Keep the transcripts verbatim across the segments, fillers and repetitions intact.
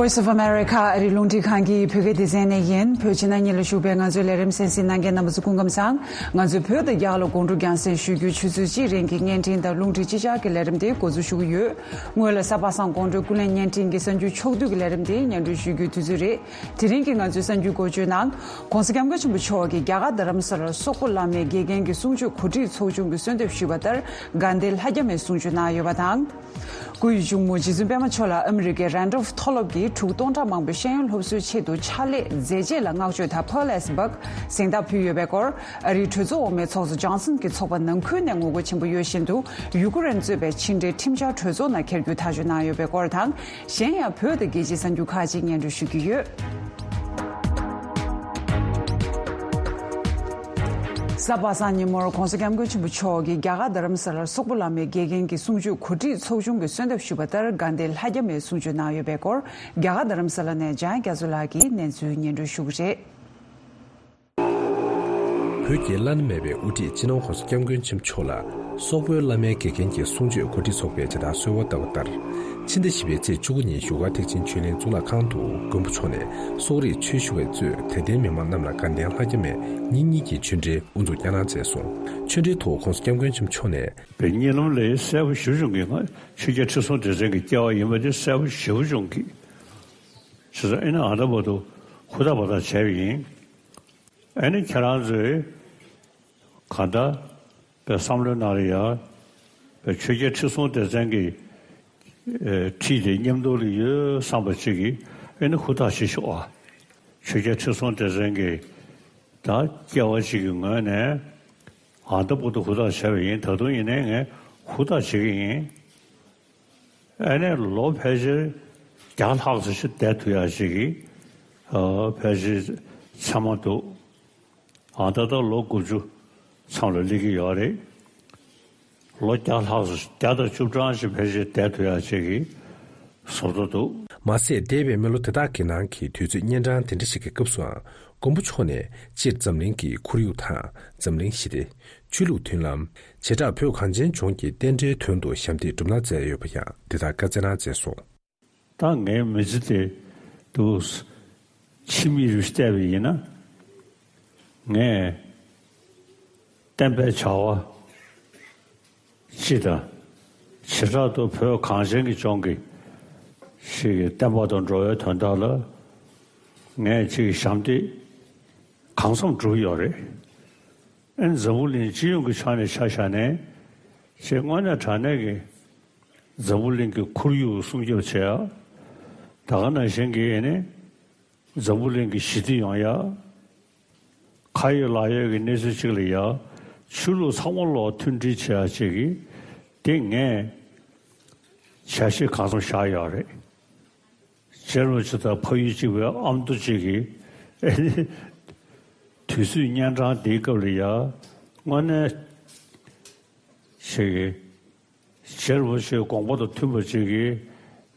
Voice of America ཨ་རིའི་རླུང་འཕྲིན་ཁང་གི་བོད་སྐད་སྡེ་ཚན་ནས་ཡིན། བོད་ཕྱི་ནང་གཉིས་ལ་བཞུགས་པའི་ང་ཚོའི་ལས་རིམ་གསན་གཟིགས་གནང་མཁན་རྣམ་པ་ཚོ་སྐུ་ཁམས་བཟང་། ང་ཚོས་བོད་དང་རྒྱ་གར་ལ་དགོང་དྲོ་རྒྱང་སྲིང་ཞུ་རྒྱུའི་ཆུ་ཚོད་གཅིག་རིང་གི་བརྙན་འཕྲིན་དང་རླུང་འཕྲིན་སྤྱི་ཆིངས་ཀྱི་ལས་རིམ་དེ་འགོ་འཛུགས་ཞུ་གི་ཡོད། སྔོན་ལ་གཟའ་པ་སངས་དགོང་དྲོའི་སྐུ་ལས་བརྙན་འཕྲིན་གྱི་གསར་འགྱུར་ཕྱོགས་བསྡུས་ཀྱི་ལས་རིམ་དེ་སྙན་སྒྲོན་ཞུ་རྒྱུའི་དུས་ཚོད་རེད། དེ་རིང་གི་ང་ཚོའི་གསར་འགྱུར་འགོ་བརྗོད་ནང་། ྋགོང་ས་ྋསྐྱབས་མགོན་ཆེན་པོ་མཆོག་གིས་རྒྱ་གར་རྡ་རམ་ས་ལར་སོག་པོ་བླ་མའི་དགེ་རྒན་གྱི་གསུང་ཆོས་གོ་སྒྲིག་ཚོགས་ཆུང་གིས་གསོལ་འདེབས་ཞུས་པ་ལྟར་དགའ་ལྡན་ལྷ་རྒྱ་མའི་གསུང་ཆོས་གནང་ཡོད་པ་དང་། སྐུའི་གཅུང་མོ་རྗེ་བཙུན་པད་མ་མཆོག་ལ་ཨ་མི་རི་ཀའི་རན་ཌོལ་མཐོ་སློབ་ཀྱིས་ཕྲུ་གུ་སྟོང་ཕྲག་མང་པོའི་ཤེས་ཡོན་སློབ་གསོའི་ཆེད་དུ་ཕྱག་ལས་མཛད་རྗེས་ལ་བསྔགས་བརྗོད་དང་Pearl S Buck གཟེངས་རྟགས་ཕུལ་ཡོད་པའི་སྐོར། ཨ་རིའི་གྲོས་ཚོགས་འོག་མའི་ཚོགས་གཙོ་ཇོན་སན་གྱི་ཚོགས་པ་ནང་ཁུལ་ནས་ངོ་རྒོལ་ཆེན་པོ་ཡོད་བཞིན་དུ། ཡུ་ཀེ་རེན་གཙོས་པའི་ཕྱི་འབྲེལ་ཁྲིམས་འཆར་གྲོས་ཚོགས་ནང་འཁྱེར་རྒྱུའི་ཐག་གཅོད་གནང་ཡོད་པའི་སྐོར་དང་། གཞན་ཡང་བོད་དང་རྒྱལ་སྤྱིའི་གསར་འགྱུར་ཁག་ཅིག་སྙན་སྒྲོན་ཞུ་གི་ཡོད། གཟའ་པ་སངས་ཉིན་མོར་ྋགོང་ས་ྋསྐྱབས་མགོན་ཆེན་པོ་མཆོག་གིས་རྒྱ་གར་རྡ་རམ་ས་ལར་སོག་པོ་བླ་མའི་དགེ་རྒན་གྱི་གསུང་ཆོས་གོ་སྒྲིག་ཚོགས་ཆུང་གིས་གསོལ་འདེབས་ཞུས་པ་ལྟར་དགའ་ལྡན་ལྷ་རྒྱ་མའི་གསུང་ཆོས་གནང་ཡོད་པའི་སྐོར། རྒྱ་གར་རྡ་རམ་ས་ལ་ནས་འཇམ་དབྱངས་རྒྱ་མཚོ་ལགས་ཀྱིས་གནས་ཚུལ་སྙན་སྒྲོན་ཞུ་གི་རེད། བོད་ཀྱི་བླ་ན་མེད་པའི་དབུ་ཁྲིད་སྤྱི་ནོར་ྋགོང་ས་ྋསྐྱབས་མགོན་ཆེན་པོ་མཆོག་ལ་སོག་པོའི་བླ་མའི་དགེ་རྒན་གྱི་གསུང་ཆོས་གོ་སྒྲིག་ཚོགས་པས་ཇི་ལྟར་གསོལ་བ་བཏབ་པ་ལྟར། ཕྱི་ཟླ་བཞི་པའི་ཚེས་བཅུ་དགུ་ཉིན་བཞུགས་སྒར་ཐེག་ཆེན་ཆོས་གླིང་གཙུག་ལག་ཁང་དུ་མགོན་པོ་མཆོག་ནས་སོག་རིགས་ཆོས་ཞུ་བས་གཙོས་དད་ལྡན་མི་མང་རྣམས་ལ་དགའ་ལྡན་ལྷ་རྒྱ་མའི་གཉིས་གཉིས་ཀྱི་ཆོས་འབྲེལ་དབུ་འཛུགས་བསྐྱངས་གནང་མཛད་སོང་། ཆོས་འབྲེལ་ཐོག་ྋགོང་ས་ྋསྐྱབས་མགོན་ཆེན་པོ་མཆོག་ནས། པའི་གཉིད་ལམ་ལས་གསལ་པོ་ཞེ་པོ་བྱུང་གི། ང་ཆོས་རྒྱལ་ཁྲི་སྲོང་ལྡེ་བཙན་གྱི་སྐྱེ་བ་ཡིན་པ་དེ་གསལ་པོ་ཞེ་པོ་བྱུང་གི། བྱས་ཙང་ཨེ་ནི་ཨ་ད་བར་དུ་ཧུར་ཐག་འབད་ཐག་བྱས་པ་ཡིན། ཨེ་ནི་ཁྱེད་རང་ཚོས་གང་ལྟར་པའི་བསམ་བློའི་ནང་ལ་ཡ། པའི་ཆོས་རྒྱལ་ཁྲི་སྲོང་ལྡེ་བཙན་གྱི་ཨེ་ཁྲིད་དེ་མཉམ་དུ་ལ་ཡོད་བསམ་པ་ཅིག་གིས་ཨེ་ནི་ཧུར་ཐག་བྱེད་ཤོག་ཨ། ཆོས་རྒྱལ་ཁྲི་སྲོང་ལྡེ་བཙན་གྱི་ད་སྐྱེ་བ་ཅིག་གི་ངོས་ནས་ཨ་ད་བར་དུ་ཧུར་ཐག་བྱས་པ་ཡིན། ད་དུང་ཡིན་ནའི་ངས་ཧུར་ཐག་བྱེད་ཀྱི་ཡིན། ཨ་ནི་ལོ་ཕལ་ཆེར་བརྒྱ་ལྷག་ཙམ་ཞིག་བསྡད་ཐུབ་ཡག་ཅིག་གི་ཨ་ཕལ་ཆེར་མཚན་མ་འདུག་ཨ་ད་ལྟ་ལོ་དགུ་བཅུ་མཚམས་ལ་སླེབས་ཀྱི་ཡོད་རེད། ལོ་བརྒྱ་ལྷག་ཙམ་བརྒྱ་དང་བཅུ་གྲངས་ཤིག་ཕལ་ཆེར་བསྡད་ཐུབ་ཡག་ཅིག་གི་བཟོ་འདྲ་འདུག་མ་ཟད་འདས་པའི་མི་ལོ་དེ་དག་གི་ནང་གི་དུས་ཚོད་གཉན་འཕྲང་དེ་འདྲ་ཞིག་གི་སྐབས་སུའང་མགོན་པོ་མཆོག་ནས་སྤྱིར་འཛམ་གླིང་གི་ཁོར་ཡུག་དང་འཛམ་གླིང་ཞི་བདེ། ཆོས་ལུགས་མཐུན་ལམ། བྱེ་བྲག་བོད་གངས་ཅན་ལྗོངས་ཀྱི་རྟེན་འབྲེལ་དོན་དུ་ཞབས་འདེགས་བསྒྲུབས་གནང་མཛད་ཡོད་པ་ཡང་འདི་ལྟར་བཀའ་སྩལ་གནང་མཛད་སོང་། ད་ངའི་མི་ཚེ་དེ་དུ་ཕྱི་མིག་རུ་བལྟས་པ་ཡིན་ན། ངས་བསྟན་པའི་བྱ་བ་སྤྱི་དང་། བྱེ་བྲག་ཏུ་བོད་གངས་ཅན་གྱི་ལྗོངས་ཀྱི་ཞིག་གི་བསྟན་པ་དང་འགྲོ་བའི་དོན་དག་ལ་ངས་ཅིག་ཞབས་འདེགས་གང་འཚམ་བསྒྲུབས་ཡོད་རེད། ཨ་ནི་འཛམ་བུ་གླིང་སྤྱི་ཡོངས་ཀྱི་ཕྱོགས་ནས་ཆ་བཞག་ནས་ཅིག་དངོས་གནས་དྲང་གནས་ཀྱི་འཛམ་བུ་གླིང་གི་ཁོར་ཡུག་སྲུང་སྐྱོབ་བྱེད་ཡ། ད་ག་ནང་བཞིན་གྱི་ཨ་ནི་འཛམ་བུ་གླིང་གི་ཞི་བདེ་ཡོང་ཡ། ཁ་ཡོད་ལག་ཡོད་ཀྱི་གནས་ཚུལ་ཅིག་ལ་ཡ། ཆོས་ལུགས་ཚང་མ་ལོག་མཐུན་སྒྲིལ་བྱེད་ཡ་ཅིག་གི་དེ་ངས་བྱ་གཞི་གང་འཚམ་བཞག་ཡོད་རེད། རྗེ་རིན་པོ་ཆེ་དང་ཕ་ཡུལ་གཅིག་པའི་ཨ་མདོ་གཅིག་གི་ཨེ་ནི་དུས་ཚོད་གཉན་འཕྲང་འདིའི་སྐབས་ལ་ཡ། དངོས་གནས་ཞིག་གི་རྗེ་རིན་པོ་ཆེའི་དགོངས་པ་དང་མཐུན་པ་ཅིག་གི་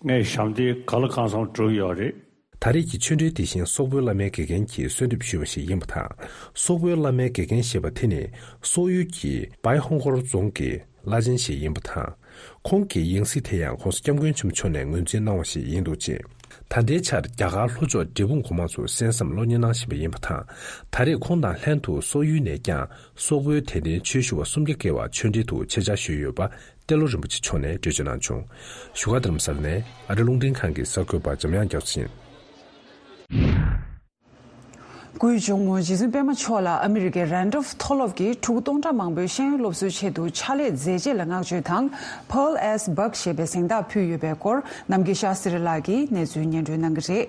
ངས་ཞབས་འདེགས་ག་ལ་གང་འཚམ་བསྒྲུབས་ཡོད་རེད། ད་རེས་ཀྱི་ཆོས་འབྲེལ་དེ་བཞིན་སོག་པོའི་བླ་མའི་དགེ་རྒན་གྱིས་གསོལ་འདེབས་ཞུས་པ་ཞིག་ཡིན་པ་དང་། སོག་པོའི་བླ་མའི་དགེ་རྒན་ཞེས་པ་དེ་ནི་སོག་ཡུལ་གྱི་བའི་ཧོང་ཀོར་རྫོང་གི་བླ་ཆེན་ཞིག་ཡིན་པ་དང་། ཁོང་གི་ཡང་སྲིད་དེ་ཡང་ྋགོང་ས་ྋསྐྱབས་མགོན་ཆེན་པོ་མཆོག་ནས་ངོས་འཛིན་གནང་བ་ཞིག་ཡིན་འདུག་ཅེས། ད་ལྟའི་ཆར་རྒྱ་གར་ལྷོ་ཕྱོགས་འབྲས་སྤུངས་གོང་མ་ཚོ་གསན་བསམ་བློ་སྙིང་གནང་བཞིན་པ་ཡིན་པ་དང་། ད་རེས་ཁོང་དང་ལྷན་དུ་སོག་ཡུལ་ནས་ཀྱང་སོག་པོའི་དད་ལྡན་ཆོས་ཞུ་བ་སུམ་བརྒྱ་བརྒལ་བ་ཆོས་འབྲེལ་དུ་ཆེད་བཅར་ཞུས་ཡོད་པ་ཏེ་ལོ་རིན་པོ་ཆེ་མཆོག་ནས་འགྲེལ་བརྗོད་གནང་བྱུང་། བཞུགས་སྒར་རྡ་རམ་ས་ལ་ནས་ཨ་རི་རླུང་འཕྲིན་ཁང་གི་གསར་འགོད་པ་འཇམ་དབྱངས་རྒྱ་མཚོ་ཡིན། སྐུའི་གཅུང་མོ་རྗེ་བཙུན་པད་མ་མཆོག་ལ་ཨ་མི་རི་ཀའི་རན་ཌོལ་མཐོ་སློབ་ཀྱིས་ཕྲུ་གུ་སྟོང་ཕྲག་མང་པོའི་ཤེས་ཡོན་སློབ་གསོའི་ཆེད་དུ་ཕྱག་ལས་མཛད་རྗེས་ལ་བསྔགས་བརྗོད་དང་། Pearl S Buck ཞེས་པའི་གཟེངས་རྟགས་ཕུལ་ཡོད་པའི་སྐོར། ནམ་མཁའི་ཤར་སེ་རི་ལགས་ཀྱིས་གནས་ཚུལ་སྙན་སྒྲོན་གནང་གི་རེད།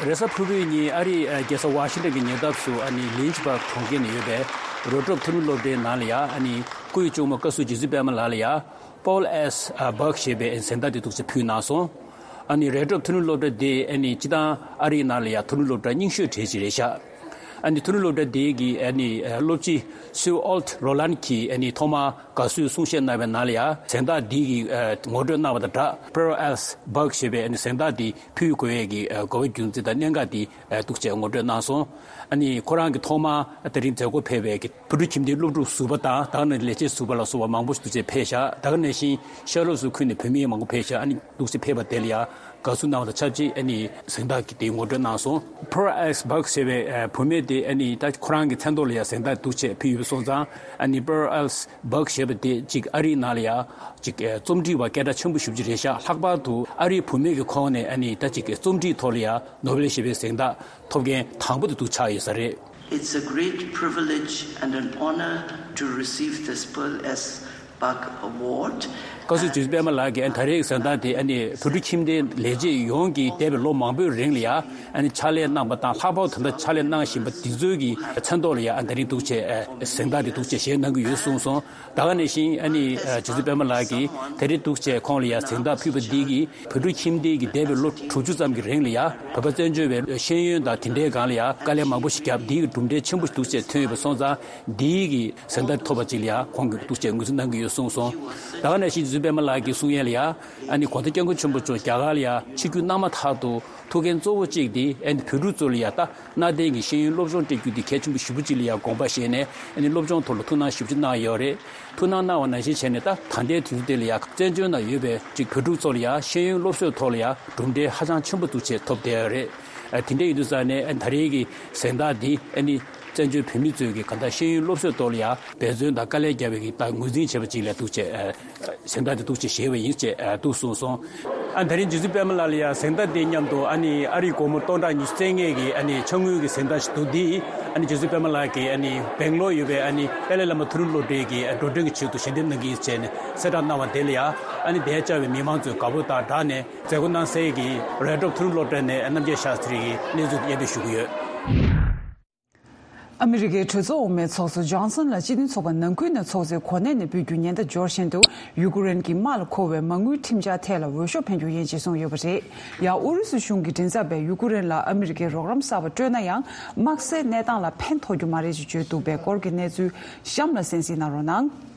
རེས་གཟའ་ཕུར་བུའི་ཉིན་ཨ་རིའི་རྒྱལ་ས་ཝ་ཤིང་ཊོན་གྱི་ཉེ་འདབས་སུ་ཨ་ནི་ལིན་ཆི་བྷག་གྲོང་ཁྱེར་ནང་ཡོད་པའི་རོ་ཊོབ་མཐོ་རིམ་སློབ་གྲྭའི་ནང་ལ་ཡ། ཨ་ནི་སྐུའི་གཅུང་མོ་བཀའ་ཟུར་རྗེ་བཙུན་པད་མ་ལགས་ལ་ཡ། Pearl S Buck ཞེས་པའི་གཟེངས་རྟགས་དེ་འདུག་སེ་ཕུལ་གནང་སོང་། ཨ་ནི་རོ་ཊོབ་མཐོ་རིམ་སློབ་གྲྭ་དེ་ཨ་ནི་སྤྱིར་བཏང་ཨ་རིའི་ནང་ལ་ཡ་མཐོ་རིམ་སློབ་གྲྭ་རྙིང་ཤོས་གྲས་ཅིག་རེད་ཤག་ཨ་ནི་མཐོ་རིམ་སློབ་གྲྭ་དེ་གི་ཨ་ནི་སློབ་སྤྱི་སུའུ་ཨོལ་ཊི་རོ་ལན་གྱིས་ཨ་ནི་ཐོག་མར་དགའ་བསུའི་གསུང་བཤད་གནང་བའི་ནང་ལ་ཡང་གཟེངས་རྟགས་འདི་གི་ངོ་སྤྲོད་གནང་བ་དང་སྦྲགས། Pearl Else Buck ཞེས་པའི་ཨ་ནི་གཟེངས་རྟགས་འདི་ཕུལ་དགོས་ཡས་ཀྱི་དགོས་པ་རྒྱུ་མཚན་དང་གནད་འགག་འདི་འདུག་ཅེས་ངོ་སྤྲོད་གནང་སོང་། ཨ་ནི་ཁོ་རང་གིས་ཐོག་མར་དེ་རིང་མཛད་སྒོ་ཕེབས་པའི་བོད་ཕྲུག་ཁྱིམ་སྡེའི་སློབ་ཕྲུག་ཟུར་པ་དང་ད་ག་ནང་ལས་བྱེད་ཟུར་པ་ལ་སོགས་པ་མང་པོ་ཞིག་འདུག་ཅེས་ཕེབས་ཤག་ད་ག་ནང་བཞིན་ཤར་ཕྱོགས་སུ་ཁུལ་ནས་བུད་མེད་མང་པོ་ཕེབས་ཤག་ཨ་ནི་འདུག་ཅེས་ཕེབས་པ་དེ་ལ་ཡང་དགའ་བསུ་གནང་བ་དང་ཆབས་ཅིག་ཨ་ནི་གཟེངས་རྟགས་ཀྱི་དེའི་ངོ་སྤྲོད་གནང་སོང་། Pearl Else Buck ཞེས་པའི་བུད་མེད་དེ་ཨ་ནི་ད་ཁོ་རང་གི་མཚན་ཐོག་ལ་ཡང་གཟེངས་རྟགས་འདུག་ཅེས་ཕུལ་ཡོད་པ་སོང་ཙང་། ཨ་ནི་Pearl Else Buck ཞེས་པ་དེ་གཅིག་ཨ་རིའི་ནང་ལ་ཡང་གཅིག་རྩོམ་སྒྲིག་པ་སྐད་གྲགས་ཆེན་པོ་ཞེ་པོ་ཅིག་རེད་ཤག་ལྷག་པར་དུ་ཨ་རིའི་བུད་མེད་ཀྱི་ཁོངས་ནས་ཨ་ནི་ད་གཅིག་རྩོམ་སྒྲིག་ཐོག་ལ་ཡང་ནོ་བེལ་ཞེས་པའི་གཟེངས་རྟགས་ཐོབ་མཁན་དང་པོ་དེ་འདུག་ཆགས་ཡོད་ས་རེད། It's a great privilege and an honor to receive this Pearl Else Buck Award. བཀའ་ཟུར་རྗེ་བཙུན་པད་མ་ལགས་ཀྱིས་ཨ་ནི་ད་རེས་ཀྱི་གཟེངས་རྟགས་དེ་ཨ་ནི་བོད་ཕྲུག་ཁྱིམ་སྡེའི་ལས་བྱེད་ཡོངས་ཀྱིས་འདས་པའི་ལོ་མང་པོའི་རིང་ལ་ཡང་ཨ་ནི་ཕྱག་ལས་གནང་པ་དང་ལྷག་པར་དུ་ད་ལྟ་ཕྱག་ལས་གནང་བཞིན་པ་དེ་ཚོའི་གི་མཚན་ཐོག་ལ་ཡང་ཨ་ད་རིང་འདུག་ཅེས་གཟེངས་རྟགས་དེ་འདུག་ཅེས་བཞེས་གནང་གི་ཡོད་གསུངས་སོང་། ད་ག་ནང་བཞིན་ཨ་ནི་རྗེ་བཙུན་པད་མ་ལགས་ཀྱིས་ད་རེས་འདུག་ཅེས་ཁོང་ལ་ཡང་གཟེངས་རྟགས་ཕུལ་བ་འདི་གིས་བོད་ཕྲུག་ཁྱིམ་སྡེ་གི་འདས་པའི་ལོ་དྲུག་ཅུ་ཙམ་གྱི་རིང་ལ་ཡང་བོད་པ་བཙན་བྱོལ་བའི་ཤེས་ཡོན་དང་དེ་འདྲའི་སྒང་ལ་ཡང་དཀའ་ལས་མང་པོ་ཞིག་བརྒྱབ་འདི་གི་གྲུབ་འབྲས་ཆེན་པོ་ཞིག་འདུག་ཅེས་ཐོན་ཡོད་པ་སོང་ཙང་འདི་གི་གཟེངས་རྟགས་ཐོབ་པ་ཅིག་ལ་ཡང་ཁོང་གིས་འདུག་ཅེས་ངོས་འཛིན་གནང་གི་ཡོད་གསུངས་སོང་། ད་ག་ནང་བཞིན་རྗེ་བཙུན་པད་མ་ལགས་ཀྱིས་གསུང་ཡས་ལ་ཡང་ཨ་ནི་གོང་ས་སྐྱབས་མགོན་ཆེན་པོ་མཆོག་རྒྱ་གར་ལ་ཡང་ཆིབས་བསྒྱུར་གནང་མ་ཐག་ཏུ་ཐུགས་འགན་གཙོ་བོ་གཅིག་དེ་ཨ་ནི་བོད་ཕྲུག་ཚོ་ལ་ཡང་ད་གནའ་དེང་གི་ཤེས་ཡོན་སློབ་སྦྱོང་སྤྲད་རྒྱུ་དེ་གལ་ཆེན་པོ་ཞེ་པོ་ཅིག་ལ་ཡང་དགོངས་པ་བཞེས་ནས་ཨ་ནི་སློབ་སྦྱོང་ཐོག་ལ་ཐུགས་སྣང་ཞེ་པོ་ཅིག་གནང་ཡོད་རེད། ཐུགས་སྣང་གནང་བ་ནང་བཞིན་བྱས་ནས་ད་ད་ལྟའི་དུས་ཚོད་དེ་ལ་ཡང་བཙན་བྱོལ་ནང་ཡོད་པའི་གཅིག་བོད་ཕྲུག་ཚོ་ལ་ཡང་ཤེས་ཡོན་སློབ་གསོའི་ཐོག་ལ་ཡང་གྲུབ་འབྲས་ཧ་ཅང་ཆེན་པོ་འདུག་ཅེས་ཐོབ་བསྡད་ཡོད་རེད། ཨ་དེ་འདྲ་ཡིན་དུས་ཙང་ནས་ཨ་ད་རེས་ཀྱི་གཟེངས་རྟགས་འདི་ཨ་ནི་བཙན་བྱོལ་བོད་མི་ཚོས་ཀྱི་གང་ལྟར་ཤེས་ཡོན་སློབ་གསོའི་ཐོག་ལ་ཡང་འབད་བརྩོན་དང་དཀའ་ལས་བརྒྱབ་པའི་གི་ད་ངོས་འཛིན་བྱས་པ་ཅིག་ལ་འདུག་ཅེས་ཨ། གཟེངས་རྟགས་དེ་འདུག་ཅེས་བཞེས་པ་ཡིན་ཅེས་འདུག་གསུངས་སོང་། ཨ་ད་རིང་རྗེ་བཙུན་པད་མ་ལགས་ལ་ཡང་གཟེངས་རྟགས་དེ་མཉམ་དུ་ཨ་ནི་ཨ་རིའི་སྒོར་མོ་སྟོང་ཕྲག་ཉི་ཤུ་རྩ་ལྔའི་གི་ཨ་ནི་ཕྱག་དངུལ་གྱི་གཟེངས་རྟགས་ཤིག་འདུག་འདི་ཨ་ནི་རྗེ་བཙུན་པད་མ་ལགས་ཀྱིས་ཨ་ནི་སྦེང་ལོར་ཡོད་པའི་ཨ་ནི་ཏཱ་ལའི་བླ་མ་མཐོ་རིམ་སློབ་གྲྭའི་གི་འགྲོ་གྲོན་གྱི་ཆེད་དུ་ཞལ་འདེབས་གནང་གི་ཡིན་ཟེར་ནས་གསལ་བསྒྲགས་གནང་བ་དེ་ལ་ཡང་ཨ་ནི་དེར་བཅར་བའི་མི་མང་ཚོས་དགའ་པོ་དང་སྦྲགས་ནས་མཛད་སྒོ་གནང་སའི་གི་རེད་ཊོབ་མཐོ་རིམ་སློབ་གྲྭ་ནས་རྣམ་རྒྱལ་ཤཱ་སྟྲི་ཡིས་གནས་ཚུལ་དེ་སྙན་སྒྲོན་ཞུ་གི་ཡོད། ཨ་མི་རི་ཀའི་གྲོས་ཚོགས་འོག་མའི་ཚོགས་གཙོ་ཇོན་སན་ལ་སྤྱི་མཐུན་ཚོགས་པ་ནང་ཁུལ་ནས་ཚོགས་གཙོའི་གོ་གནས་ནས་ཕུད་རྒྱུའི་ཉེན་བརྡ་འབྱོར་བཞིན་དུ། ཡུ་ཀེ་རེན་གྱི་དམག་ལ་མཁོ་བའི་མ་དངུལ་ཁྲིམས་འཆར་ཐད་ལ་འོས་ཤོག་འཕེན་རྒྱུ་ཡིན་ཅེས་གསུངས་ཡོད་པ་རེད། ཡང་ཨུ་རུ་སུ་གཞུང་གི་མགྲིན་ཚབ་པས་ཡུ་ཀེ་རེན་ལ་ཨ་མི་རི་ཀའི་རོགས་རམ་གསར་པ་སྤྲོད་ན་ཡང་། དམག་སའི་གནས་སྟངས་ལ་ཕན་ཐོགས་རྒྱུ་མ་རེད་ཅེས་བརྗོད་འདུག་པའི་སྐོར་གྱི་གནས་ཚུལ་གཤམ་ལ་གསན་གཟིགས་གནང་རོགས་གནང་།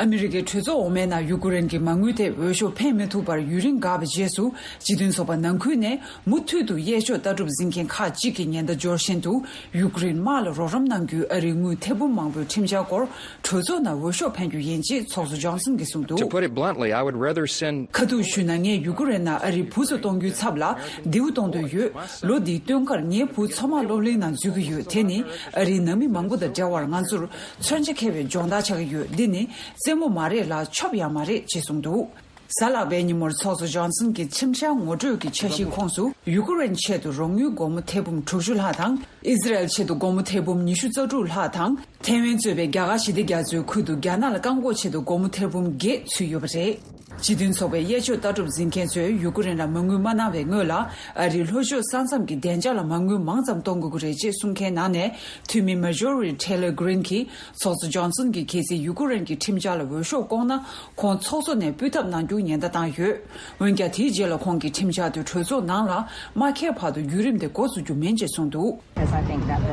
ཨ་མི་རི་ཀའི་གྲོས་ཚོགས་འོག་མའི་ནང་ཡུ་ཀེ་རེན་གྱི་མ་དངུལ་ཐད་འོས་ཤོག་འཕེན་མི་ཐུབ་པར་ཡུན་རིང་འགག་པའི་རྗེས་སུ། སྤྱི་མཐུན་ཚོགས་པ་ནང་ཁུལ་ནས་མུ་མཐུད་དུ་གཡས་ཕྱོགས་ལྟ་གྲུབ་འཛིན་མཁན་ཁག་ཅིག་གིས་ཉེན་བརྡ་འབྱོར་བཞིན་དུ། ཡུ་ཀེ་རེན་དམག་ལ་རོགས་རམ་གནང་རྒྱུའི་ཨ་རིའི་དངུལ་ཐེར་འབུམ་མང་པོའི་ཁྲིམས་འཆར་སྐོར་གྲོས་ཚོགས་ནང་འོས་ཤོག་འཕེན་རྒྱུ་ཡིན་ཅེས་ཚོགས་གཙོ་ཇོན་སན་གྱིས་གསུངས་འདུག། To put it bluntly, I would rather send ཁ་ཐུག་ཞུས་ན། ངས་ཡུ་ཀེ་རེན་ནང་ཨ་རིའི་བུ་ཚོ་གཏོང་རྒྱུའི་ཚབ་ལ་མདེའུ་གཏོང་འདོད་ཡོད། ལོ་འདིའི་སྟོན་ཁར་ངའི་བུ་མཚོ་དམག་སློབ་གླིང་ནང་འཛུལ་གྱི་ཡོད། དེ་ནི་ཨ་རིའི་ནང་མི་མང་པོ་དང་འདྲ་བར་ང་ཚོར་མཚོན་ཆ་འཁྱེར་བའི་སྦྱོང་བརྡར་ཆགས་ཀྱི་ཡོད། འདི་ནི་རྩེད་མོ་མ་རེད་ལ་ཆོབ་ཡང་མ་རེད་ཅེས་གསུངས་འདུག། གཟའ་ལྷག་པའི་ཉིན་མོར་ཚོགས་གཙོ་ཇོན་སན་གྱི་ཁྲིམས་འཆར་ངོ་སྤྲོད་ཀྱི་འཆར་གཞིའི་ཁོངས་སུ། ཡུ་ཀེ་རེན་ཆེད་དུ་རོགས་དངུལ་སྒོར་མོ་ཐེར་འབུམ་དྲུག་ཅུ་ལྷག་དང་། ཨི་ཟི་རལ་ཆེད་དུ་སྒོར་མོ་ཐེར་འབུམ་ཉི་ཤུ་རྩ་དྲུག་ལྷག་དང་། ཐའེ་ཝན་གཙོས་པའི་རྒྱ་གར་ཞི་བདེ་རྒྱ་མཚོའི་ཁུལ་དུ་རྒྱ་ནག་ལ་བཀག་འགོག་ཆེད་དུ་སྒོར་མོ་ཐེར་འབུམ་བརྒྱད་ཚུད་ཡོད་པ་རེད། སྤྱི་མཐུན་ཚོགས་པའི་གཡས་ཕྱོགས་ལྟ་གྲུབ་འཛིན་མཁན་ཚོས་ཡུ་ཀེ་རེན་ལ་མ་དངུལ་མ་གནང་བའི་སྔོན་ལ། ཨ་རིའི་ལྷོ་ཕྱོགས་ས་མཚམས་ཀྱི་བདེ་འཇགས་ལ་མ་དངུལ་མང་ཙམ་གཏོང་དགོས་ཀྱི་རེད་ཅེས་གསུང་མཁན་ནང་ནས། འཐུས་མི་མར་ཇོ་རི་ཊེ་ལར་གྷི་རིན་གྱིས། ཚོགས་གཙོ་ཇོན་སན་གྱིས་གལ་སྲིད་ཡུ་ཀེ་རེན་གྱི་ཁྲིམས་འཆར་ལ་འོས་ཤོག་བཀོག་ན། ཁོང་ཚོགས་གཙོ་ནས་སྤུས་ཐབས་གནང་རྒྱུ་ཉེན་བརྡ་བཏང་ཡོད། འོན་ཀྱང་། དེའི་རྗེས་ལ་ཁོང་གིས་ཁྲིམས་འཆར་དེ་གྲོས་ཚོགས་ནང་ལ་མ་འཁྱེར་བར་དུ་བརྒྱུད་རིམ་དེ་འགོ་འཛུགས་རྒྱུ་མིན་ཅེས་གསུངས་འདུག།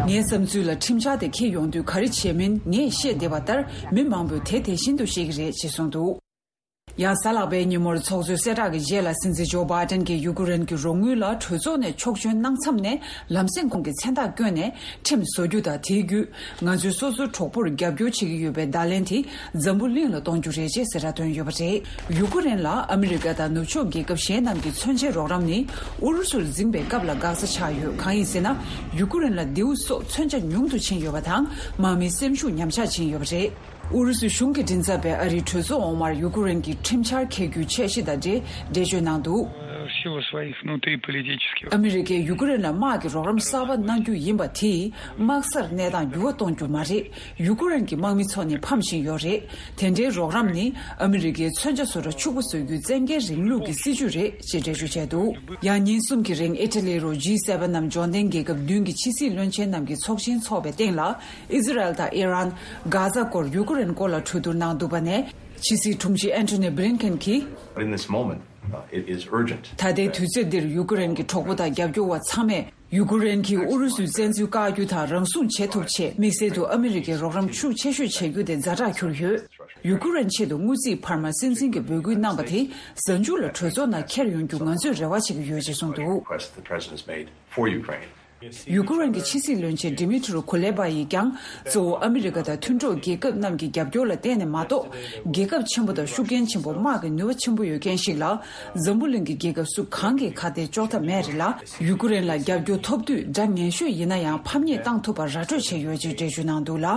ངའི་བསམ་ཚུལ་ལ་ཁྲིམས་འཆར་དེ་འཁྱེར་ཡོང་དུས་ག་རེ་བྱས་མིན་ངས་ཤེས་བསྡད་པ་ལྟར། མི་མང་པོས་དེ་དེ་བཞིན་དུ་ཤེས་ཀྱི་རེད་ཅེས་གསུངས་འདུག། ཡང་། གཟའ་ལྷག་པའི་ཉིན་མོར་ཚོགས་གཙོའི་གསལ་བསྒྲགས་ཀྱི་རྗེས་ལ། སྲིད་འཛིན་ཇོ་བྷའི་ཌེན་གྱིས་ཡུ་ཀེ་རེན་གྱི་རོགས་དངུལ་ལ་གྲོས་ཚོགས་ནས་ཆོག་མཆན་གནང་མཚམས་ནས། ལམ་སེང་ཁོང་གི་མཚན་རྟགས་བསྐྱོན་ནས། ཁྲིམས་བཟོ་རྒྱུ་དང་། དེའི་བརྒྱུད་ང་ཚོས་སོ་སོའི་གྲོགས་པོར་རྒྱབ་སྐྱོར་བྱེད་ཀྱི་ཡོད་པའི་བརྡ་ལན་དེ་འཛམ་བུ་གླིང་ལ་གཏོང་རྒྱུ་རེད་ཅེས་གསལ་བསྒྲགས་བཏོན་ཡོད་པ་རེད། ཡུ་ཀེ་རེན་ལ་ཨ་མི་རི་ཀ་དང་ནུབ་ཕྱོགས་རྒྱལ་ཁབ་གཞན་རྣམས་ཀྱི་མཚོན་ཆའི་རོགས་རམ་ནི། ཨུ་རུ་སུར་འཛིངས་པའི་སྐབས་ལ་འགག་རྩ་ཆགས་ཡོད། གང་ཡིན་ཟེར་ན། ཡུ་ཀེ་རེན་ལ་མདེའུ་སོགས་མཚོན་ཆ་ཉུང་དུ་ཕྱིན་ཡོད་པ་དང་། དམག་མིའི་སེམས་ཤུགས་ཉམས་ཆག་ཕྱིན་ཡོད་པ་རེད། ཨུ་རུ་སུ་གཞུང་གི་མགྲིན་ཚབ་པས་ཨ་རིའི་གྲོས་ཚོགས་འོག་མར་ཡུ་ཀེ་རེན་གྱི་ཁྲིམས་འཆར་འཁྱེར་རྒྱུའི་འཆར་གཞི་དང་འབྲེལ་འགྲེལ་བརྗོད་གནང་འདུག། В силу своих внутриполитических ཨ་མི་རི་ཀས་ཡུ་ཀེ་རེན་ལ་དམག་གི་རོགས་རམ་གསར་པ་གནང་རྒྱུ་ཡིན་པ་དེས་དམག་སར་གནས་སྟངས་འགྱུར་བ་གཏོང་རྒྱུ་མ་རེད། ཡུ་ཀེ་རེན་གྱི་དམག་མི་ཚོ་ནི་ཕམ་བཞིན་ཡོད་རེད། དེ་འདྲའི་རོགས་རམ་ནི་ཨ་མི་རི་ཀའི་མཚོན་ཆ་བཟོ་གྲྭ་ཕྱུག་པོ་བཟོ་རྒྱུའི་བཙན་རྒྱལ་རིང་ལུགས་ཀྱི་སྲིད་ཇུས་རེད་ཅེས་འགྲེལ་བརྗོད་བྱས་འདུག། ཡང་ཉིན་གསུམ་གྱི་རིང་ཨི་ཊ་ལི་རུ་ཇི་སེ་ཝེན་ནམ་འབྱོར་ལྡན་རྒྱལ་ཁབ་བདུན་གྱི་ཕྱི་སྲིད་བློན་ཆེན་རྣམས་ཀྱི་ཚོགས་ཆེན་འཚོགས་པའི་སྟེང་ལ། ཨི་ཟི་རལ་དང་ཨི་རན། གྷ་ཛ་སྐོར་ཡུ་ཀེ་རེན་སྐོར་ལ་གྲོས་བསྡུར་གནང་འདུག་པ་ནས། ཕྱི་སྲིད་དྲུང་ཆེ་ཨན་ཐོ་ནི་བྷི་ལིན་ཁེན་གྱིས། But in this moment, uh, it is urgent. ད་ལྟའི་དུས་ཚོད་འདིར་ཡུ་ཀེ་རེན་གྱི་གྲོགས་པོ་དང་རྒྱབ་སྐྱོར་བ་ཚང་མས་ ཡུ་ཀེ་རེན་གྱིས་ཨུ་རུ་སུའི་བཙན་འཛུལ་བཀག་རྒྱུ་དང་རང་སྲུང་བྱེད་ཐུབ་ཆེད་དམིགས་བསལ་དུ་ཨ་མི་རི་ཀའི་རོགས་རམ་ཤུགས་ཆེ་ཤོས་བྱེད་རྒྱུ་དེ་ཛ་དྲག་གྱུར་ཡོད། ཡུ་ཀེ་རེན་ཆེད་དུ་དངུལ་རྩིས་འཕར་མ་སྲིད་འཛིན་གྱིས་འབོད་སྐུལ་གནང་པ་དེ་གཟའ་མཇུག་ལ་གྲོས་ཚོགས་ནང་འཁྱེར་ཡོང་རྒྱུ་ང་ཚོས་རེ་བ་བྱེད་ཀྱི་ཡོད་ཅེས་གསུངས་འདུག། Request the president has made for Ukraine. ཡུ་ཀེ་རེན་གྱི་ཕྱི་སྲིད་བློན་ཆེན་ཌི་མི་ཏྲོ་ཁུ་ལེ་བྷ་ཡིས་ཀྱང་གཙོ་བོ་ཨ་མི་རི་ཀ་དང་མཐུན་གྲོགས་རྒྱལ་ཁབ་རྣམས་ཀྱི་རྒྱབ་སྐྱོར་ལ་བརྟེན་ནས་མ་གཏོགས། རྒྱལ་ཁབ་ཆེན་པོ་དང་ཤུགས་རྐྱེན་ཆེན་པོ་དམག་གི་ནུས་པ་ཆེན་པོ་ཡོད་མཁན་ཞིག་ལ་འཛམ་བུ་གླིང་གི་རྒྱལ་ཁབ་སུ་གང་གིས་ཁ་གཏད་གཅོག་ཐབས་མེད་རེད་ལ། ཡུ་ཀེ་རེན་ལ་རྒྱབ་སྐྱོར་ཐོབ་དུས་སྒྲ་ངན་ཤོས་ཡིན་ན་ཡང་ཕམ་ཉེས་བཏང་ཐུབ་པར་ར་སྤྲོད་བྱས་ཡོད་ཅེས་འགྲེལ་བརྗོད་གནང་འདུག་ལ།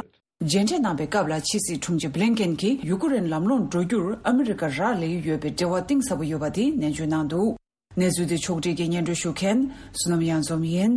མཇལ་འཕྲད་གནང་པའི་སྐབས་ལ་ཕྱི་སྲིད་དྲུང་ཆེ་བྷི་ལིན་ཀེན་གྱིས་ཡུ་ཀེ་རེན་ལམ་ལྷོང་འགྲོ་རྒྱུར་ཨ་མི་རི་ཀ་རག་ལས་ཀྱི་ཡོད་པའི་འབྲེལ་བ་གཏིང་ཟབ་པོ་ཡོད་པ་དེ་ནན་བརྗོད་གནང་འདུག། གནས་ཚུལ་དེ་ཕྱོགས་སྒྲིག་གིས་སྙན་སྒྲོན་ཞུ་མཁན་བསོད་ནམས་གཡང་འཛོམས་ཡིན།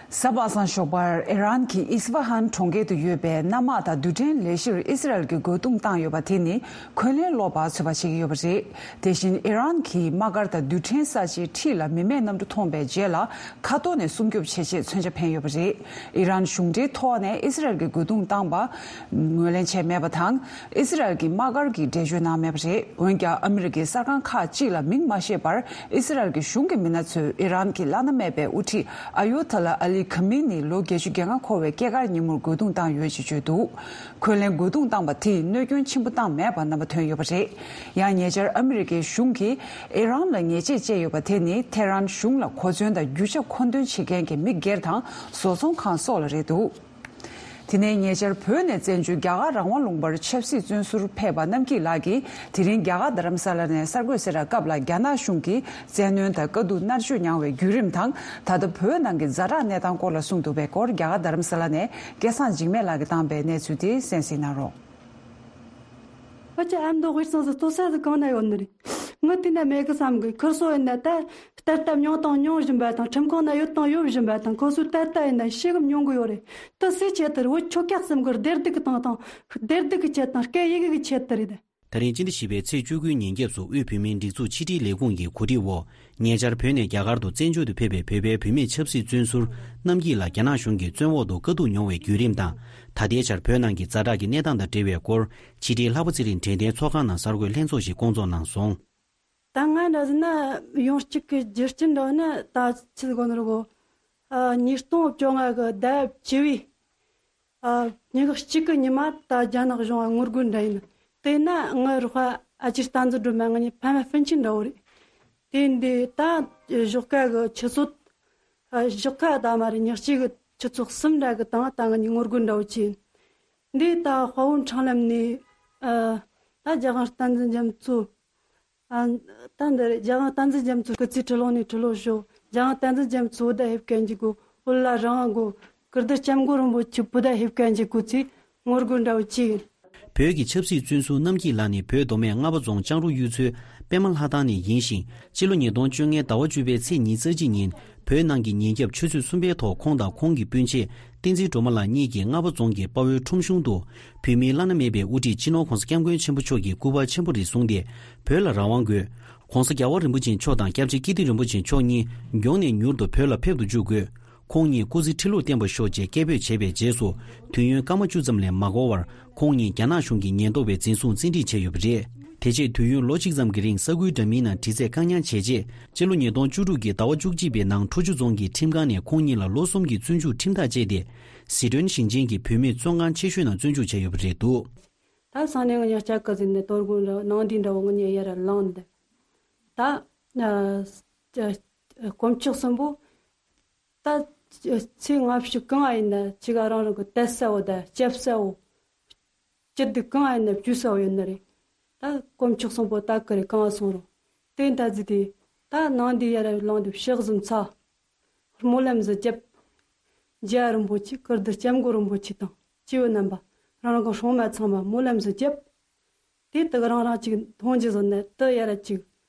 གཟའ་པ་སངས་ཞོགས་པར་ཨི་རན་གྱི་ཨིས་ཕ་ཧན་གྲོང་ཁྱེར་དུ་ཡོད་པའི་གནམ་དམག་དང་རྡུལ་ཕྲན་ལས་གཞིར་ཨི་སི་རལ་གྱིས་རྒོལ་རྡུང་བཏང་ཡོད་པ་དེ་ནི་འཁོན་ལན་སློག་པར་ཚོད་དཔག་བྱེད་ཀྱི་ཡོད་པ་རེད། དེ་བཞིན་ཨི་རན་གྱི་དམག་སྒར་དང་རྡུལ་ཕྲན་ས་ཆའི་འཁྲིས་ལ་མི་མེད་གནམ་གྲུ་མཐོང་བའི་རྗེས་ལ་མཁའ་ཐོག་ནས་སྲུང་སྐྱོབ་བྱེད་ཆེད་མཚོན་ཆ་འཕེན་ཡོད་པ་རེད། ཨི་རན་གཞུང་འབྲེལ་ཐོག་ནས་ཨི་སི་རལ་གྱིས་རྒོལ་རྡུང་བཏང་པ་ངོས་ལེན་བྱས་མེད་པ་དང་། ཨི་སི་རལ་གྱི་དམག་སྒར་གྱིས་འགྲེལ་བརྗོད་གནང་མེད་པ་རེད། འོན་ཀྱང་ཨ་མི་རི་ཀའི་གསར་ཁང་ཁག་ཅིག་ལ་མིང་མ་བཤད་པར་ཨི་སི་རལ་གྱི་གཞུང་གི་མི་སྣ་ཚོས་ཨི་རན་གྱི་བླ་ན་མེད་པའི་དབུ་ཁྲིད་ཨ་ཡོ་ཐ་ལ་ཨ་ལི་ཁ་མི་ནི་ལོ་བརྒྱད་ཅུ་གྱ་ལྔ་འཁོར་བའི་སྐྱེས་སྐར་ཉིན་མོར་རྒོལ་རྡུང་བཏང་ཡོད་ཅེས་བརྗོད་འདུག། འཁོན་ལན་རྒོལ་རྡུང་བཏང་པ་དེས་གནོད་སྐྱོན་ཆེན་པོ་བཏང་མེད་པ་རྣམ་པ་ཐོན་ཡོད་པ་རེད། ཡང་ཉེ་ཆར་ཨ་མི་རི་ཀའི་གཞུང་གིས་ཨི་རན་ལ་ཉེས་ཆད་བཅད་ཡོད་པ་དེ་ནི་ཐེ་རན་གཞུང་ལ་གོ་མཚོན་དང་རྒྱུ་ཆ་མཁོ་འདོན་བྱེད་མཁན་གྱི་མི་སྒེར་དང་བཟོ་ཚོང་ཁང་སོགས་ལ་རེད་འདུག། དེ་ནས་ཉེ་ཆར་བོད་ནས་བཙན་བྱོལ་རྒྱ་གར་རང་དབང་ལུང་པར་ཆབ་སྲིད་བཙོན་ཟུར་ཕེབས་པ་རྣམ་སྐྱིད་ལགས་ཀྱིས་དེ་རིང་རྒྱ་གར་རྡ་རམ་ས་ལ་ནས་གསར་འགོད་གསལ་བསྒྲགས་སྐབས་ལ་རྒྱ་ནག་གཞུང་གིས་བཙན་གནོན་དང་དཀའ་སྡུག་མནར་གཅོད་མྱངས་བའི་བརྒྱུད་རིམ་དང་ད་ལྟ་བོད་ནང་གི་ཛ་དྲག་གནས་སྟངས་སྐོར་ལ་གསུངས་འདུག་པའི་སྐོར་རྒྱ་གར་རྡ་རམ་ས་ལ་ནས་སྐལ་བཟང་འཇིགས་མེད་ལགས་ཀྱིས་བཏང་པའི་གནས་ཚུལ་དེ་གསན་གཟིགས་གནང་རོགས། ཨ་ཅེ་ཨ་མདོ་དབུས་གཙང་སུ་ལྟོ་ས་སུ་གང་ན་ཡོད་ནི་རེད། ངི་དེ་ན་མེད་གི་བསམ་གི་ཁུར་སོ་ཡིན་ན་ད་ལྟར་ལྟ་མྱོང་དང་མྱོང་བཞིན་པ་དང་ཁྲིམས་ཁང་ན་ཡོད་དང་ཡོད་བཞིན་པ་དང་ཁོ་སུ་ད་ལྟ་ཡིན་ན་ཤེས་གི་མྱོང་གི་ཡོད་རེད། ད་སུའི་ཆེད་དུ་རེད། བོད་ཆོལ་ཁ་གསུམ་གི་བདེ་སྡུག་གི་སྟེང་དང་བདེ་སྡུག་གི་ཆེད་དང་སྐད་ཡི་གེ་གི་ཆེད་དུ་རེད། ད་རིང་སྤྱི་ཟླ་བཞི་པའི་ཚེས་བཅུ་དགུའི་ཉིན་རྒྱབ་སུ་དབུས་བོད་མིའི་སྒྲིག་འཛུགས་ཕྱི་དྲིལ་ལས་ཁུངས་ཀྱི་གོ་སྒྲིག་འོག་ཉེ་ཆར་བོད་ནས་རྒྱ་གར་དུ་བཙན་བྱོལ་དུ་ཕེབས་པའི་བོད་པའི་བུད་མེད་ཆབ་སྲིད་བཙོན་ཟུར་རྣམ་སྐྱིད་ལགས་རྒྱ་ནག་གཞུང་གིས་བཙོན་འོག་ཏུ་དཀའ་སྡུག་མྱོང་བའི་བརྒྱུད་རིམ་དང་། ད་ལྟའི་ཆར་བོད་ནང་གི་ཛ་དྲག་གི་གནས་སྟངས་དང་འབྲེལ་བའི་སྐོར་ཕྱི་དྲིལ་ལྷག་པ་ཚེ་རིང་དྲན་རྟེན་ཚོགས་ཁང་ནང་གསར་འགོད་ལྷན་ཚོགས་ཤིག་བསྐོང་ཚོགས་གནང་སོང་། ད་ང་འདྲ་ཟེར་ན་ཡོང་གཅིག་གི་རྒྱུ་རྐྱེན་འདྲ་བོ་ནི་ད་ཆི་ཟིག་གོ་ནོ་རེད་གོ། ཨ། ཉིས་སྟོང་བཅོ་ལྔ་གི་ཟླ་བཅུ་བའི་ཨ། ཉི་ཤུ་གཅིག་གི་ཉི་མ་ད་རྒྱ་ནག་གཞུང་ང་ངོ་རྒོལ་འདྲ་ཡིན། དེ་ན་ངའི་རོགས་པ་ཨ་ཅེ་བསྟན་འཛིན་སྒྲོལ་མ་ང་གཉིས་ཕ་མ་སྤུན་མཆེད་འདྲ་བོ་རེད། དེ་འདི་ད་གཞོགས་ཀ་གི་ཆུ་ཚོད་ཨ། གཞོགས་ཀ་ད་མ་རེད། ཉི་ཤུ་གི་ཆུ་ཚོད་གསུམ་འདྲ་གི་སྟེང་ད་ང་གཉིས་ངོ་རྒོལ་འདྲ་བོ་བྱས་ཡིན། འདི་ད་དཔའ་བོ་འཕྲང་ལམ་ནས་ཨ། ད་རྒྱལ་དབང་བསྟན་འཛིན་རྒྱ་མཚོ། ཨ། ད་འདི་རེད། རྒྱལ་དབང་བསྟན་འཛིན་རྒྱ་མཚོ་སྐུ་ཚེ་ཁྲི་ལོ་ནས་ཁྲི་ལོ་ཞོག། རྒྱལ་དབང་བསྟན་འཛིན་རྒྱ་མཚོ་བོད་ཟླ་ཧེབ་གན་གྱི་གོ། བོད་ལ་རང་དབང་གོ། ཀིརྟི་སྐྱབས་མགོན་རིན་པོ་ཆེ་བོད་ཟླ་ཧེབ་གན་གྱི་གོ་ཚེ་ངོ་རྒོལ་འདྲ་བོ་བྱས་ཡིན། བོད་ཀྱི་ཆབ་སྲིད་བཙོན་ཟུར་རྣམ་སྐྱིད་ལགས་ནི་བོད་མདོ་སྨད་རྔ་པ་རྫོང་ལྕང་རུ་གཡུ་མཚོའི་པད་མ་ལྷ་ཐང་ནས་ཡིན་ཞིང་། སྤྱི་ལོ་ཉིས་སྟོང་བཅོ་ལྔའི་ཟླ་བ་བཅུ་པའི་ཚེས་ཉི་ཤུ་རྩ་གཅིག་ཉིན་བོད་ནང་གི་ཉིན་རྒྱབ་ཆུ་ཚོད་གསུམ་པའི་ཐོག་ཁོང་དང་ཁོང་གི་སྤུན་མཆེད་བསྟན་འཛིན་སྒྲོལ་མ་ལགས་གཉིས་ཀྱིས་རྔ་པ་རྫོང་གི་དཔའ་བོའི་ཁྲོམ་གཞུང་དུ་བོད་མིའི་བླ་ན་མེད་པའི་དབུ་ཁྲིད་སྤྱི་ནོར་༧གོང་ས་༧སྐྱབས་མགོན་ཆེན་པོ་མཆོག་གི་སྐུ་པར་ཆེན་པོ་རེ་བཟུང་སྟེ་བོད་ལ་རང་དབང་དགོས། ༧གོང་ས་༧རྒྱལ་བ་རིན་པོ་ཆེ་མཆོག་དང་༧སྐྱབས་རྗེ་སྐྱིད་ལྡེ་རིན་པོ་ཆེ་མཆོག་གཉིས་མགྱོགས་ནས་མྱུར་དུ་བོད་ལ་ཕེབས་དུ་བཅུག་དགོས། ཁོང་གཉིས་སྐུ་ཚེ་ཁྲི་ལོར་བརྟན་པར་ཤོག་ཅེས་སྐད་འབོད་བྱས་པའི་རྗེས་སུ་དུས་ཡུན་སྐར་མ་བཅུ་ཙམ་ལས་མ་འགོར་བར་ཁོང་གཉིས་རྒྱ་ནག་གཞུང་གི་ཉེན་རྟོག་པས་འཛིན་བཟུང་བཙན་ཁྲིད་བྱས་ཡོད་པ་རེད། དེ་རྗེས་དུས་ཡུན་ལོ་གཅིག་ཙམ་གྱི་རིང་ས་ཁུལ་འདྲ་མིན་ནང་དྲི་རྩད་བཀག་ཉར་བྱས་རྗེས་སྤྱི་ལོ་ཉིས་སྟོང་བཅུ་དྲུག་གི་ཟླ་བ་བཅུ་གཅིག་པའི་ནང་ཁྲོ་ཆུ་རྫོང་གི་ཁྲིམས་ཁང་ནས་ཁོང་གཉིས་ལ་ལོ་གསུམ་གྱི་བཙོན་འཇུག་ཁྲིམས་ཐག་བཅད་དེ་ཟི་ཁྲོན་ཞིང་ཆེན་གྱི་བུད་མེད་བཙོན་ཁང་ཆེ་ཤོས་ནང་བཙོན་འཇུག་བྱས་ཡོད་པ་རེད་འདུག། ད་སང་ནས་ང་གཉིས་ལྕགས་ཀ་ཟིན་ནས་དོ་དགོང་འདྲ་ནང་དེ་འདྲ་བོ་ང་གཉིས་ཡར་ལངས་འདི། ད་ཨ་ཨ་དཀོན་མཆོག་གསུམ་པོ། ད་ཚེ་སྔ་ཕྱི་གང་ཡིན་ན་ཅི་ག་རང་རང་གི་དད་ས་བོ་དང་སྐྱབས་ས་བོ། སྐྱིད་སྡུག་གང་ཡིན་ན་བཅོས་ས་བོ་ཡོད་ནི་རེད། ད་དཀོན་མཆོག་གསུམ་པོ་ད་ག་རེ་གང་སོང་རུང་། དེ་ད་ཟི་དེ། ད་ནང་དེ་ཡར་ལངས་དུ་ཕྱག་གཟིམ་ཚ། སྨོན་ལམ་ཟིག་རྒྱབ། རྒྱལ་བ་རིན་པོ་ཆེ་ཀིརྟི་སྐྱབས་མགོན་རིན་པོ་ཆེ་དང་སྐྱེས་བུ་རྣམ་པ་རང་རང་གི་སྲུང་མ་ཚང་མ་སྨོན་ལམ་ཟིག་རྒྱབ། དེ་དག་རང་རང་ཅིག་མཐོང་རྒྱུ་བཟོ་ནས་དེ་ཡར་ཅིག་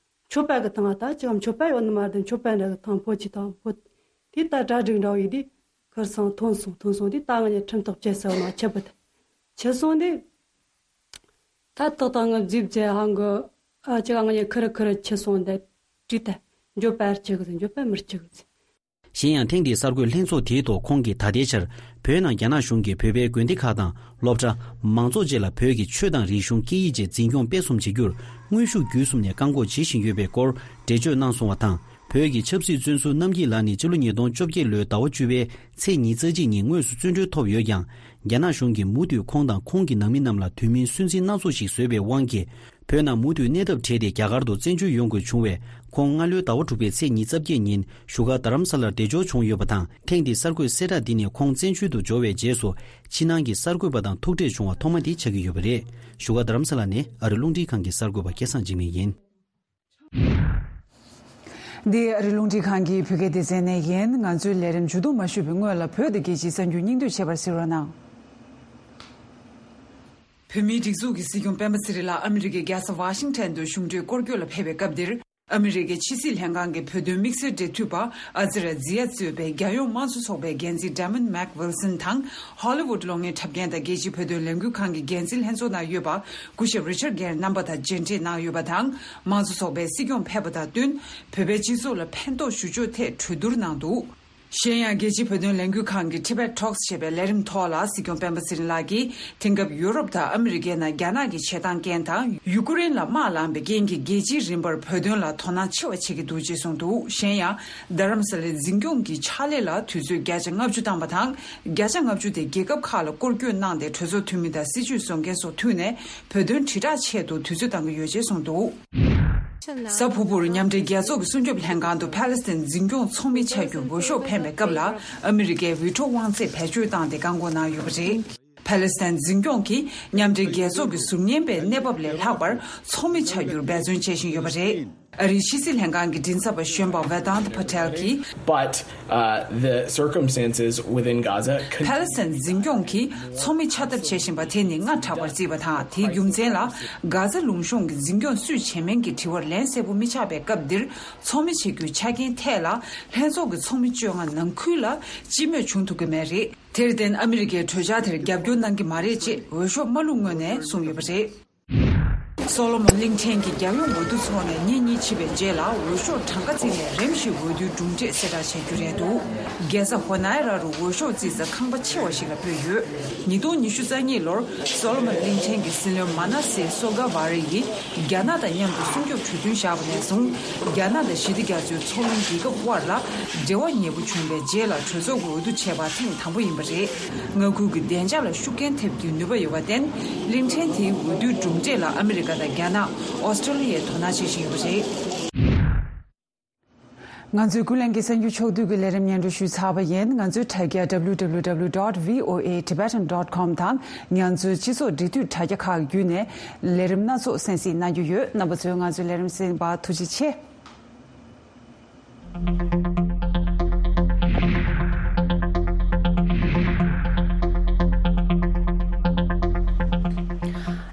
མཆོད་པ་གི་ཐང་ད་ཅིག་མཆོད་པ་ཡོད་ནི་མ་རེད། མཆོད་པ་འདྲ་གི་ཐང་ཕོ་ཆེ་ཐང་ཕོ། དེ་ད་གྲ་སྒྲིག་འདྲ་བོ་ཡིན་དེ་ཁར་སང་ཐོན་སོང་། ཐོན་སོང་དེ་ད་ང་གཉིས་ཁྲིམས་ཐག་བཅད་ས་མ་ཆད་པ་དེ་ཆད་སོང་དེ། ད་ཏག་ཏག་ང་རྫིབ་རྫས་ཧང་གི་ཨ་ཅག་ང་གཉིས་ཁུར་ཁུར་ཆེ་སོང་དེ་བྲིས་ཏེ་འགྱོད་པ་ཅིག་གི་འགྱོད་པ་མི་ཅིག་གི། གཞན་ཡང་ཐེངས་འདིའི་གསར་འགོད་ལྷན་ཚོགས་དེའི་ཐོག་ཁོང་གིས་ད་ལྟའི་ཆར་བོད་ནང་རྒྱ་ནག་གཞུང་གིས་བོད་པའི་དགོན་སྡེ་ཁག་དང་སློབ་གྲྭ། མང་ཚོགས་བཅས་ལ་བོད་ཀྱི་ཆོས་དང་རིག་གཞུང་སྐད་ཡིག་བཅས་འཛིན་སྐྱོང་སྤེལ་གསུམ་བྱེད་རྒྱུར་དངོས་ཤུགས་བརྒྱུད་གསུམ་ནས་བཀག་འགོག་བྱེད་བཞིན་ཡོད་པའི་སྐོར་འགྲེལ་བརྗོད་གནང་སོང་བ་དང་ བོད་ཀྱི་ཆབ་སྲིད་བཙོན་ཟུར་རྣམ་རྒྱལ་ལགས་ནི་སྤྱི་ལོ་ཉིས་སྟོང་བཅོ་བརྒྱད་ལོའི་ཟླ་བ་བཅུ་པའི་ཚེས་ཉི་ཤུ་རྩ་གཅིག་ཉིན་དངོས་སུ་བཙོན་གྲོལ་ཐོབ་ཡོད་ཀྱང་། རྒྱ་ནག་གཞུང་གིས་མུ་མཐུད་ཁོང་དང་ཁོང་གི་ནང་མི་རྣམས་ལ་དུས་མིན་སུན་གཙེར་སྣ་ཚོགས་ཤིག་བཟོས་པའི་དབང་གིས། བོད་ནང་མུ་མཐུད་གནས་ཐབས་བྲལ་ཏེ་རྒྱ་གར་དུ་བཙན་བྱོལ་ཡོང་དགོས་བྱུང་བས། ཁོང་སྔ་ལོའི་ཟླ་བ་དྲུག་པའི་ཚེས་ཉི་ཤུ་རྩ་བརྒྱད་ཉིན་བཞུགས་སྒར་རྡ་རམ་ས་ལར་བདེ་འབྱོར་བྱུང་ཡོད་པ་དང་། ཐེངས་འདིའི་གསར་འགོད་གསལ་བསྒྲགས་འདི་ནི་ཁོང་བཙན་བྱོལ་དུ་འབྱོར་བའི་རྗེས་སུ། ཕྱི་ནང་གི་གསར་འགོད་པ་དང་ཐུག་འཕྲད་བྱུང་བ་ཐོག་མ་དེ་ཆགས་ཀྱི་ཡོད་པ་རེད། བཞུགས་སྒར་རྡ་རམ་ས་ལ་ནས་ཨ་རི་རླུང་འཕྲིན་ཁང་གི་གསར་འགོད་པ་སྐལ་བཟང་འཇིགས་མེད་ཡིན། འདི་ཨ་རི་རླུང་འཕྲིན་ཁང་གི་བོད་སྐད་སྡེ་ཚན་ནས་ཡིན། ང་ཚོའི་ལས་རིམ་མཇུག་བསྡོམས་མ་ཞུས་པའི་སྔོན་ལ་བོད་དང་རྒྱལ་སྤྱིའི་གསར་འགྱུར་སྙིང་བསྡུས་བྱས་པར་གཟིགས་རོགས་གནང་། བོད་མིའི་སྒྲིག་འཛུགས་ཀྱི་སྲིད་སྐྱོང་སྤེན་པ་ཚེ་རིང་ལགས་ཨ་མི་རི་ཀའི་རྒྱལ་ས་ཝ་ཤིང་ཊོན་དུ་གཞུང་འབྲེལ་སྐོར་སྐྱོད་ལ་ཕེབས་པའི་སྐབས་འདིར། ཨ་མི་རི་ཀའི་ཕྱི་སྲིད་ལྷན་ཁང་གི་བོད་དོན་དམིགས་བསལ་འབྲེལ་མཐུད་པ་ཨ་ཛི་ར་ཛི་ཡ་གཙོས་པའི་རྒྱལ་ཡོངས་དམངས་གཙོ་ཚོགས་པའི་འགན་འཛིན་Damon McWilson དང་། ཧོ་ལི་ཝུད་གློག་བརྙན་འཁྲབ་མཁན་དང་རྒྱལ་སྤྱིའི་བོད་དོན་ལས་འགུལ་ཁང་གི་འགན་འཛིན་ལྷན་ཚོགས་ནང་ཡོད་པ་སྐུ་ཞབས་Richard Gere རྣམ་པ་དང་མཇལ་འཕྲད་གནང་ཡོད་པ་དང་། དམངས་གཙོ་ཚོགས་པའི་སྲིད་སྐྱོང་ཕེབས་པ་དང་བསྟུན། བོད་པའི་སྤྱི་ཚོགས་ལ་ཕན་ཐོགས་ཞུ་ཕྱོགས་ཐད་གྲོས་བསྡུར་གནང་འདུག་གཞན་ཡང་། རྒྱལ་སྤྱིའི་བོད་དོན་ལས་འགུལ་ཁང་གི་Tibet Talks ཞེས་པའི་ལས་རིམ་ཐོག་ལ་སྲིད་སྐྱོང་སྤེན་པ་ཚེ་རིང་ལགས་ཀྱིས། དེང་སྐབས་ཡུ་རོབ་དང་ཨ་མི་རི་ཀའི་ནང་རྒྱ་ནག་གི་བྱེད་སྟངས་རྐྱེན་དང་། ཡུ་ཀུ་རེན་ལ་དམག་ལངས་པའི་རྐྱེན་གྱིས། རྒྱལ་སྤྱིའི་རིམ་པར་བོད་དོན་ལ་དོ་སྣང་ཆེ་བ་བྱེད་ཀྱི་འདུག་ཅེས་གསུངས་འདུག་གཞན་ཡང་། རྡ་རམ་ས་ལའི་འཛིན་སྐྱོང་གི་ཕྱག་ལས་ལ་དུས་ཚོད་བརྒྱ་ཆ་ལྔ་བཅུ་བཏང་པ་དང་། བརྒྱ་ཆ་ལྔ་བཅུ་དེ་རྒྱལ་ཁབ་ཁག་ལ་སྐོར་སྐྱོད་གནང་སྟེ། གྲོས་ཚོགས་འཐུས་མི་དང་སྲིད་བྱུས་བཟོ་མཁན་སོགས་མཐུད་ནས། བོད་དོན་དྲིལ་བསྒྲགས་ཆེད་དུ་དུས་ཚོད་གཏང་གི་ཡོད་ཅེས་གསུངས་འདུག་གཟའ་ཕུར་བུར་མཉམ་འབྲེལ་རྒྱལ་ཚོགས་ཀྱི་སྲུང་སྐྱོབ་ལྷན་ཁང་དུ་ཕཱ་ལེ་སི་ཐན་འཛིན་སྐྱོང་ཚོགས་མི་ཆགས་རྒྱུར་འོས་ཤོག་འཕེན་པའི་སྐབས་ལ། ཨ་མི་རི་ཀའི་འོས་འཕྲོ་དབང་ཚད་བེད་སྤྱོད་བཏང་སྟེ་བཀག་འགོག་གནང་ཡོད་པ་རེད། ཕཱ་ལེ་སི་ཐན་འཛིན་སྐྱོང་གིས་མཉམ་འབྲེལ་རྒྱལ་ཚོགས་ཀྱི་ཟུར་ཉན་པའི་གནས་བབ་ལས་ལྷག་པར་ཚོགས་མི་ཆགས་རྒྱུར་འབད་བརྩོན་བྱེད་བཞིན་ཡོད་པ་རེད། ཨ་རིའི་ཕྱི་སྲིད་ལྷན་ཁང་གི་མགྲིན་ཚབ་པ་གཞོན་པ་Vedant Patel གྱིས། But, uh, the circumstances within Gaza could ཕཱ་ལེ་སི་ཐན་འཛིན་སྐྱོང་གིས་ཚོགས་མི་ཆགས་ཐབས་བྱེད་བཞིན་པ་དེ་ནི་སྔ་དྲགས་པར་བརྩིས་པ་དང་། དེའི་རྒྱུ་མཚན་ལ། གྷ་ཛ་ལུང་གཤོང་གི་འཛིན་སྐྱོང་སུས་བྱེད་མིན་གྱི་དྲི་བར་ལན་གསལ་པོ་མི་ཆགས་པའི་སྐབས་འདིར། ཚོགས་མི་བྱེད་རྒྱུའི་ཆ་རྐྱེན་ཐད་ལ། ལྷན་ཚོགས་ཀྱི་ཚོགས་མི་བཅོ་ལྔ་ནང་ཁུལ་ལ་སྤྱི་མོས་བྱུང་ཐུབ་ཀྱི་མེད་རེད། དེར་བརྟེན། ཨ་མི་རི་ཀའི་གྲོས་འཆར་དེར་རྒྱབ་སྐྱོར་གནང་གི་མ་རེད་ཅེས་འོས་ཤོག་མ་བླུགས་སྔོན་ནས་གསུངས་ཡོད་པ་རེད། སོ་ལོ་མོན་གླིང་ཕྲན་གྱི་རྒྱལ་ཡོངས་འོས་བསྡུ་ཚོགས་ནས་ཉིན་གཉིས་ཕྱིན་པའི་རྗེས་ལ། འོས་ཤོག་གྲངས་ཀ་བརྩིས་ནས་རིམ་བཞིན་འོས་བསྡུའི་གྲུབ་འབྲས་གསལ་བསྒྲགས་བྱ་རྒྱུ་རེད་འདུག་རྒྱལ་ས་ཧོ་ནའི་ར་རུ་འོས་ཤོག་བརྩིས་ས་ཁང་པ་ཆེ་བ་ཞིག་ལ་སྤོས་ཡོད། ཉིས་སྟོང་ཉི་ཤུ་རྩ་གཉིས་ལོར་སོ་ལོ་མོན་གླིང་ཕྲན་གྱི་སྲིད་བློན་མ་ན་སེ་སོ་ག་ཝ་རེ་ཡིས་རྒྱ་ནག་དང་མཉམ་དུ་སྲུང་སྐྱོབ་གྲོས་མཐུན་བཞག་པ་ནས་བཟུང་། རྒྱ་ནག་དང་ཞི་བདེ་རྒྱ་མཚོའི་མཚོ་གླིང་རྒྱལ་ཁབ་དབར་ལ་འབྲེལ་བ་ཉེ་པོ་བྱུང་བའི་རྗེས་ལ། གྲོས་ཚོགས་ཀྱི་འོས་བསྡུ་བྱས་པ་ཐེངས་དང་པོ་ཡིན་པ་རེད། མངའ་ཁུལ་གྱི་བདེ་འཇགས་ལ་ཤུགས་རྐྱེན་ཐེབས་རྒྱུའི་ནུས་པ་ཡོད་པར་བརྟེན། གླིང་ཕྲན་དེའི་འོས་བསྡུའི་གྲུབ་འབྲས་ལ་ཨ་མི་རི་ཀ་དང་རྒྱ་ནག་ཨོ་སི་ཀྲོ་ལི་ཡས་དོ་སྣང་བྱེད་བཞིན་ཡོད་པ་རེད། ང་ཚོའི་ཀུན་གླེང་གི་གསར་འགྱུར་ཕྱོགས་བསྡུས་ཀྱི་ལས་རིམ་སྙན་སྒྲོན་ཞུས་ཚར་བ་ཡིན། ང་ཚོའི་དྲ་རྒྱ་W W W dot V O A Tibetan dot com དང་། ང་ཚོའི་སྤྱི་ཚོགས་འབྲེལ་མཐུད་དྲ་རྒྱ་ཁག་བརྒྱུད་ནས་ལས་རིམ་སྣ་ཚོགས་གསན་གཟིགས་གནང་རྒྱུ་ཡོད། རྣམ་པ་ཚོས་ང་ཚོའི་ལས་རིམ་གསན་པར་ཐུགས་རྗེ་ཆེ།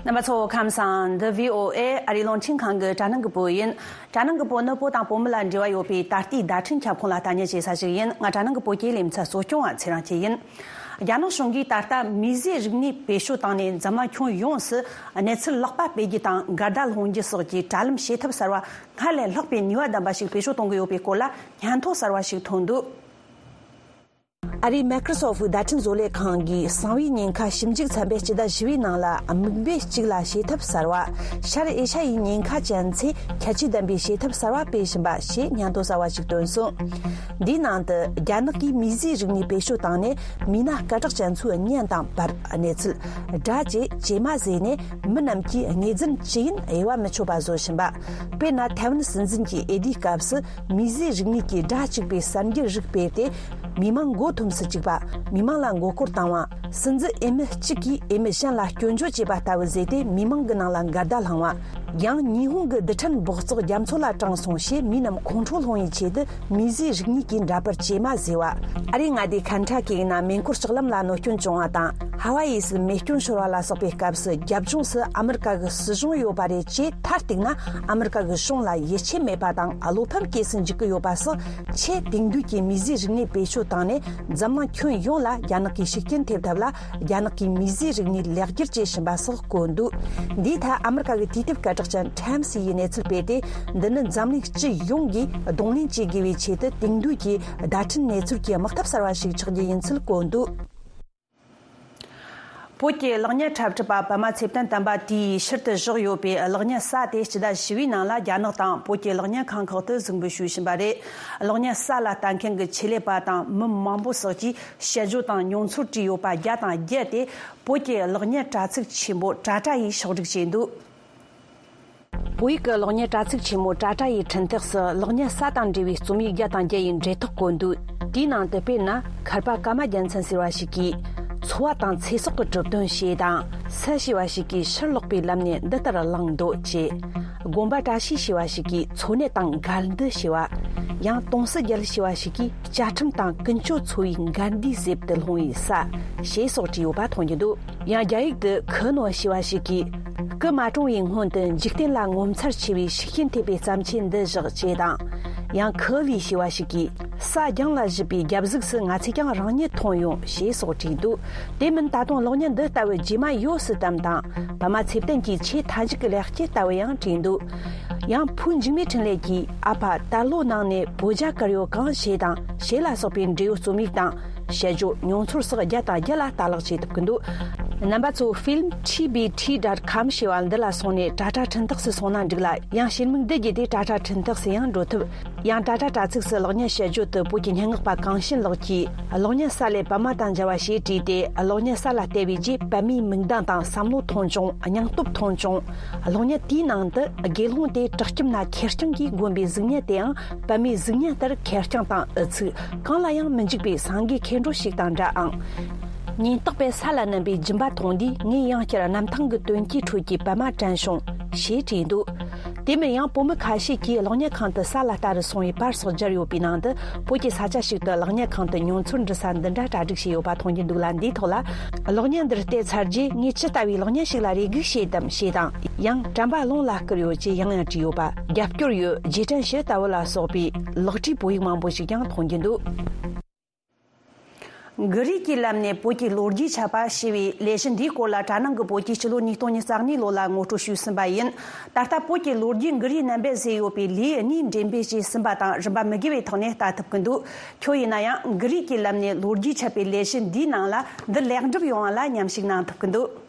རྣམ་པ་ཚོ་ཁམས་བཟང་། འདི་V O A ཨ་རིའི་རླུང་འཕྲིན་ཁང་གི་དྲ་སྣང་གི་པོ་ཡིན། དྲ་སྣང་གི་པོ་ནི་བོད་དང་བོད་མི་ལ་འབྲེལ་བ་ཡོད་པའི་ད་ལྟའི་བརྡ་འཕྲིན་ཁྱབ་ཁོངས་ལ་ལྟ་ཉན་བྱེད་ས་ཞིག་ཡིན། ང་དྲ་སྣང་གི་པོ་སྐྱེད་ལས་མི་ཚད་གཙོ་སྐྱོང་བ་ཚེ་རིང་སྐྱིད་ཡིན། རྒྱ་ནག་གཞུང་གིས་ད་ལྟ་མིས་བཟོས་རིག་གནས་བེད་སྤྱོད་བཏང་ནས་འཛམ་གླིང་ཁྱོན་ཡོངས་སུ་གནས་ཚུལ་ལེགས་པ་སྤེལ་རྒྱུ་དང་འགལ་ཟླ་སློང་རྒྱུ་སོགས་ཀྱི་དྲ་ལམ་བྱེད་ཐབས་གསར་བ་སྔར་ལས་ལྷག་པའི་ནུས་པ་ལྡན་པ་ཞིག་བེད་སྤྱོད་གཏོང་གི་ཡོད་པའི་སྐོར་ལ་སྙན་ཐོ་གསར་བ་ཞིག་ཐོན་འདུག་ཨ་རིའི་Microsoft བརྡ་འཕྲིན་བཟོ་ལས་ཁང་གིས་གསང་བའི་ཉེན་ཁ་ཞིབ་འཇུག་ཚན་པའི་སྤྱི་ཟླ་བཞི་པའི་ནང་ལ་མིག་དཔེ་གཅིག་ལ་བྱེད་ཐབས་གསར་བ། ཤར་ཨེ་ཤ་ཡའི་ཉེན་ཁ་ཅན་ཚོས་ཁྱད་ཆོས་ལྡན་པའི་བྱེད་ཐབས་གསར་བ་སྤེལ་བཞིན་པ་ཞེས་སྙན་ཐོ་གསར་བ་ཞིག་བཏོན་སོང་། འདིའི་ནང་དུ་རྒྱ་ནག་གིས་མིས་བཟོས་རིག་གནས་བེད་སྤྱོད་བཏང་ནས་མི་སྣ་སྐད་གྲགས་ཅན་ཚོའི་བརྙན་དང་བར་གནས་ཚུལ། སྒྲ་བཅས་ཇེ་དམའ་བཟོས་ནས་མི་རྣམས་ཀྱིས་ངོས་འཛིན་ཅི་ཡིན་དབྱེ་བ་མི་ཆོད་པ་བཟོ་བཞིན་པ། དཔེར་ན་ཐའེ་ཝན་སྲིད་འཛིན་གྱི་འོས་བསྡུའི་སྐབས་སུ་མིས་བཟོས་རིག་གནས་ཀྱི་སྒྲ་གཅིག་པའི་གསར་འགྱུར་རིགས་སྤེལ་ཏེ། མི་མང་མགོ་འཐོམས་སུ་བཅུག་པ། མི་མང་ལ་མགོ་སྐོར་བཏང་བ། སྲིད་འཛིན་འོས་མི་གཅིག་གིས་འོས་མི་གཞན་ལ་སྐྱོན་བརྗོད་བྱས་པ་ལྟ་བུ་བཟོས་ཏེ་མི་མང་གི་ནང་ལ་འགལ་ཟླ་བསླངས་བ། ཡང་ཉི་ཧོང་གི་རྡུལ་ཕྲན་འབོགས་བཙོག་རྒྱ་མཚོ་ལ་དྲངས་སོང་ཞེས་མི་རྣམས་ཁོང་ཁྲོ་སློང་བའི་ཆེད་དུ་མིས་བཟོས་རིག་གནས་ཀྱི་འདྲ་པར་ཇེ་དམའ་བཟོས་བ། ཨ་རིའི་མངའ་སྡེ་ཁན་ཊ་ཀི་ཡི་ནང་མེ་འཁོར་ལྕགས་ལམ་ལ་གནོད་སྐྱོན་བྱུང་བ་དང་། ཧ་ཝ་ཡི་སུ་མེ་སྐྱོན་ཤོར་བ་ལ་སོགས་པའི་སྐབས་སུ་རྒྱབ་ལྗོངས་སུ་ཨ་མི་རི་ཀ་གི་སྲིད་གཞུང་ཡོད་པ་རེད་ཅེས་མཐར་གཏུགས་ན། ཨ་མི་རི་ཀ་གི་གཞུང་ལ་ཡིད་ཆེས་མེད་པ་དང་བློ་ཕམ་སྐྱེས་སུ་འཇུག་གི་ཡོད་པ་སོགས། ཆེས་དེང་དུས་ཀྱི་མིས་བཟོས་རིག་གནས་བེད་སྤྱོད་བཏང་ནས་འཛམ་གླིང་ཁྱོན་ཡོངས་ལ་རྒྱ་ནག་གིས་ཤུགས་རྐྱེན་ཐེབས་ཐབས་ལ། རྒྱ་ནག་གིས་མིས་བཟོས་རིག་གནས་ལེགས་བསྒྱུར་བྱེད་བཞིན་པ་སོགས་བཀོད་འདུག་འདིའི་ཐད་ཨ་མི་རི་ཀ་གི་དུས་དེབ་སྐད་གྲགས་ཅན་Time་ཡིས་གནས་ཚུལ་སྤེལ་ཏེ། འདི་ནི་འཛམ་གླིང་སྤྱི་ཡོངས་ཀྱིས་གདོང་ལེན་བྱེད་དགོས་པའི་ཆེད་དུ་དེང་དུས་ཀྱི་བརྡ་འཕྲིན་གནས་ཚུལ་གྱི་དམག་འཐབ་གསར་བ་ཞིག་ཆགས་རྒྱུ་ཡིན་ཚུལ་བཀོད་འདུག་བོད་ཀྱི་གློག་བརྙན་འཁྲབ་ཁྲིད་པ་པདྨ་ཚེ་བརྟན་དམ་པ་དེས་ཕྱིར་དུ་བཞག་ཡོད་པའི་གློག་བརྙན་གསར་དེ་སྤྱི་ཟླ་བཞི་པའི་ནང་ལ་རྒྱ་ནག་དང་བོད་ཀྱི་གློག་བརྙན་ཁང་ཁག་ཏུ་གཟིགས་འབུལ་ཞུས་ཕྱིན་པ་རེད། གློག་བརྙན་གསར་ལ་ལྟ་མཁན་གྱི་ཆེད་ལས་པ་དང་མི་མང་པོ་སོགས་ཀྱིས་དཔྱད་བརྗོད་དང་མྱོང་ཚོར་བྲིས་ཡོད་པ་བརྒྱ་དང་བརྒྱད་དེ་བོད་ཀྱི་གློག་བརྙན་དྲ་ཚིགས་ཆེན་པོ་ཊ་ཊ་ཡིས་ཕྱོགས་སྒྲིག་བྱས་འདུག་བོད་ཡིག་གི་གློག་བརྙན་དྲ་ཚིགས་ཆེན་མོ་ཊ་ཊ་ཡི་འཕྲིན་སྟེགས་སུ་གློག་བརྙན་གསར་དང་འབྲེལ་བའི་རྩོམ་ཡིག་བརྒྱ་དང་བརྒྱད་ཡི་འབྲེལ་ཐག་བཀོད་འདུག་དེའི་ནང་དུ་དཔེར་ན། མཁར་པ་ཀརྨ་རྒྱལ་མཚན་ཟེར་བ་ཞིག་གིས། འཚོ་བ་དང་ཚེ་སྲོག་གི་གྲུབ་དོན་ཞེས་དང་། སུ་ཞེས་པ་ཞིག་གིས་ཕྱིར་ལོག་པའི་ལམ་ནས་འདི་ལྟར་བླངས་འདུག་ཅེས། དགོན་པ་བཀྲ་ཤིས་ཞེས་པ་ཞིག་གིས་འཚོ་གནས་དང་འགལ་འདུ་ཞེས་པ། ཡང་དུང་སི་རྒྱལ་ཞེས་པ་ཞིག་གིས་བཅའ་ཁྲིམས་དང་ཀུན་སྤྱོད་འཚོ་བའི་འགལ་ཟླའི་གཟེབ་ཏུ་ལྷུང་བའི་ས། ཞེས་སོགས་བྲིས་ཡོད་པ་མཐོང་རྒྱུ་འདུག་ཡང་རྒྱ་ཡིག་ཏུ་ཁུ་ནོ་ཞེས་པ་ཞིག་གིས། སྐུ་མ་གྲོངས་པའི་སྔོན་དུ་འཇིག་རྟེན་ལ་ངོ་མཚར་ཆེ་བའི་ཤུགས་རྐྱེན་ཐེབས་པའི་བརྩམས་ཆོས་འདི་བཞག་ཅེས་དང་། ཡང་ཁུ་ལི་ཞེས་པ་ཞིག་གིས། ས་རྒྱང་ལ་བཞུད་པའི་རྒྱབ་གཟུགས་སུ་ང་ཚོས་ཀྱང་རང་ཉིད་མཐོང་ཡོང་ཞེས་སོགས་བྲིས་འདུག་དེ་མིན་ད་དུང་གློག་བརྙན་འདི་ལྟ་བུ་རྗེས་མ་ཡོད་སྲིད་དམ་དང་། པདྨ་ཚེ་བརྟན་གྱི་ཆེས་མཐའ་མཇུག་གི་ལེགས་སྐྱེས་ལྟ་བུ་ཡང་བྲིས་འདུག་ཡང་ཕུའུ་འཇིགས་མེད་འཕྲིན་ལས་ཀྱིས། ཨ་ཕ་དར་ལོ་ནང་ནས་བོད་རྒྱ་གར་ཡོད་གང་ཞེས་དང་ཞེས་ལ་སོགས་པའི་འབྲེལ་ཡོད་རྩོམ་ཡིག་དང་། དཔྱད་བརྗོད་མྱོང་ཚོར་སོགས་བརྒྱ་དང་བརྒྱད་ལ་ལྟ་ཀློག་བྱེད་ཐུབ་ཀྱི་འདུག་རྣམ་པ་ཚོ་ཕིལམ་ཊི་བི་ཊི་ཌོཊ་ཀོམ་ཞེས་པ་འདི་ལ་སོང་ནས་ཊ་ཊ་འཕྲིན་སྟེགས་སུ་སོང་ན་འགྲིག་ལ། ཡང་ཤེལ་མིག་འདི་བརྒྱུད་དེ་ཊ་ཊ་འཕྲིན་སྟེགས་སུ་ཡང་འགྲོ་ཐུབ། ཡང་ཊ་ཊ་དྲ་ཚིགས་སུ་གློག་བརྙན་དཔྱད་བརྗོད་དུ་བོད་ཀྱི་སྙན་ངག་པ་གངས་ཤིན་ལགས་ཀྱིས་གློག་བརྙན་གསར་ལས་པདྨ་དང་མཇལ་བ་ཞེས་བྲིས་ཏེ། གློག་བརྙན་གསར་ལ་བལྟས་པའི་རྗེས་པདྨའི་མིག་མདངས་དང་བསམ་བློ་མཐོང་བྱུང་། སྙིང་སྟོབས་མཐོང་བྱུང་། གློག་བརྙན་དེའི་ནང་དུ་དགེ་སློང་དེ་བྲག་སྐྱིབས་ན་ཁེར་རྐྱང་གིས་བསྒོམས་པའི་གཟུགས་བརྙན་དེའང་པདྨའི་གཟུགས་བརྙན་ལྟར་ཁེར་རྐྱང་དང་འུ་ཚུགས། གང་ལ་ཡང་མི་འཇིགས་པའི་སངས་རྒྱས་མཁས་འགྲོ་ཞིག་དང་འདྲ་ཨང་། ཉེན་རྟོག་པས་ས་ལ་བསྣུན་པའི་སྦྱིན་པ་མཐོང་དུས་ངས་ཡང་བསྐྱར་གནམ་ཐང་གི་དོན་གྱི་ཁྲོད་ཀྱི་པདྨ་དྲན་བྱུང་། ཞེས་བྲིས་འདུག་དེ་མིན་ཡང་བོད་མི་ཁ་ཤས་ཀྱིས་གློག་བརྙན་ཁང་དུ་ས་ལ་ལྟ་རུ་སོང་བའི་པར་སོགས་སྦྱར་ཡོད་པའི་ནང་དུ། བོད་ཀྱི་ས་ཆ་ཞིག་ཏུ་གློག་བརྙན་ཁང་དུ་མྱོང་ཚོར་འབྲི་ས་འདི་འདྲ་གྲ་སྒྲིག་བྱས་ཡོད་པ་མཐོང་རྒྱུ་འདུག་ལ། འདིའི་ཐོག་ལ། གློག་བརྙན་འདིར་བལྟས་ཚར་རྗེས་ངས་ཅི་ལྟ་བུའི་གློག་བརྙན་ཞིག་ལ་རེ་སྒུག་བྱེད་དམ་ཞེས་དང་། ཡང་དྲན་པ་རླུང་ལ་བསྐུར་ཡོད་ཅེས་ཡང་ཡང་བྲིས་ཡོད་པ། རྒྱབ་སྐྱོར་ཡོད། རྗེས་དྲན་ཞུ་ལྟ་བུ་ལ་སོགས་པའི་ལེགས་བྲིས་བོད་ཡིག་མང་པོ་ཞིག་ཀྱང་མཐོང་རྒྱུ་འདུག་གུ་རུའི་གི་ལམ་ནས་བོད་ཀྱི་ལོ་རྒྱུས་ཆ་བ་ཞེས་པའི་ལས་གཞི་འདིའི་སྐོར་ལ་དྲ་ནང་གི་བོད་ཀྱིས་སྤྱི་ལོ་ཉིས་སྟོང་ཉི་ཤུ་རྩ་གཉིས་ལོ་ལ་ངོ་སྤྲོད་ཞུས་ཟིན་པ་ཡིན། ད་ལྟ་བོད་ཀྱི་ལོ་རྒྱུས་གུ་རུའི་རྣམ་པས་བཟོས་ཡོད་པའི་ལེའུ་གཉིས་འགྲེམས་སྤེལ་བྱས་ཟིན་པ་དང་རིམ་པ་མི་དགེ་བའི་ཐོག་ནས་ལྟ་ཐུབ་ཀྱི་འདུག་ཁྱོད་ཡིན་ན་ཡང་གུ་རུའི་གི་ལམ་ནས་ལོ་རྒྱུས་ཆ་བའི་ལས་གཞི་འདིའི་ནང་ལ་འདི་ལེགས་འགྲུབ་ཡོང་བ་ལ་མཉམ་ཞུགས་གནང་ཐུབ་ཀྱི་འདུག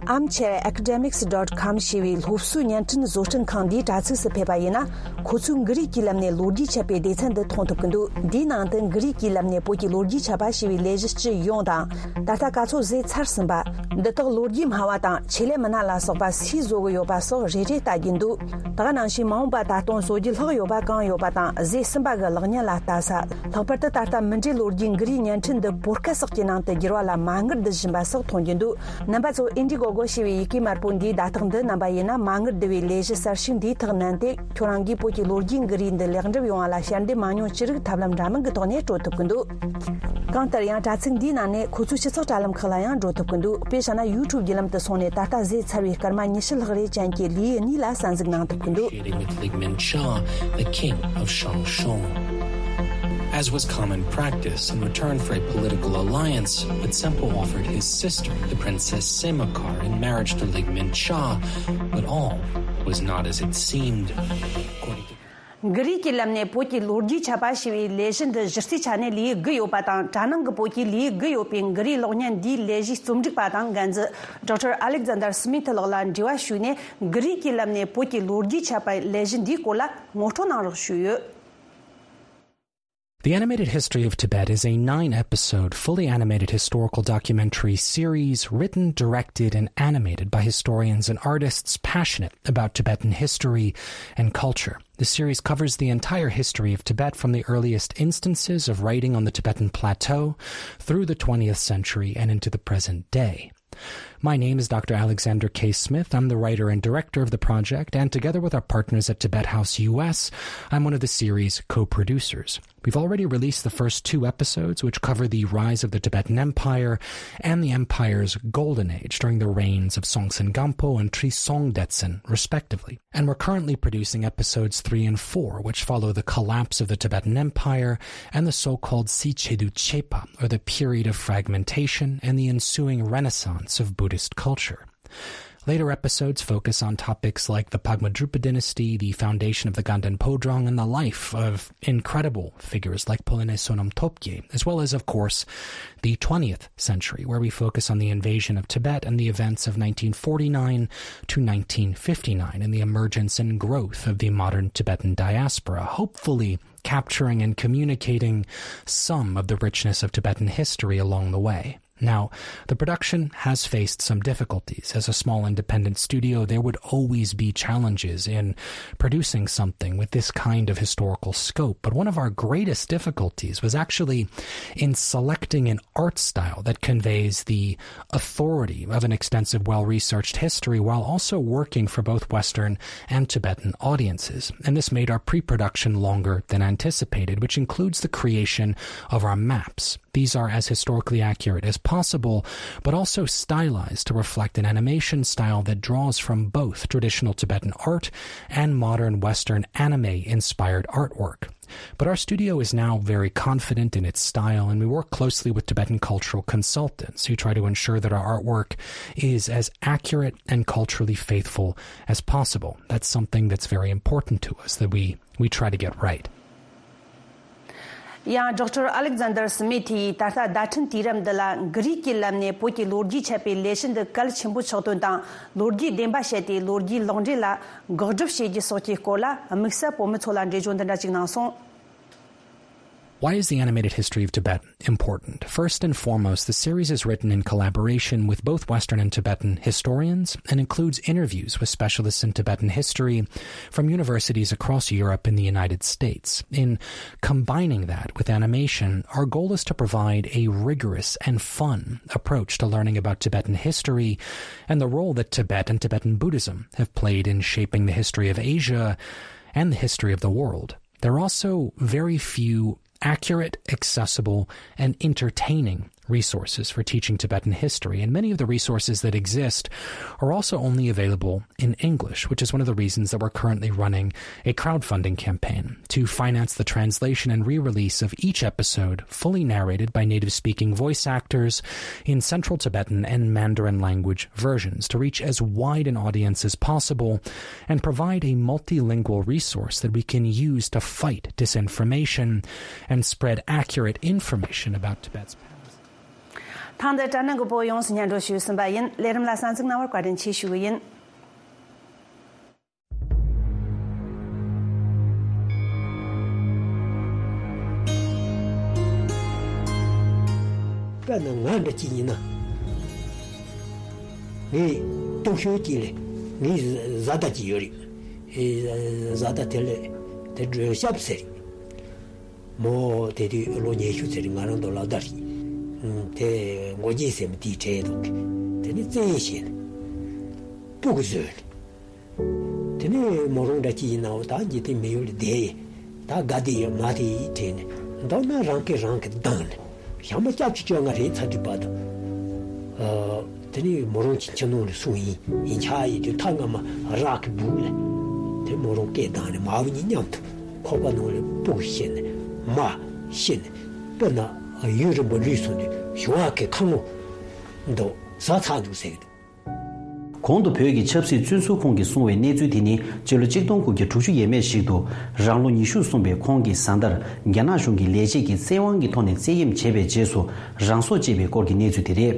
Armchair Academics dot com ཞེས་པའི་སློབ་གསོའི་བརྙན་འཕྲིན་བཟོ་སྐྲུན་ཁང་འདིའི་དྲ་ཚིགས་སུ་ཕེབས་པ་ཡིན་ན། ཁོ་ཚོས་གུ་རུའི་གི་ལམ་ནས་ལོ་རྒྱུས་ཆ་བའི་སྡེ་ཚན་འདི་མཐོང་ཐུབ་ཀྱི་འདུག་འདིའི་ནང་དུ་གུ་རུའི་གི་ལམ་ནས་བོད་ཀྱི་ལོ་རྒྱུས་ཆ་བ་ཞེས་པའི་ལས་གཞི་སྤྱི་ཡོངས་དང་། ད་ལྟ་ག་ཚོད་བཟོས་ཚར་ཟིན་པ། འདི་དག་ལོ་རྒྱུས་སྨྲ་བ་དང་ཆེད་ལས་མི་སྣ་ལ་སོགས་པ་སུས་བཟོ་གི་ཡོད་པ་སོགས་རེ་རེ་ལྟ་རྒྱུ་འདུག་ད་ག་ནང་བཞིན་མ་འོངས་པ་ད་དུང་བཟོ་རྒྱུ་ལྷག་ཡོད་པ་གང་ཡོད་པ་དང་བཟོས་ཟིན་པ་གི་ལེགས་ཉེས་ལ་ལྟ་ས། ལྷག་པར་དུ་ད་ལྟ་མུ་འབྲེལ་ལོ་རྒྱུས་གུ་རུའི་བརྙན་འཕྲིན་འདི་པོ་ཌི་ཁ་སི་ཊི་སོགས་ཀྱི་ནང་དུ་བསྒྱུར་བ་ལ་མ་དངུལ་བསྡུ་བཞིན་པ་སོགས་མཐོང་རྒྱུ་འདུག་རྣམ་པ་ཚོ་ཨིན་ཌི་གོ་གོ་ཞེས་པའི་ཡི་གེ་དམར་པོ་འདིའི་བརྡ་རྟགས་འདི་རྣམ་པ་ཡིན་ན་མ་དངུལ་བསྡུ་བའི་ལས་གཞི་གསར་ཤོས་འདིའི་ཐག་བསྣན་ཏེ། ཁྱོད་རང་གིས་བོད་ཀྱི་ལོ་རྒྱུས་གུ་རུའི་འདི་ལེགས་འགྲུབ་ཡོང་བ་ལ་ཞལ་འདེབས་མ་མྱོང་ཅི་རིགས་ཐབས་ལམ་འདྲ་མིན་གྱི་ཐོག་ནས་སྤྲོད་ཐུབ་ཀྱི་འདུག་གང་ལྟར་ཡང་དྲ་ཚིགས་འདིའི་ནང་ནས་ཁོ་ཚོའི་སྤྱི་ཚོགས་དྲ་ལམ་ཁག་ལ་ཡང་འགྲོ་ཐུབ་ཀྱི་འདུག་དཔེ་བཞག་ན་ཡུ་ཊུབ་བརྒྱུད་ལམ་དུ་སོང་ནས་ད་ལྟ་བཟོས་ཚར་བའི་སྐར་མ་ཉི་ཤུ་ལྷག་རེ་ཅན་གྱི་ལེའུ་གཉིས་ལ་གསན་གཟིགས་གནང་ཐུབ་ཀྱི་འདུག negotiating with Lig Min Cha, the king of Shang Shung. As was common practice, in return for a political alliance, Pu Tsempo offered his sister, the Princess Semakar, in marriage to Lig Min Cha, but all was not as it seemed. According to གུ་རུའི་གི་ལམ་ནས་བོད་ཀྱི་ལོ་རྒྱུས་ཆ་བ་ཞེས་པའི་ལས་གཞི་འདི་གཞི་རྩའི་ཆ་ནས་ལེའུ་དགུ་ཡོད་པ་དང་དྲ་ནང་གི་བོད་ཀྱི་ལེའུ་དགུ་ཡོད་པའི་གུ་རུའི་གློག་བརྙན་འདིའི་ལས་གཞིའི་རྩོམ་སྒྲིག་པ་དང་འགན་འཛིན་ཌོག་ཊར་ཨ་ལེག་ཛན་དར་སི་མི་ཐི་ལགས་ལ་འབྲེལ་བ་ཞུས་ནས་གུ་རུའི་གི་ལམ་ནས་བོད་ཀྱི་ལོ་རྒྱུས་ཆ་བའི་ལས་གཞི་འདིའི་སྐོར་ལ་ངོ་སྤྲོད་གནང་རོགས་ཞུས་ཡོད། The Animated History of Tibet is a nine episode, fully animated historical documentary series written, directed, and animated by historians and artists passionate about Tibetan history and culture. The series covers the entire history of Tibet, from the earliest instances of writing on the Tibetan plateau through the twentieth century and into the present day. My name is Doctor Alexander K. Smith. I'm the writer and director of the project, and together with our partners at Tibet House U S, I'm one of the series' co-producers. We've already released the first two episodes, which cover the rise of the Tibetan Empire and the empire's golden age during the reigns of Songtsen Gampo and Trisong Detsen, respectively. And we're currently producing episodes three and four, which follow the collapse of the Tibetan Empire and the so-called Sichedu Chepa, or the period of fragmentation and the ensuing renaissance of Buddhist culture. Later episodes focus on topics like the Pagma Drupa dynasty, the foundation of the Ganden Phodrang, and the life of incredible figures like Phulene Sonam Topgye, as well as, of course, the twentieth century, where we focus on the invasion of Tibet and the events of nineteen forty-nine to nineteen fifty-nine and the emergence and growth of the modern Tibetan diaspora, hopefully capturing and communicating some of the richness of Tibetan history along the way. Now, the production has faced some difficulties. As a small independent studio, there would always be challenges in producing something with this kind of historical scope. But one of our greatest difficulties was actually in selecting an art style that conveys the authority of an extensive, well researched history while also working for both Western and Tibetan audiences. And this made our pre production longer than anticipated, which includes the creation of our maps. These are as historically accurate as possible, but also stylized to reflect an animation style that draws from both traditional Tibetan art and modern Western anime inspired artwork. But our studio is now very confident in its style, and we work closely with Tibetan cultural consultants who try to ensure that our artwork is as accurate and culturally faithful as possible. That's something that's very important to us, that we, we try to get right. ཡང་ཌོག་ཊར་ཨ་ལེག་ཛན་དར་སི་མི་ཐི་ཡིས་ད་ལྟ་བརྡ་འཕྲིན་དུས་རབས་འདི་ལ་འགུལ་རིས་ཀྱི་ལམ་ནས་བོད་ཀྱི་ལོ་རྒྱུས་འཆད་པའི་ལས་གཞི་འདི་གལ་ཆེན་པོ་ཆགས་དོན་དང་། ལོ་རྒྱུས་བདེན་པ་བཤད་དེ་ལོ་རྒྱུས་ལོག་འགྲེལ་ལ་འགག་སྒྲུབ་བྱེད་རྒྱུ་སོགས་ཀྱི་སྐོར་ལ་དམིགས་བསལ་བོད་མི་ཚོ་ལ་འགྲེལ་བརྗོད་འདི་འདྲ་ཅིག་གནང་སོང་། Why is the animated history of Tibet important? First and foremost, the series is written in collaboration with both Western and Tibetan historians and includes interviews with specialists in Tibetan history from universities across Europe and the United States. In combining that with animation, our goal is to provide a rigorous and fun approach to learning about Tibetan history and the role that Tibet and Tibetan Buddhism have played in shaping the history of Asia and the history of the world. There are also very few accurate, accessible, and entertaining resources for teaching Tibetan history, and many of the resources that exist are also only available in English, which is one of the reasons that we're currently running a crowdfunding campaign to finance the translation and re-release of each episode, fully narrated by native-speaking voice actors in Central Tibetan and Mandarin language versions, to reach as wide an audience as possible and provide a multilingual resource that we can use to fight disinformation and spread accurate information about Tibet's past. ཐེངས་འདིར་དྲ་སྣང་གི་བོད་ཡོངས་སུ་སྙན་སྒྲོན་ཞུས་ཟིན་པ་ཡིན། ལས་རིམ་ལ་གསན་གཟིགས་གནང་བར་བཀའ་དྲིན་ཆེ་ཞུ་གི་ཡིན། དཔེར་ན་ང་འདྲ་གཅིག་ཡིན་ན། ངའི་སྟོབས་ཤུགས་གཅིག་ལས་ངའི་བཟའ་ཟླ་གཅིག་ཡོད་རེད། ཨེ། བཟའ་ཟླ་དེ་ལས་དེ་སྒྲོལ་ཞབས་ཟེར། མོ་དེ་དུས་ལོ་ཉི་ཤུ་ཟེར་རེད། ང་རང་དང་སློབ་གྲྭ་རེད། དེ་མགོ་སྐྱེས་ཟེར་མི་དེའི་གྲས་འདུག་དེ་ནི་བཙན་བྱས་ནས་སྤུ་གུ་བཟོས་ནས། དེ་ནས་མོ་རང་འདྲ་ཅིག་ཡིན་ནའང་ད་འཇིག་རྟེན་མི་ཡུལ་ལ་བསྡད་ཡིན། ད་དགའ་བདེ་ཡོད་མ་བདེ་ཡི་དྲན་ནས་མདོར་ན་རང་སྐད་རང་གིས་བཏང་ནས་ཞག་མ་སྐྱ་བཅུ་བཅོ་ལྔ་རེད་ཚར་དུས་བར་དུ། ཨ། དེ་ནས་མོ་རང་གི་ཁྱིམ་ནང་ལ་སོང་ཡིན་ཡིན་ཆ་ཡིན་དུས་ཐག་སྔ་མ་རག་གི་འདུག་ལ། དེ་མོ་རང་སྐད་བཏང་ནས་མ་བུ་གཉིས་མཉམ་དུ་ཁོག་པ་ནང་ལ་སྤུ་གུ་བཤས་ནས་མ་བཤས་ནས་དཔེར་ན་ཡུན་རིང་པོ་ལུས་སོང་དུས་ཞོ་བ་གི་ཁ་ངོ་འདུག་ཟ་ཚར་འདུག་ཟེར་གི་འདུག་གོང་དུ་བོད་ཀྱི་ཆབ་སྲིད་བཙོན་ཟུར་ཁོངས་ཀྱིས་གསུངས་པའི་གནས་ཚུལ་དེ་ནི་སྤྱི་ལོ་གཅིག་སྟོང་དགུ་བརྒྱ་དྲུག་ཅུ་ཡས་མས་ཤིག་ཏུ་རང་ལོ་ཉི་ཤུ་སོན་པའི་ཁོང་གི་བཟའ་ཟླར་རྒྱ་ནག་གཞུང་གི་ལས་བྱེད་ཀྱིས་བཙན་དབང་གི་ཐོག་ནས་བཙན་གཡེམ་བྱས་པའི་རྗེས་སུ་རང་སྲོག་བཅད་པའི་སྐོར་གྱི་གནས་ཚུལ་དེ་རེད།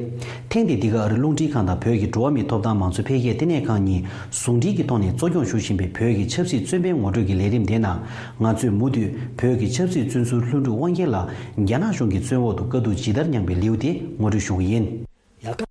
ཐེངས་འདི་འདི་ག་ཨ་རི་རླུང་འཕྲིན་ཁང་དང་བོད་ཀྱི་འགྲོ་བ་མིའི་ཐོབ་ཐང་མང་གཙོ་འཕེལ་རྒྱས་ལྟེ་གནས་ཁང་གཉིས་ཟུང་འབྲེལ་གྱི་ཐོག་ནས་གཙོ་སྐྱོང་ཞུ་བཞིན་པའི་བོད་ཀྱི་ཆབ་སྲིད་བཙོན་པའི་ངོ་སྤྲོད་ཀྱི་ལས་རིམ་དེའི་ནང་ང་ཚོས་མུ་མཐུད་བོད་ཀྱི་ཆབ་སྲིད་བཙོན་ཟུར་ལྷུན་གྲུབ་དབང་རྒྱལ་ལགས་རྒྱ་ནག་གཞུང་གི་བཙོན་འོག་ཏུ་དཀའ་སྡུག་ཇི་ལྟར་མྱངས་པའི་ལེའུ་དེ་ངོ་སྤྲོད་ཞུ་གི་ཡིན། ཡ་ཀ།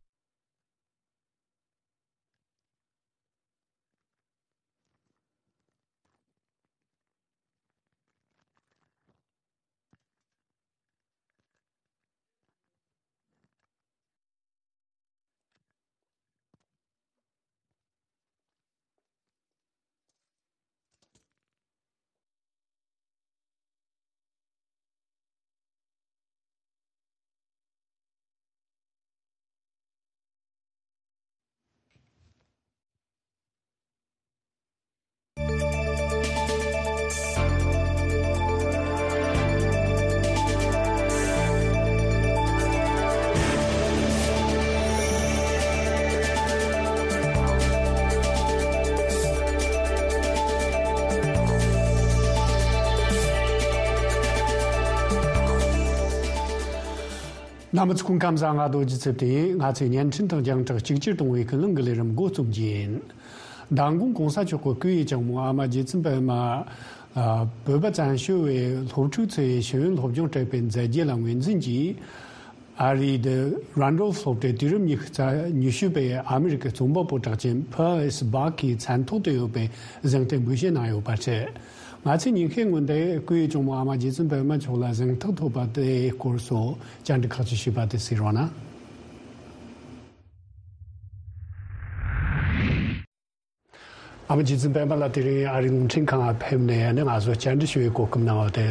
རྣམ་པ་ཚོ་སྐུ་ཁམས་བཟང་། ང་རྡོ་རྗེ་ཚེ་བརྟན་ཡིན། ང་ཚོས་བརྙན་འཕྲིན་དང་རྒྱང་བསྒྲགས་གཅིག་གྱུར་གཏོང་བའི་ཀུན་གླེང་གི་ལས་རིམ་འགོ་རྩོམ་རྒྱུ་ཡིན། མདང་དགོང་གོང་ས་མཆོག་གི་སྐུ་ཡི་གཅུང་མོ་ཨ་མ་རྗེ་བཙུན་པད་མ། ཨ། བོད་པ་བཙན་བྱོལ་བའི་སློབ་ཕྲུག་ཚོའི་ཤེས་ཡོན་སློབ་སྦྱོང་སྤྲད་པའི་མཛད་རྗེས་ལ་ངོས་འཛིན་གྱིས། ཨ་རིའི་The Randolph སློབ་གྲྭའི་དུས་རབས་ཉི་ཤུ་རྩ་ཉི་ཤུ་པའི་ཨ་མི་རི་ཀའི་རྩོམ་པ་པོ་གྲགས་ཅན་Pearl S Buck གི་མཚན་ཐོག་ཏུ་ཡོད་པའི་གཟེངས་རྟགས་འབུལ་བཞེས་གནང་ཡོད་པ་རེད། ང་ཚོས་ཉིན་ཤས་སྔོན་དེ་སྐུའི་གཅུང་མོ་ཨ་མ་རྗེ་བཙུན་པད་མ་མཆོག་ལ་གཟེངས་རྟགས་ཐོབ་པ་དེའི་སྐོར་སོགས་བཅར་འདྲི་ཁག་ཅིག་ཞུས་པ་དེ་གཟིགས་རོགས་གནང་། ཨ་མ་རྗེ་བཙུན་པད་མ་ལགས་དེ་རིང་ཨ་རིའི་རླུང་འཕྲིན་ཁང་ལ་ཕེབས་ནས་ནི་ང་ཚོ་བཅར་འདྲི་ཞུ་བའི་གོ་སྐབས་གནང་བ་དེ་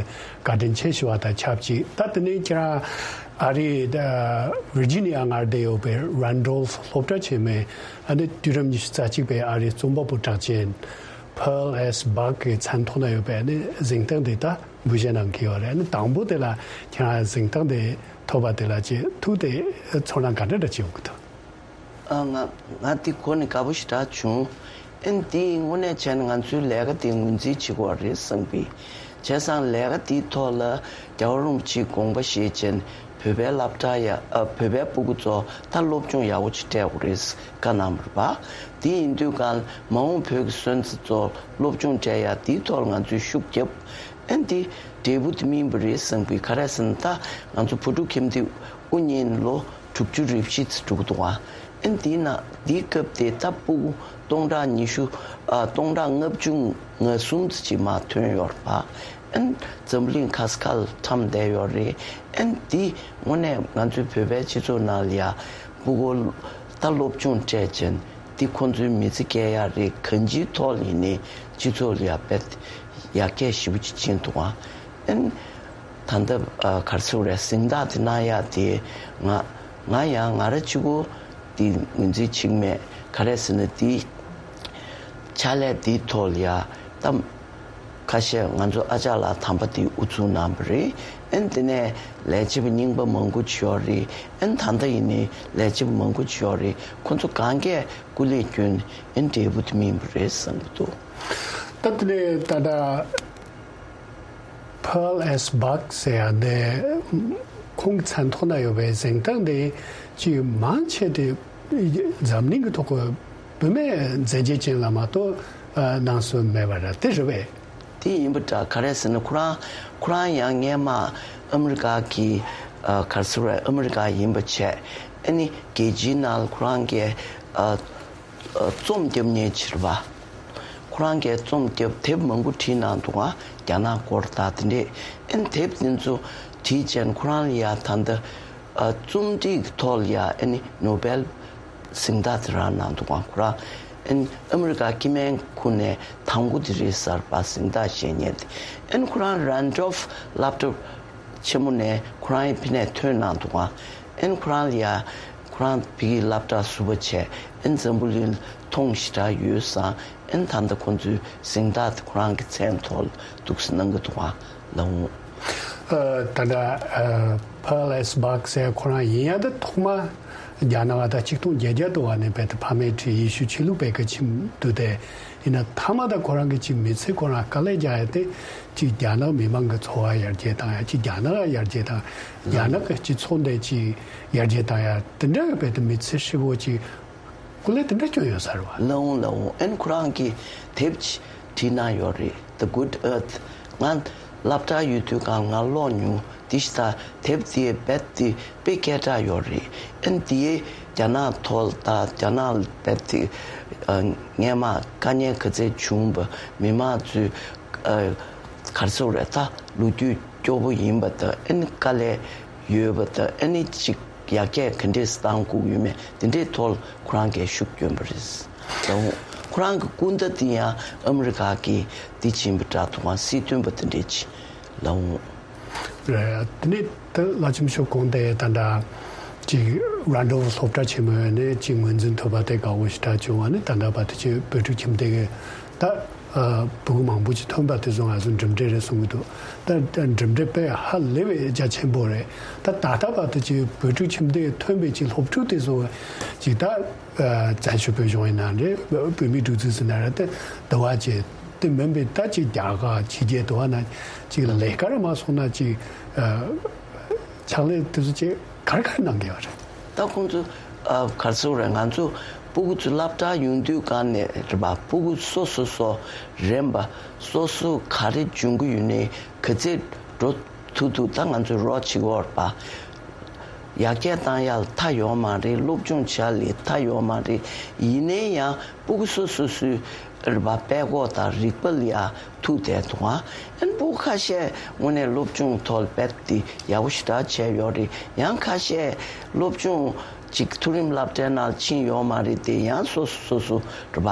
བཀའ་དྲིན་ཆེ་ཞུ་བ་དང་ཆབས་ཅིག་ད་དེ་ནས་ཁྱེད་རང་ཨ་རིའི་ཝིར་ཇི་ནི་ཡ་མངའ་སྡེ་ཡོད་པའི་Randolph སློབ་གྲྭ་ཆེན་མོའི་ཨ་ནི་དུས་རབས་ཉི་ཤུ་རྩ་གཅིག་པའི་ཨ་རིའི་རྩོམ་པ་པོ་གྲགས་ཅན་Pearl S Buck གི་མཚན་ཐོག་ན་ཡོད་པའི་ཨ་ནི་གཟེངས་རྟགས་འདི་ད་འབུལ་བཞེས་གནང་གི་ཡོད་རེད། ཨ་ནི་དང་པོ་དེ་ལ་ཁྱེད་རང་གཟེངས་རྟགས་འདི་ཐོབ་པ་དེ་ལ་ཅིག་ཐུགས་དེ་ཚོར་སྣང་ག་འདྲ་འདྲ་ཅིག་ཡོང་གི་འདུག་ཨ། ང་ང་འདི་གོ་ནས་དགའ་པོ་ཞེ་དྲག་བྱུང་། ཨན་འདི་དངོས་གནས་བྱས་ན་ང་ཚོའི་ལས་ཀ་འདི་ངོས་འཛིན་བྱེད་དགོས་རེད་བསམ་གི། བྱས་ཙང་ལས་ཀ་འདིའི་ཐོག་ལ་རྒྱལ་བ་རིན་པོ་ཆེའི་དགོངས་པ་བཞེས་བྱས་ནས་བོད་པའི་སློབ་གྲྭ་ཡ། ཨ། བོད་པའི་སྤུ་གུ་ཚོ་ད་སློབ་སྦྱོང་ཡག་པོ་ཅིག་སྤྲད་དགོས་རེད་བཀའ་གནང་བ་རེད་པ། དེ་ཡིན་དུས་གང་མ་འོངས་བོད་ཀྱི་སོན་རྩ་ཚོ་སློབ་སྦྱོང་སྤྲད་ཡ་འདིའི་ཐོག་ལ་ང་ཚོས་ཤུགས་རྒྱབ། ཨན་འདི་འབྲས་བུ་དེ་སྨིན་པ་རེད་བསམ་གི། ག་རེ་ཟེར་ན་ད་ང་ཚོ་བོད་ཕྲུག་ཁྱིམ་སྡེ་དབུ་བརྙེས་ལོ་དྲུག་ཅུ་རེ་བཞི་ཙམ་འགྲོ་གི་འདུག་ཨ། ཨན་དེའི་ནང་དེའི་སྐབས་དེ་ད་སྤུ་གུ་སྟོང་ཕྲག་ཉི་ཤུ། ཨ། སྟོང་ཕྲག་ལྔ་བཅུ་ང་གསུམ་ཙམ་ཅིག་མར་ཐོན་ཡོད་རེད་པ། ཨན་འཛམ་བུ་གླིང་ག་ས་ག་ལ་འཁྲམ་བསྡད་ཡོད་རེད། ཨན་དེ་དངོས་གནས་ང་ཚོའི་བོད་པའི་སྤྱི་ཚོགས་ནང་ལ་ཡ་སྤུ་གུ་ད་སློབ་སྦྱོང་སྤྲད་བྱས་དེ་ཁོང་ཚོའི་མི་ཚེ་སྐྱེལ་ཡ་རེད། གང་ཅིའི་ཐོག་ལ་ཡིན་ནའི་སྤྱི་ཚོགས་ལ་ཡ་དཔེ་ཡར་རྒྱས་ཞེ་པོ་ཅིག་ཕྱིན་འདུག་ཨ། ཨན། ད་ལྟ་ཨ་ག་རེ་ཟེར་དགོས་རེད། གཟེངས་རྟགས་དེ་གནང་ཡག་དེ་ང་ང་ཡང་ང་རང་གཅིག་པོ་དེ་ངོས་འཛིན་བྱེད་ཀྱི་མེད། ག་རེ་ཟེར་ན་དེ་ཕྱག་ལས་དེའི་ཐོག་ལ་ཡ་ད་ཁ་ཤས་ང་ཚོ་ཨ་ཅག་ལགས་དམ་པ་དེ་དབུ་བཙུགས་གནང་བ་རེད། ཨན་དེ་ནས་ལས་བྱེད་པ་རྙིང་པ་མང་པོ་ཅིག་ཡོད་རེད། ཨན་ད་ལྟ་ཡིན་ནའི་ལས་བྱེད་པ་མང་པོ་ཅིག་ཡོད་རེད། ཁོང་ཚོ་གང་གས་སྐུ་ལས་བསྐྱོན་ཨན་འབྲས་བུ་དེ་སྨིན་པ་རེད་བསམ་གྱི་འདུག་ད་དེ་ནས་ད་ལྟ། Pearl S Buck ཟེར་ཡ་དེ་ཁོང་གི་མཚན་ཐོག་ན་ཡོད་པའི་གཟེངས་རྟགས་དེ་ཅིག་མང་ཆེ་དེ་འཛམ་གླིང་གི་ཐོག་གི་བུད་མེད་མཛད་རྗེས་ཅན་ལ་མ་གཏོགས་གནང་སྲོལ་མེད་པ་རེད། དེ་རེད་པས། དེ་ཡིན་པ་འདྲ། ག་རེ་ཟེར་ན་ཁོ་རང་ཁོ་རང་ཡང་སྔས་མ་ཨ་མི་རི་ཀ་གི་ཨ་ག་རེ་ཟེར་དགོས་རེད། ཨ་མི་རི་ཀ་ཡིན་པ་བྱས། ཨ་ནི་རྒྱལ་སྤྱིའི་ནང་ལ་ཁོ་རང་གི་ཨ་རྩོམ་རྒྱབ་མཁན་ཅིག་རེད་པ། ཁོ་རང་གིས་རྩོམ་རྒྱབ། དེབ་མང་པོ་བྲིས་གནང་འདུག་ག་རྒྱ་ནག་སྐོར་དང་དེ་འདྲས། ཨན་དེབ་དེ་ཚོ་བྲིས་བྱས་ཁོ་རང་ལ་ཡ་ད་ལྟ་ཨ་རྩོམ་སྒྲིག་གི་ཐོག་ལ་ཡ་ཨ་ནི་ནོ་བེལ་གཟེངས་རྟགས་དེ་རག་གནང་འདུག་ག་ཁོ་རང་ཨན་ཨ་མི་རི་ཀ་སྐྱེ་དམན་ཁོངས་ནས་དང་པོ་དེ་རེད་ཟེར་བ། གཟེངས་རྟགས་བཞེས་མཁན་དེ། ཨན་ཁོ་རང་Randolph སློབ་གྲྭ་ཆེན་མོ་ནས་ཁོ་རང་ཡང་ཕ་ནས་ཐོན་གནང་འདུག་ག་ཨན་ཁོ་རང་ལ་ཡ་ཁོ་རང་ཕ་གིའི་སློབ་གྲྭ་ཟུར་པ་བྱས། ཨན་འཛམ་བུ་གླིང་མཐོང་ཞེ་དྲག་ཡོད་ཙང་། ཨན་ད་ལྟ་ཁོང་ཚོའི་གཟེངས་རྟགས་དེ་ཁོ་རང་གི་མཚན་ཐོག་ལ་འདུག་སེ་གནང་གི་འདུག་ག་ལགས་འོང་། ཨ། ད་ལྟ་ཨ་Pearl S Buck ཟེར་ཁོ་རང་ཡིན་ཡ་ད་ཐོག་མ་རྒྱ་ནག་ད་ཆིག་སྟོང་བརྒྱད་བརྒྱ་དུ་བ་ནས་བལ་ཏེ་ཕ་མའི་ཁྲིར་ཡེ་ཤུ་ཆོས་ལུགས་སྤེལ་ག་ཕྱིན་འདུག་སྟེ། ཡིན་ན་མཐའ་མ་ད་ཁོ་རང་གི་ཅིག་མི་ཚེ་ཁོ་རང་དཀའ་ལས་རྒྱག་ཡ་དེ་ཅིག་རྒྱ་ནག་མི་མང་གི་འཚོ་བ་ཡར་རྒྱས་བཏང་ཡ། ཅིག་རྒྱ་ནག་ཡར་རྒྱས་བཏང་། རྒྱ་ནག་གི་སྤྱི་ཚོགས་འདི་ཅིག་ཡར་རྒྱས་བཏང་ཡ། དེ་འདྲ་བའི་དེ་མི་ཚེ་ཧྲིལ་བོ་ཅིག་སྐུ་ལས་དེ་འདྲ་སྐྱོན་ཡོད་ས་རེད་བ། ལགས་འོང་། ལགས་འོང་། ཨན་ཁོ་རང་གིས་དེབ་ཅིག་བྲིས་གནང་ཡོད་རེད། The Good Earth། ང་སློབ་གྲྭ་ཡོད་དུས་སྒང་ང་ཀློག་མྱོང་། དེ་ཞིག་ད་དེབ་དེ་རྦད་དེ་དཔེ་སྐད་གྲགས་ཡོད་རེད། ཨན་དེའི་རྒྱ་ནག་ཐོག་ད་རྒྱ་ནག་རྦད་དེ་ཨ་སྔས་མ་དཀའ་ངལ་ག་ཚད་བྱུང་བ། མི་མང་ཚོས་ཨ་ག་རེ་ཟེར་དགོས་རེད། ད་ལོ་རྒྱུས་སྐྱོ་པོ་ཡིན་པ་དང་། ཨ་ནི་དཀའ་ལས་ཡོད་པ་དང་། ཨ་ནི་ཅིག་ཡར་རྒྱས་ག་འདྲས་བཏང་དགོས་ཡོད་མེད་དེ་འདྲའི་ཐོག་ཁོ་རང་གིས་ཤུགས་བསྐྱོན་པ་རེད། ལགས་འོང་། ཁོ་རང་གི་སྐུ་ཟླ་དེ་ཡང་ཨ་མི་རི་ཀ་གི་དེ་ཕྱིན་པ་འདྲ་འདུག་ག་སྲིད་དོན་པ་དེ་འདྲས་ཅིག་ལགས་འོང་། རེད། དེ་ནས་ད་བླ་ཆེན་མཆོག་དགོངས་ཏེ་ད་ལྟ་ཅིག་རན་ཌོལ་སློབ་གྲྭ་ཆེན་མོའི་ནས་ཅིག་ངོས་འཛིན་ཐོབ་པ་དེ་དགའ་བོ་ཞེ་དྲག་བྱུང་བ་ནི། ད་ལྟ་བར་དུ་ཅིག་བོད་ཕྲུག་ཁྱིམ་སྡེ་གི་ད་ཨ་ཕྲུ་གུ་མང་པོ་ཅིག་ཐོན་པ་དེ་ཚོ་ང་ཚོ་འགྲིམ་འགྲུལ་རེད་གསུང་གི་འདུག་ད་ད་འགྲིམ་འགྲུལ་དཔེ་ཧ་ལས་པའི་རྒྱ་ཆེན་པོ་རེད། ད་ད་ལྟ་བར་དུ་ཅིག་བོད་ཕྲུག་ཁྱིམ་སྡེ་ཐོན་པའི་ཅིག་སློབ་ཕྲུག་དེ་ཚོ་ཅིག་ད་ཨ་བཙན་བྱོལ་བོད་གཞུང་ཡིན་ན་རེད། བོད་མིའི་སྒྲིག་འཛུགས་ཟེར་ན་རེད། དེ་འདི་བ་ཅིག་དེ་མིན་པའི་ད་ཅིག་རྒྱ་གར་ཕྱི་རྒྱལ་དུ་བ་ན་ཅིག་ལས་ཀ་རེ་མ་སོང་ན་ཅིག་ཨ་ཕྱག་ལས་དེ་ཚོ་ཅིག་ ག་རེ་ག་རེ་གནང་གི་ཡོད་རེད། ད་ཁོང་ཚོ་ཨ་ག་རེ་ཟེར་དགོས་རེད། ང་ཚོ་སྤུ་གུ་ཚོ་སློབ་གྲྭ་ཡོང་དུས་སྒང་ནས་རེད་པ། སྤུ་གུ་སོ་སོ་སོ་རན་པ། སོ་སོ་ག་རེ་སྦྱོང་གི་ཡོད་ནའི་ག་ཚད་འགྲོ་ཐུབ་ཐུབ་ད་ང་ཚོས་རོགས་བྱེད་ཀྱི་ཡོད་རེད་པ། ཡར་རྒྱས་བཏང་ཡ་ལ་མཐའ་ཡོད་མ་རེད། སློབ་སྦྱོང་བྱ་ལ་མཐའ་ཡོད་མ་རེད། ཡིན་ནའི་ཡང་སྤུ་གུ་སོ་སོ་སོའི་རེད་པ། དཔེ་ཁོག་དང་རིག་པ་ལ་ཡ་ཐུག་བསྡད་འདུག་ཨ། ཨན་སྤུ་གུ་ཁ་ཤས་དངོས་གནས་སློབ་སྦྱོང་ཐོག་ལ་དཔེ་དེ་ཡག་པོ་ཞེ་དྲག་བྱས་ཡོད་རེད། ཡང་ཁ་ཤས་སློབ་སྦྱོང་ཅིག་མཐོ་རིམ་སློབ་གྲྭའི་ནང་ཕྱིན་ཡོད་མ་རེད་དེ། ཡང་སོ་སོ་སོ་སོ་རེད་པ།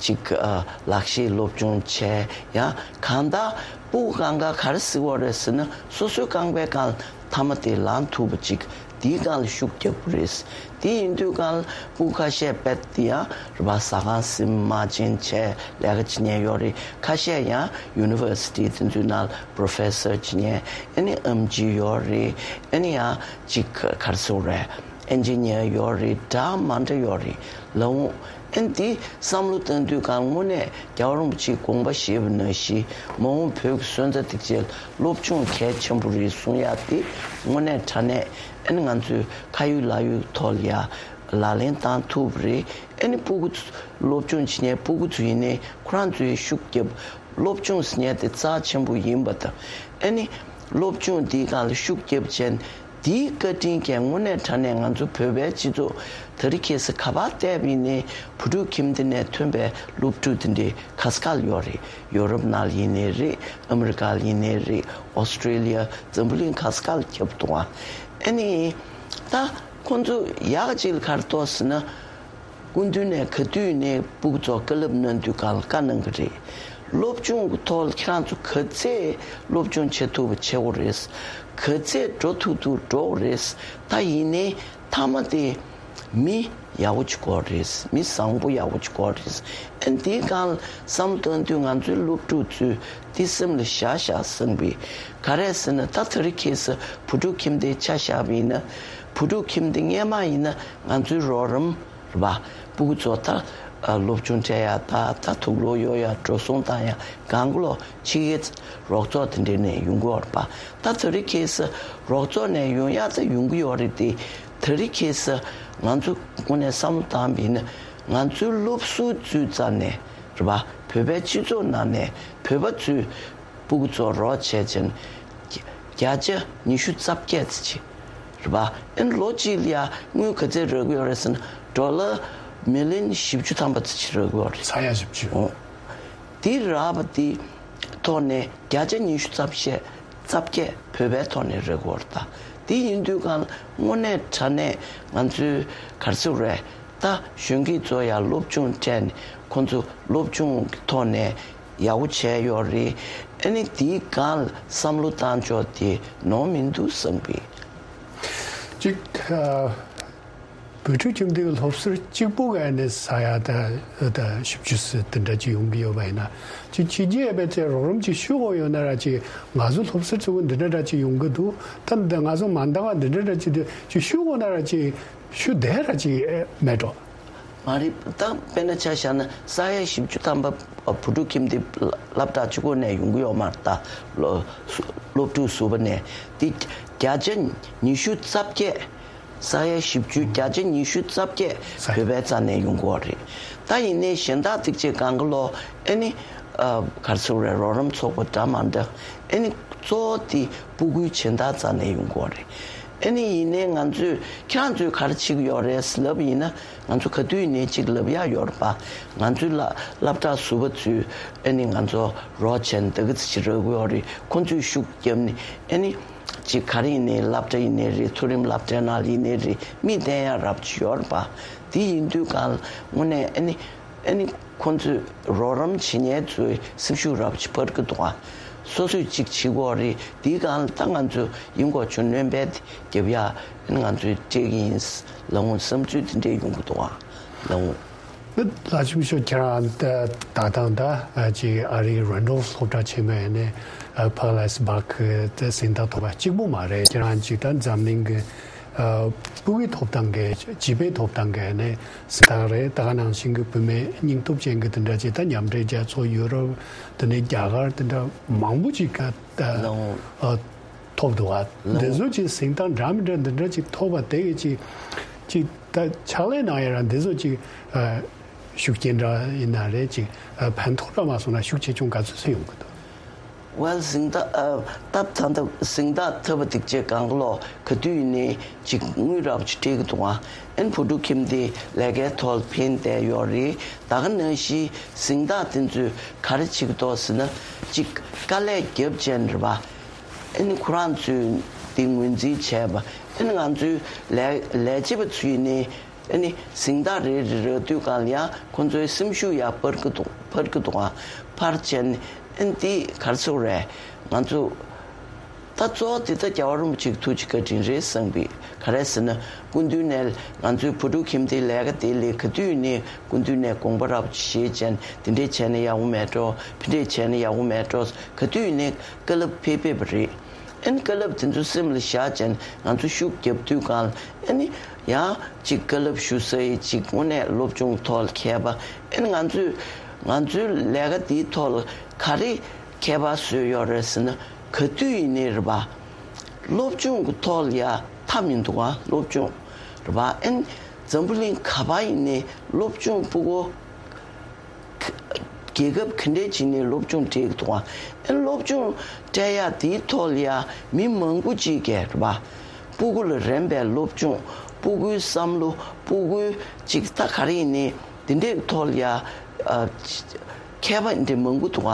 ཅིག་ཨ་ལག་ཤེས་སློབ་སྦྱོང་བྱས། ཡང་གང་ལྟར་སྤུ་གུ་སྒང་ག་ག་རེ་ཟེར་བ་རེད་ཟེར་ན། སོ་སོའི་རྐང་པའི་སྒང་ལ་མཐའ་མ་དེ་ལངས་ཐུབ་པ་ཅིག་དེའི་སྒང་ལ་ཤུགས་རྒྱབ་དགོས་རེད། དེ་ཡིན་དུས་སྒང་ལ་སྤུ་གུ་ཁ་ཤས་དཔེ་དེ་ཡང་རེད་པ། ཟ་ཁང་ཟིན་མ་བྱིན་བྱས་ལས་ཀ་བྱེད་མཁན་ཡོད་རེད། ཁ་ཤས་ཡང་ཡུ་ནི་ཝར་སི་ཊི་དེ་ཚོའི་ནང་ལ་པོ་རོ་ཕེ་སར་བྱེད་མཁན། ཨ་ནི་ཨེམ་ཆི་ཡོད་རེད། ཨ་ནི་ཡང་ཅིག་ག་རེ་ཟེར་དགོས་རེད། ཨེན་ཇི་ནི་ཡར་ཡོད་རེད། འདྲ་མི་འདྲ་ཡོད་རེད་ལབ་འོང་། ཨ་ནི་འདི་བསམ་བློ་བཏང་དུས་སྒང་དངོས་གནས་རྒྱལ་བ་རིན་པོ་ཆེས་དགོངས་པ་བཞེས་པ་ནང་བཞིན་མ་འོངས་བོད་ཀྱི་སོན་རྩ་སྒྲིག་ཆས་ལ་སློབ་སྦྱོང་གལ་ཆེན་པོ་རེད་གསུང་ཡ་དེ་དངོས་གནས་དྲང་གནས་ཨ་ནི་ང་ཚོས་ཁ་ཡོད་ལག་ཡོད་ཐོག་ལ་ཡ་ལག་ལེན་བཏང་ཐུབ་པ་རེད། ཨ་ནི་སྤུ་གུ་ཚོ་སློབ་སྦྱོང་བྱེད་མཁན་སྤུ་གུ་ཚོ་ཡིན་ནའི་ཁོ་རང་ཚོས་ཤུགས་རྒྱབ། སློབ་སྦྱོང་ཟེར་མཁན་དེ་རྩ་ཆེན་པོ་ཡིན་པ་དང་། ཨ་ནི་སློབ་སྦྱོང་འདིའི་སྒང་ལ་ཤུགས་རྒྱབ་བྱས་ནས་འདིའི་བཀའ་དྲིན་གྱིས་དངོས་གནས་དྲང་གནས་ང་ཚོ་བོད་པའི་སྤྱི་ཚོགས་དེ་རིང་ཁ་སང་ག་པར་བལྟས་པ་ཡིན་ནའི་བོད་ཕྲུག་ཁྱིམ་སྡེ་ནས་ཐོན་པའི་སློབ་ཕྲུག་དེ་འདྲའི་ག་ས་ག་ལ་ཡོད་རེད། ཡོ་རོབ་ནང་ལ་ཡིན་ནའི་རེད། ཨ་མི་རི་ཀ་ལ་ཡིན་ནའི་རེད། ཨོ་སི་ཀྲི་ལི་ཡ། འཛམ་བུ་གླིང་ག་ས་ག་ལ་ཁྱབ་འདུག་ཨ། ཨ་ནི་ད་ཁོང་ཚོ་ཡག་ཅིག་ལ་ག་རེ་འདུག་ཟེར་ན། སྐུ་མདུན་ནས་ག་དུས་ནས་སྤུ་གུ་ཚོར་བཀའ་སློབ་གནང་དུས་སྒང་ལ་བཀའ་གནང་གི་རེད། སློབ་སྦྱོང་གི་ཐོག་ལ་ཁྱེད་རང་ཚོ་ག་ཚད་སློབ་སྦྱོང་བྱེད་ཐུབ་པ་བྱེད་དགོས་རེད། ག་ཚད་འགྲོ་ཐུབ་ཐུབ་འགྲོ་དགོས་རེད། ད་ཡིན་ནའི་མཐའ་མ་དེ་མི་ཡག་པོ་ཅིག་དགོས་རེད། མི་བཟང་པོ་ཡག་པོ་ཅིག་དགོས་རེད། ཨ་ནི་དེའི་སྒང་ལ་བསམ་བློ་གཏོང་དུས་ང་ཚོའི་སློབ་ཕྲུག་ཚོས་དེ་སེམས་ལ་བཞག་བཞག་བསམ་པའི། ག་རེ་ཟེར་ན། ད་དེ་རིང་ཁ་སང་བོད་ཕྲུག་ཁྱིམ་སྡེའི་ཆ་བཞག་པ་ཡིན་ན། བོད་ཕྲུག་ཁྱིམ་སྡེ་སྔས་མ་ཡིན་ན་ང་ཚོའི་རོགས་རམ་རེད་པ། སྤུ་གུ་ཚོ་ད་ཨ་སློབ་སྦྱོང་སྤྲད་ཡ། ད་ད་དུག་ལོག་གཡོག་ཡ། འགྲོ་སོང་བཏང་ཡ། གང་ག་ལོག་ཕྱི་རྒྱལ་རོགས་ཚོགས་དེ་འདྲ་ནས་ཡོང་གི་ཡོད་རེད་པ། ད་དེ་རིང་ཁ་སང་རོགས་ཚོགས་ནས་ཡོང་ཡ་ད་ཡོང་གི་ཡོད་རེད་དེ། དེ་རིང་ཁ་སང་ང་ཚོ་དངོས་གནས་བསམ་བློ་བཏང་བ་ཡིན་ན། ང་ཚོའི་སློབ་ཟུར་ཚོའི་རྩ་ནས་རེད་པ། བོད་པའི་སྤྱི་ཚོགས་ནང་ནས་བོད་པ་ཚོའི་སྤུ་གུ་ཚོར་རོགས་བྱས་བྱས་ནས་བརྒྱ་ཆ་ཉི་ཤུ་རྩ་བརྒྱད་ཙམ་ཅིག་རེད་པ། ཨ་ནི་ལོ་གཅིག་ལ་ཡ་དངུལ་ག་ཚད་རག་གི་ཡོད་རེད་ཟེར་ན། ཌོ་ལར་མི་ལི་ཡོན་བཞི་བཅུ་ཐམ་པ་ཙམ་ཅིག་རག་གི་ཡོད་རེད། ས་ཡ་བཞི་བཅུ། འོ། དེ་རག་པ་དེ་ཐོག་ནས་བརྒྱ་ཆ་ཉི་ཤུ་རྩ་བརྒྱད། རྩ་བརྒྱད་བོད་པའི་ཐོག་ནས་རེད་གོ་ད། དེ་ཡིན་དུས་སྒང་དངོས་གནས་དྲང་གནས་ང་ཚོའི་ག་རེ་ཟེར་དགོས་རེད། ད་གཞོན་སྐྱེས་ཚོ་ཡང་སློབ་སྦྱོང་སྤྲད་ནས་ཁོང་ཚོ་སློབ་སྦྱོང་གི་ཐོག་ནས་ཡག་པོ་བྱས་ཡོད་རེད། ཨ་ནི་དེའི་སྒང་ལ་བསམ་བློ་བཏང་ཕྱོགས་དེ་ནོར་མི་འདུག་བསམ་གི། གཅིག་ཨ། བོད་ཕྲུག་ཁྱིམ་སྡེའི་སློབ་ཟུར་གཅིག་པུ་ག་ནས་ས་ཡ་ད་ད་བཞི་བཅུ་ཙམ་དེ་འདྲ་ཅིག་ཡོང་གི་ཡོད་པ་ཡིན་ན། ཅིག་ཕྱི་རྒྱལ་བའི་ཚེ་རོགས་རམ་ཅིག་ཞུ་དགོས་ཡོད་ན་ར། ཅིག་ང་ཚོ་སློབ་ཟུར་ཚོ་འདི་འདྲ་འདྲ་ཅིག་ཡོང་གི་འདུག་ད་འདི་ང་ཚོ་མ་འདང་བ་འདི་འདྲ་འདྲ་ཅིག་འདུག་ཅིག་ཞུ་དགོས་ན་ར། ཅིག་ཞུ་བདེ་ར་ཅིག་མེད་འགྲོ། མ་རེད། ད་དཔེར་ན་ཆ་བཞག་ན་ས་ཡ་བཞི་བཅུ་ཐམ་པ་བོད་ཕྲུག་ཁྱིམ་སྡེ་སློབ་གྲྭ་གཅིག་པོ་ནས་ཡོང་གི་ཡོད་མ་རེད། ད་སློབ་སློབ་ཕྲུག་ཟུར་པ་ནས་དེ་བརྒྱ་ཆ་ཉི་ཤུ་རྩ་བརྒྱད། ས་ཡ་བཞི་བཅུ། བརྒྱ་ཆ་ཉི་ཤུ་རྩ་བརྒྱད་ས་བོད་པའི་རྩ་ནས་ཡོང་གི་ཡོད་རེད། ད་ཡིན་ནའི་གཞན་དག་ཅིག་ཅིག་གང་ག་ལོག་ཨ་ནི་ཨ་ག་རེ་ཟེར་དགོས་རེད། རོགས་རམ་ཚོགས་པ་འདྲ་མི་འདྲ། ཨ་ནི་གཙོ་བོ་དེ་སྤུ་གུའི་སྦྱིན་བདག་རྩ་ནས་ཡོང་གི་ཡོད་རེད། ཨ་ནི་ཡིན་ནའི་ང་ཚོས་ཁྱེད་རང་ཚོས་ག་རེ་བྱེད་ཀྱི་ཡོད་རེད་ལབ་ཡིན་ན། ང་ཚོ་ག་དུས་ཡིན་ནའི་ཅིག་ལབ་ཡག་ཡོད་རེད་པ། ང་ཚོའི་སློབ་སློབ་གྲྭ་ཟུར་པ་ཚོས་ཨ་ནི་ང་ཚོ་རོགས་བྱས་ནས་ད་ག་ཚོད་ཅིག་རག་གི་ཡོད་རེད། ཁོང་ཚོས་ཤུགས་བརྒྱབ་ནས་ཨ་ནི། ཅིག་ག་རེ་ཡིན་ནའི་སློབ་གྲྭ་ཡིན་ནའི་རེད། མཐོ་རིམ་སློབ་གྲྭའི་ནང་ལ་ཡིན་ནའི་རེད། མི་བསྟེན་ཡག་རབ་ཅིག་ཡོད་རེད་པ། དེ་ཡིན་དུས་སྒང་ལ་དངོས་གནས་ཨ་ནི་ཨ་ནི་ཁོང་ཚོས་རོགས་རམ་བྱེད་མཁན་ཚོའི་སེམས་ཤུགས་རབ་ཅིག་འཕར་གི་འདུག་ཨ། སོ་སོས་ཅིག་བྱེད་དགོས་རེད། དེའི་སྒང་ལ་ད་ང་ཚོ་ཡིན་གོ་ཆུ་སྣོན་པའི་རྒྱབ་ཡ་ཨ་ནི་ང་ཚོས་སྤྲད་ཀྱི་ཡིན་ལབ་འོང་། བསམ་ཚུལ་དེ་འདྲས་ཡོང་གི་འདུག་ཨ་ལབ་འོང་། ལགས་ཆེ་ཤོས་ཁྱེད་རང་ད་ད་ཐེངས་ད་ཅིག་ཨ་རིའི་རན་ཌོལ་སློབ་གྲྭ་ཆེན་མོའི་ནས་ཕར་ལ་སྦག་གི་ད་གཟེངས་རྟགས་ཐོབ་པ་གཅིག་པུ་མ་རེད། ཁྱེད་རང་ཅིག་ད་འཛམ་གླིང་གི་ཨ་སྤུ་གུའི་ཐོབ་ཐང་གི་བྱིས་པའི་ཐོབ་ཐང་གི་ནས་གཟེངས་རྟགས་རེད། ད་ག་ནང་བཞིན་གྱི་བུད་མེད་སྙིང་སྟོབས་ཅན་གྱི་དེ་འདྲ་ཅིག་ད་མཉམ་འབྲེལ་རྒྱལ་ཚོགས། ཡུ་རོབ། དེ་ནས་རྒྱ་གར། དེ་འདྲ་མང་པོ་ཅིག་ག་ད་ལའོ། ཨ། ཐོབ་འདུག་ག་ལགས། འདི་ཚོ་ཅིག་གཟེངས་རྟགས་འདྲ་མི་འདྲ་འདི་འདྲ་ཅིག་ཐོབ་པ་དེ་གི་ཅིག་ཅིག་ད་ཕྱག་ལས་གནང་ཡ་ར་འདི་ཚོ་ཅིག་ཨ། ཤུགས་རྐྱེན་འདྲ་ཡིན་ན་རེད་ཅིག་ཨ། ཕན་ཐོགས་ར་མ་སོང་ན་ཤུགས་ཆེ་ཆུང་ག་ཚོད་ཚོད་ཡོང་གི་འདུག Well, གཟེངས་རྟགས་ཨ། སྟབས་ད་ལྟ་གཟེངས་རྟགས་ཐོབ་པ་འདི་བྱས་གང་ག་ལོ་ག་དུས་ཡིན་ནའི་ཅིག་དངུལ་རག་ཅིག་སྤྲད་གི་འདུག་ཨ། ཨན་བུ་ཕྲུག་ཁྱིམ་སྡེ་ལས་ཀའི་ཐོག་ཕན་བསྡད་ཡོད་རེད། ད་ག་ནང་བཞིན་གཟེངས་རྟགས་དེ་ཚོས་ག་རེ་བྱེད་ཀྱི་འདུག་ཟེར་ན་ཅིག་དཀའ་ལས་རྒྱབ་བྱས་རེད་པ། ཨན་ཁོ་རང་ཚོས་དེ་ངོས་འཛིན་བྱས་པ། ཨན་ང་ཚོའི་ལས་ལས་བྱེད་པ་ཚོས་ནི་ཨ་ནི་གཟེངས་རྟགས་རེ་རེ་རག་དུས་གང་ལ་ཡང་ཁོང་ཚོའི་སེམས་ཤུགས་ཡར་འཕར་གི་འདུག་འཕར་གི་འདུག་ཨ། འཕར་བྱས་ནས་ཨ་ནི་འདི་ག་རེ་ཟེར་དགོས་རེད། ང་ཚོ་ད་གཙོ་བོ་འདི་ད་རྒྱལ་བ་རིན་པོ་ཆེའི་ཐུགས་རྗེ་བཀའ་དྲིན་རེད་བསམ་གི། ག་རེ་ཟེར་ན་སྐུ་མདུན་ནས་ང་ཚོའི་བུ་ཕྲུག་ཁྱིམ་སྡེའི་ལས་ཀ་དེ་ལས་ག་དུས་ནས་སྐུ་མདུན་ནས་དགོངས་པ་རབ་བཞེས་བྱས་ནས་དེ་འདྲས་བྱས་ན་ཡག་པོ་མེད་འགྲོ། ཕ་འདྲས་བྱས་ན་ཡག་པོ་མེད་འགྲོ། ག་དུས་ནས་བཀའ་སློབ་ཕེབས་ཕེབས་པ་རེད། ཨ་ནི་བཀའ་སློབ་དེ་ཚོ་སེམས་ལ་བཞག་བྱས་ནས་ང་ཚོ་ཤུགས་རྒྱབ་དུས་གང་ལ་ཨ་ནི་ཡང་ཅིག་བཀའ་སློབ་ཞུ་སའི་ཅིག་དངོས་གནས་སློབ་སྦྱོང་ཐོག་ལ་མཁས་པ། ཨ་ནི་ང་ཚོས་ང་ཚོའི་ལས་ཀ་འདིའི་ཐོག་ལ་ག་རེ་མཁས་པ་བཟོས་ཡོད་རེད་ཟེར་ན་ག་དུས་ཡིན་ནའི་རེད་པ། སློབ་སྦྱོང་གི་ཐོག་ལ་ཡ་མཐའ་མི་འདུག་ག་སློབ་སྦྱོང་རེད་པ། ཨ་ནི་འཛམ་བུ་གླིང་ག་པར་ཡིན་ནའི་སློབ་སྦྱོང་ཕྲུ་གུ་རྒྱལ་ཁབ་ག་འདྲས་བྱས་ནས་སློབ་སྦྱོང་སྤྲད་ཀྱི་འདུག་ག་ཨ་ནི་སློབ་སྦྱོང་སྤྲད་ཡ་དེའི་ཐོག་ལ་ཡ་མི་མང་པོ་ཅིག་གིས་རེད་པ། ཕྲུ་གུ་ལ་རན་པའི་སློབ་སྦྱོང་། ཕྲུ་གུའི་བསམ་བློ། ཕྲུ་གུའི་ཅིག་ད་ག་རེ་ཡིན་ནའི་དེ་འདྲའི་ཐོག་ལ་ཡ་ཨ། མཁས་པ་འདི་མང་པོ་འདུག་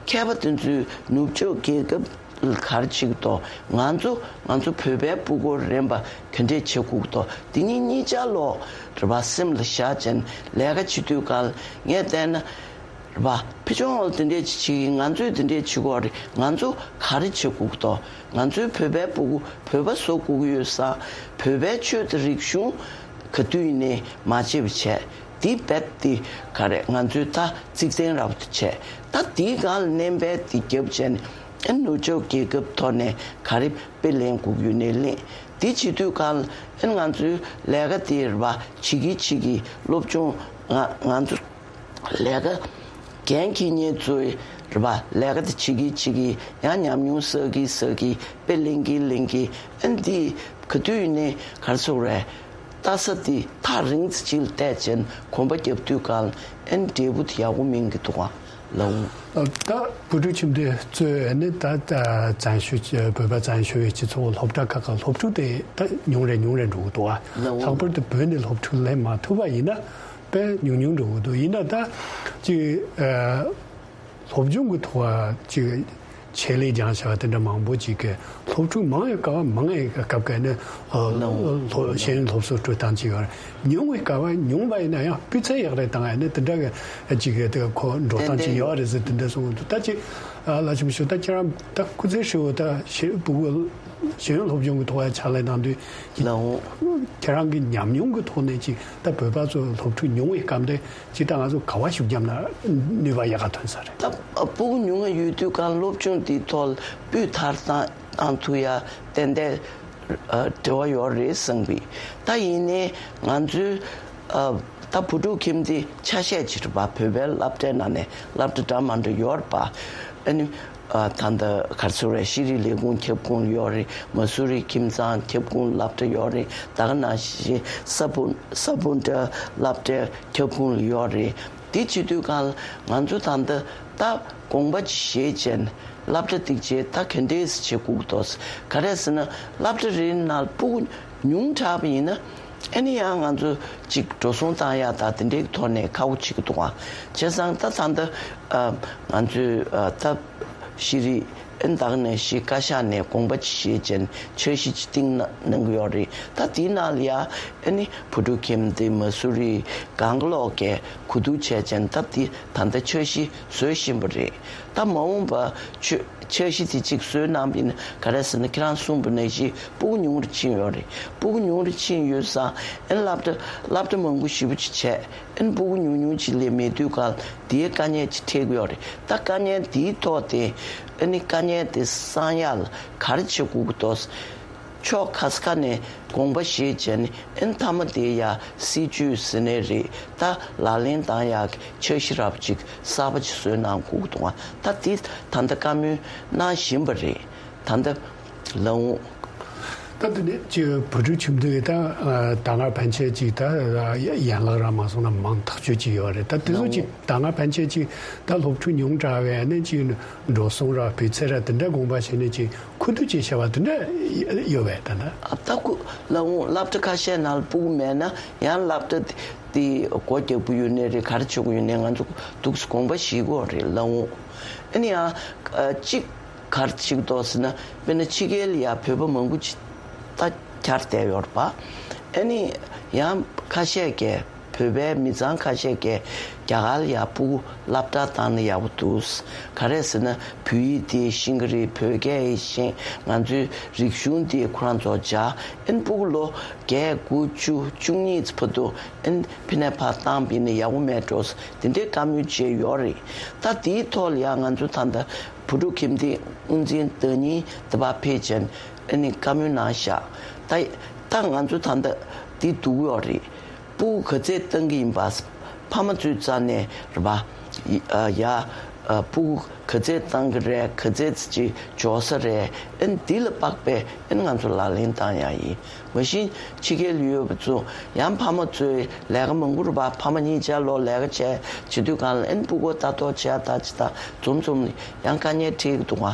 ག་མཁས་པ་དེ་ཚོས་ནུབ་ཕྱོགས་རྒྱལ་ཁབ་ལ་ག་རེ་བྱེད་ཀྱི་འདུག་ང་ཚོ་ང་ཚོ་བོད་པའི་ཕྲུ་གུ་རན་པ་ག་འདྲས་བྱེད་དགོས་ཀྱི་འདུག་དེ་གཉིས་གཉིས་ཆ་ལོག་རེད་པ། སེམས་ལ་བཞག་བྱས་ནས་ལས་ཀ་བྱེད་དུས་གང་ལ་ངས་བལྟས་ན། རེད་པ། ཕི་ཆུང་ཨོལ་དེ་འདྲས་ཅིག་བྱེད་ཀྱི། ང་ཚོས་དེ་འདྲས་བྱེད་དགོས་རེད། ང་ཚོ་ག་རེ་བྱེད་དགོས་ཀྱི་འདུག་ང་ཚོའི་བོད་པའི་ཕྲུ་གུ་བོད་པ་བཟོ་དགོས་ཀྱི་ཡོད་ཙང་། བོད་པའི་ཆོས་དང་རིག་གཞུང་ག་དུས་ཡིན་ནའི་མ་བརྗེད་པ་བྱས། འདི་རྦད་དེ་ག་རེ་ང་ཚོས་ད་གཙིགས་དོན་རབ་ཏུ་བྱས། ད་འདིའི་སྒང་ལ་སྣོན་པ་འདི་བརྒྱབ་བྱས་ནས་ཨ་ནུབ་ཕྱོགས་རྒྱལ་ཁབ་ཐོག་ནས་ག་རེ་དཔེ་ལེན་དགོས་ཀྱི་ཡོད་ནའི་ལེན། འདི་བྱེད་དུས་སྒང་ལ་ཨ་ང་ཚོའི་ལས་ཀ་འདི་རེད་པ། བྱེད་ཀྱི་བྱེད་ཀྱི་སློབ་སྦྱོང་ང་ང་ཚོ་ལས་ཀ་འགན་འཁྱེར་མཁན་ཚོའི་རེད་པ། ལས་ཀ་དེ་བྱེད་ཀྱི་བྱེད་ཀྱི་ཡང་ཉམས་མྱོང་བསགས་ཀྱི་བསགས་ཀྱི། དཔེ་ལེན་གྱི་ལེན་གྱི། ཨ་ནི་འདི་ག་དུས་ཡིན་ནའི་ག་རེ་ཟེར་དགོས་རེད། ལྟ་ས་འདི་ཐག་རིང་ཙམ་ཅིག་ལ་བལྟས་བྱས་ནས་གོམ་པ་རྒྱབ་དུས་སྒང་ལ་ཨ་ནི་འབྲས་བུ་དེ་ཡག་པོ་སྨིན་གྱི་འདུག་ག་ལགས། ད་བུ་ཕྲུག་ཁྱིམ་སྡེ་གཙོས་ནི་ད་བཙན་བྱོལ་བོད་པ་བཙན་བྱོལ་བའི་སྤྱི་ཚོགས་སློབ་གྲྭ་ཁག་གི་སློབ་ཕྲུག་དེ་ད་ཉུང་རེ་ཉུང་རེ་འགྲོ་གི་འདུག་ག་ལགས། ལྷག་པར་དུ་བོད་ནས་སློབ་ཕྲུག་སླེབས་མ་ཐུབ་པ་ཡིན་ན། དཔེ་ཉུང་ཉུང་འགྲོ་གི་འདུག་ཡིན་ན་ད་ཅིག་ཨ། སློབ་སྦྱོང་གི་ཐོག་ཅིག་ཆེད་ལས་སྦྱང་བྱ་བ་དེ་འདྲ་མང་པོ་ཅིག་གི་སློབ་ཕྲུག་མང་བའི་སྐབས་མང་བའི་སྐབས་ཀ་ནི་ཨ། ལོ། སློབ་ཤེས་ཡོན་སློབ་གསོ་སྤྲོད་སྟངས་ཅིག་ཡོད་རེད། ཉུང་བའི་སྐབས་ཉུང་བ་ཡིན་ན་ཡང་སྤུས་ཚད་ཡག་རེ་བཏང་ཡ་ནི་དེ་འདྲ་གི་ཅིག་གི་དེ་ཁོ་འགྲོ་སྟངས་ཅིག་ཡོད་རེད་ཟེར་དེ་འདྲ་གསུངས་འདུག་ད་ཅིག་ཨ། ལ་ཆུང་ཞུ་ད་ཁྱེད་རང་ད་སྐུ་ཚེ་ཧྲིལ་བོ་ད་ཤེས་ཕྲུ་གུ་ཤེས་ཡོན་སློབ་སྦྱོང་གི་ཐོག་ཡ་ཕྱག་ལས་གནང་དུས་ལོ། ཁྱེད་རང་གི་ཉམས་མྱོང་གི་ཐོག་ནས་ཅིག་ད་བོད་པ་ཚོ་སློབ་ཕྲུག་ཉུང་བའི་སྐབས་དེ། ཅིག་ད་ང་ཚོ་ག་བ་ཤུགས་བརྒྱབ་ན་ནུས་པ་ཡག་ག་ཐོན་ས་རེད། ད་ཕྲུ་གུ་ཉུང་ངུ་ཡོད་དུས་གང་སློབ་སྦྱོང་འདིའི་ཐོག་ལ་སྤུས་མཐར་བཏང་བཏང་ཐུབ་ཡ་ཏན་ཏན་འབྲེལ་བ་ཡོད་རེད་བསམ་གི། ད་ཡིན་ནའི་ང་ཚོའི་ད་བུ་ཕྲུག་ཁྱིམ་སྡེ་ཆ་ཤས་ཅིག་རེད་པ། བོད་པའི་སློབ་གྲྭའི་ནང་ནས་སློབ་གྲྭ་འདྲ་མི་འདྲ་ཡོད་རེད་པ། ཨ་ནི། ཨ། ད་ལྟ་ག་རེ་ཟེར་རེད། ཤེས་རིག་ལས་ཁུངས་ཁྱབ་ཁོངས་ཡོད་རེད། མ་སུ་རི་ཁྱིམ་ཚང་ཁྱབ་ཁོངས་སློབ་གྲྭ་ཡོད་རེད། ད་ག་ནང་བཞིན་ས་བོན་ས་བོན་བྲག་སློབ་གྲྭའི་ཁྱབ་ཁོངས་ལ་ཡོད་རེད། དེ་བྱེད་དུས་གང་ལ་ང་ཚོ་ད་ལྟ་ད་དགོངས་པ་ཅིག་བཞེས་བྱས་ནས་སློབ་གྲྭ་དེ་བྱས་ད་ག་འདྲས་བྱེད་དགོས་འདུག་ག་རེ་ཟེར་ན་སློབ་གྲྭ་རེའི་ནང་ཕྲུ་གུ་ཉུང་དྲགས་པ་ཡིན་ན། ཨ་ནི་ཡང་ང་ཚོ་ཅིག་འགྲོ་སོང་བཏང་ཡག་དང་དེ་འདྲའི་ཐོག་ནས་ཁག་པོ་བྱེད་ཀྱི་འདུག་ཨ། བྱས་ཙང་ད་ད་ལྟ་ཨ། ང་ཚོའི་ཨ། ད་ཤེས་རིག་ཨ་ནི་ད་ག་ནང་བཞིན་བཀའ་ཤག་ནས་དགོངས་པ་ཅིག་བཞེས་བྱས་ནས་འཆར་གཞི་ཅིག་བཏིང་གནང་གནང་གི་ཡོད་རེད། ད་དེའི་ནང་ལ་ཡ་ཨ་ནི་བུ་ཕྲུག་ཁྱིམ་སྡེ་མ་སུ་རི་གང་ག་ལོག་གིས་གོ་བསྡུར་བྱས་བྱས་ནས་ད་དེ་ད་ལྟ་འཆར་གཞི་བཟོ་བཞིན་པ་རེད། ད་མ་འོངས་པ་ཆོས། འཆར་གཞི་དེ་གཅིག་བཟོས་གནང་བ་ཡིན་ན་ག་རེ་ཟེར་ན་ཁྱེད་རང་གསུངས་པ་ནང་བཞིན་ཕྲུ་གུ་ཉུང་རུ་ཕྱིན་ཡོད་རེད། ཕྲུ་གུ་ཉུང་རུ་ཕྱིན་ཡོད་ཙང་ཨ་ནི་སློབ་གྲྭ་སློབ་གྲྭ་མང་པོ་ཞེ་པོ་ཅིག་བྱས། ཨ་ནི་ཕྲུ་གུ་ཉུང་ཉུང་ཅིག་ལས་མེད་དུས་གང་དེའི་དཀའ་ངལ་ཅིག་འཕྲད་ཀྱི་ཡོད་རེད། ད་དཀའ་ངལ་དེའི་ཐོག་དེ་ཨ་ནི་དཀའ་ངལ་དེ་སངས་ཡག་ལ་ག་རེ་བྱེད་དགོས་ཀྱི་འདུག་ཕྱོགས་ཁ་ཁ་ནས་དགོངས་པ་བཞེས་བྱས་ནས་ཨ་ནི་མཐའ་མ་དེ་ཡ་སྲིད་ཇུས་ཟེར་ནའི་རེད། ད་ལག་ལེན་བསྟར་ཡག་གི་འཆར་གཞི་རབ་ཅིག་གསར་པ་ཅིག་བཟོས་གནང་དགོས་ཀྱི་འདུག་ད་དེ་ད་ལྟ་བཀའ་མོལ་གནང་བཞིན་པ་རེད། ད་ལྟ་ ལགས་འོང་། ད་དེ་ནས་ཅིག་བོད་ཕྲུག་ཁྱིམ་སྡེ་ད་ད་སྔར་ཕན་ཆད་ཅིག་ད་ཡན་ལག་ར་མ་སོང་ན་མང་ཐག་ཆོད་ཅིག་ཡོད་རེད། ད་དེ་ཚོ་ཅིག་ད་སྔར་ཕན་ཆད་ཅིག་ད་སློབ་ཕྲུག་ཉུང་དྲགས་པས་ནས་ཅིག་འགྲོ་སོང་ར་སྤུས་ཚད་ར་དེ་འདྲ་དགོངས་པ་བཞེས་ནས་ཅིག་ཁུ་བསྡུ་ཅིག་བྱས་པ་དེ་འདྲ་ཡོད་པས་ད་ད། ཨ་ད་ཁུ་ལགས་འོང་། སློབ་གྲྭ་ཁ་ཤས་ནང་ཕྲུ་གུ་མེད་ན་ཡང་སློབ་གྲྭ་དེ་སྒོ་རྒྱག་གི་ཡོད་ནའི་རེད། ག་རེ་བྱེད་ཀྱི་ཡོད་ནའི་ང་ཚོ་འདུག་སེ་དགོངས་པ་བཞེས་ཀྱི་ཡོད་རེད་ལགས་འོང་། ཨ་ནི་ཡང་གཅིག་ག་རེ་བྱེད་ཀྱི་འདུག་ཟེར་ན། དཔེར་ན་ཕྱི་རྒྱལ་ལ་ཡ་བོད་པ་མང་པོ་ཅིག་ད་གྱར་བསྡད་ཡོད་རེད་པ། ཨ་ནི་ཡང་ཁ་ཤས་ཀྱིས་བོད་པའི་མི་ཚང་ཁ་ཤས་ཀྱིས་རྒྱ་གར་ལ་ཡ་ཕྲུ་གུ་སློབ་གྲྭ་བཏང་ན་ཡག་པོ་འདུག་ག་རེ་ཟེར་ན་བོད་ཡིག་དེ་ཤེས་ཀྱི་རེད། བོད་སྐད་ཡིག་ཤེས། ང་ཚོའི་རིག་གཞུང་དེ་ཁོ་རང་ཚོ་སྦྱང་། ཨ་ནི་ཕྲུ་གུ་ལོ་བརྒྱད་དགུ་བཅུ་བཅུ་གཉིས་ཙམ་བར་དུ་ཨ་ནི་ཕ་ནས་ཕར་བཏང་བ་ཡིན་ན་ཡག་པོ་མེད་འགྲོ། དེ་འདྲའི་བཀའ་མོལ་བྱས་ཡོད་རེད། ད་དེའི་ཐོག་ལ་ཡང་ང་ཚོ་ད་ལྟ་བོད་ཕྲུག་ཁྱིམ་སྡེ་དབུ་འཛིན་བདག་ཉིད་དེ་ཕར་ཕེབས་བྱས་ཨ་ནི་བཀའ་མོལ་གནང་བཞག་ད་ད་ང་ཚོ་ད་ལྟ་འདི་སྡུག་ཡོད་རེད། ཕྲུ་གུ་ག་ཚད་བཏང་གི་ཡིན་པ་ཕ་མ་ཚོའི་རྩ་ནས་རེད་པ། ཡ་ཡ་ཕྲུ་གུ་ག་ཚད་བཏང་གི་རེད། ག་ཚད་ཅིག་འབྱོར་ས་རེད། ཨ་ནི་འདི་ལ་དཔག་པའི་ཨ་ནི་ང་ཚོ་ལག་ལེན་བཏང་ཡག་ཡིན། མ་གཞི་ཕྱི་རྒྱལ་ལ་ཡོད་པ་ཚོ་ཡང་ཕ་མ་ཚོའི་ལས་ཀ་མང་པོ་རེད་པ། ཕ་མ་གཉིས་ཆ་ལོ་ལས་ཀ་བྱས་བྱེད་དུས་སྒང་ལ་ཨ་ནི་ཕྲུ་གུ་ལྟ་རྟོག་བྱས་ད་ཅི་ད་འཛོམས་འཛོམས་ཡང་དཀའ་ངལ་འཕྲད་ཀྱི་འདུག་ག་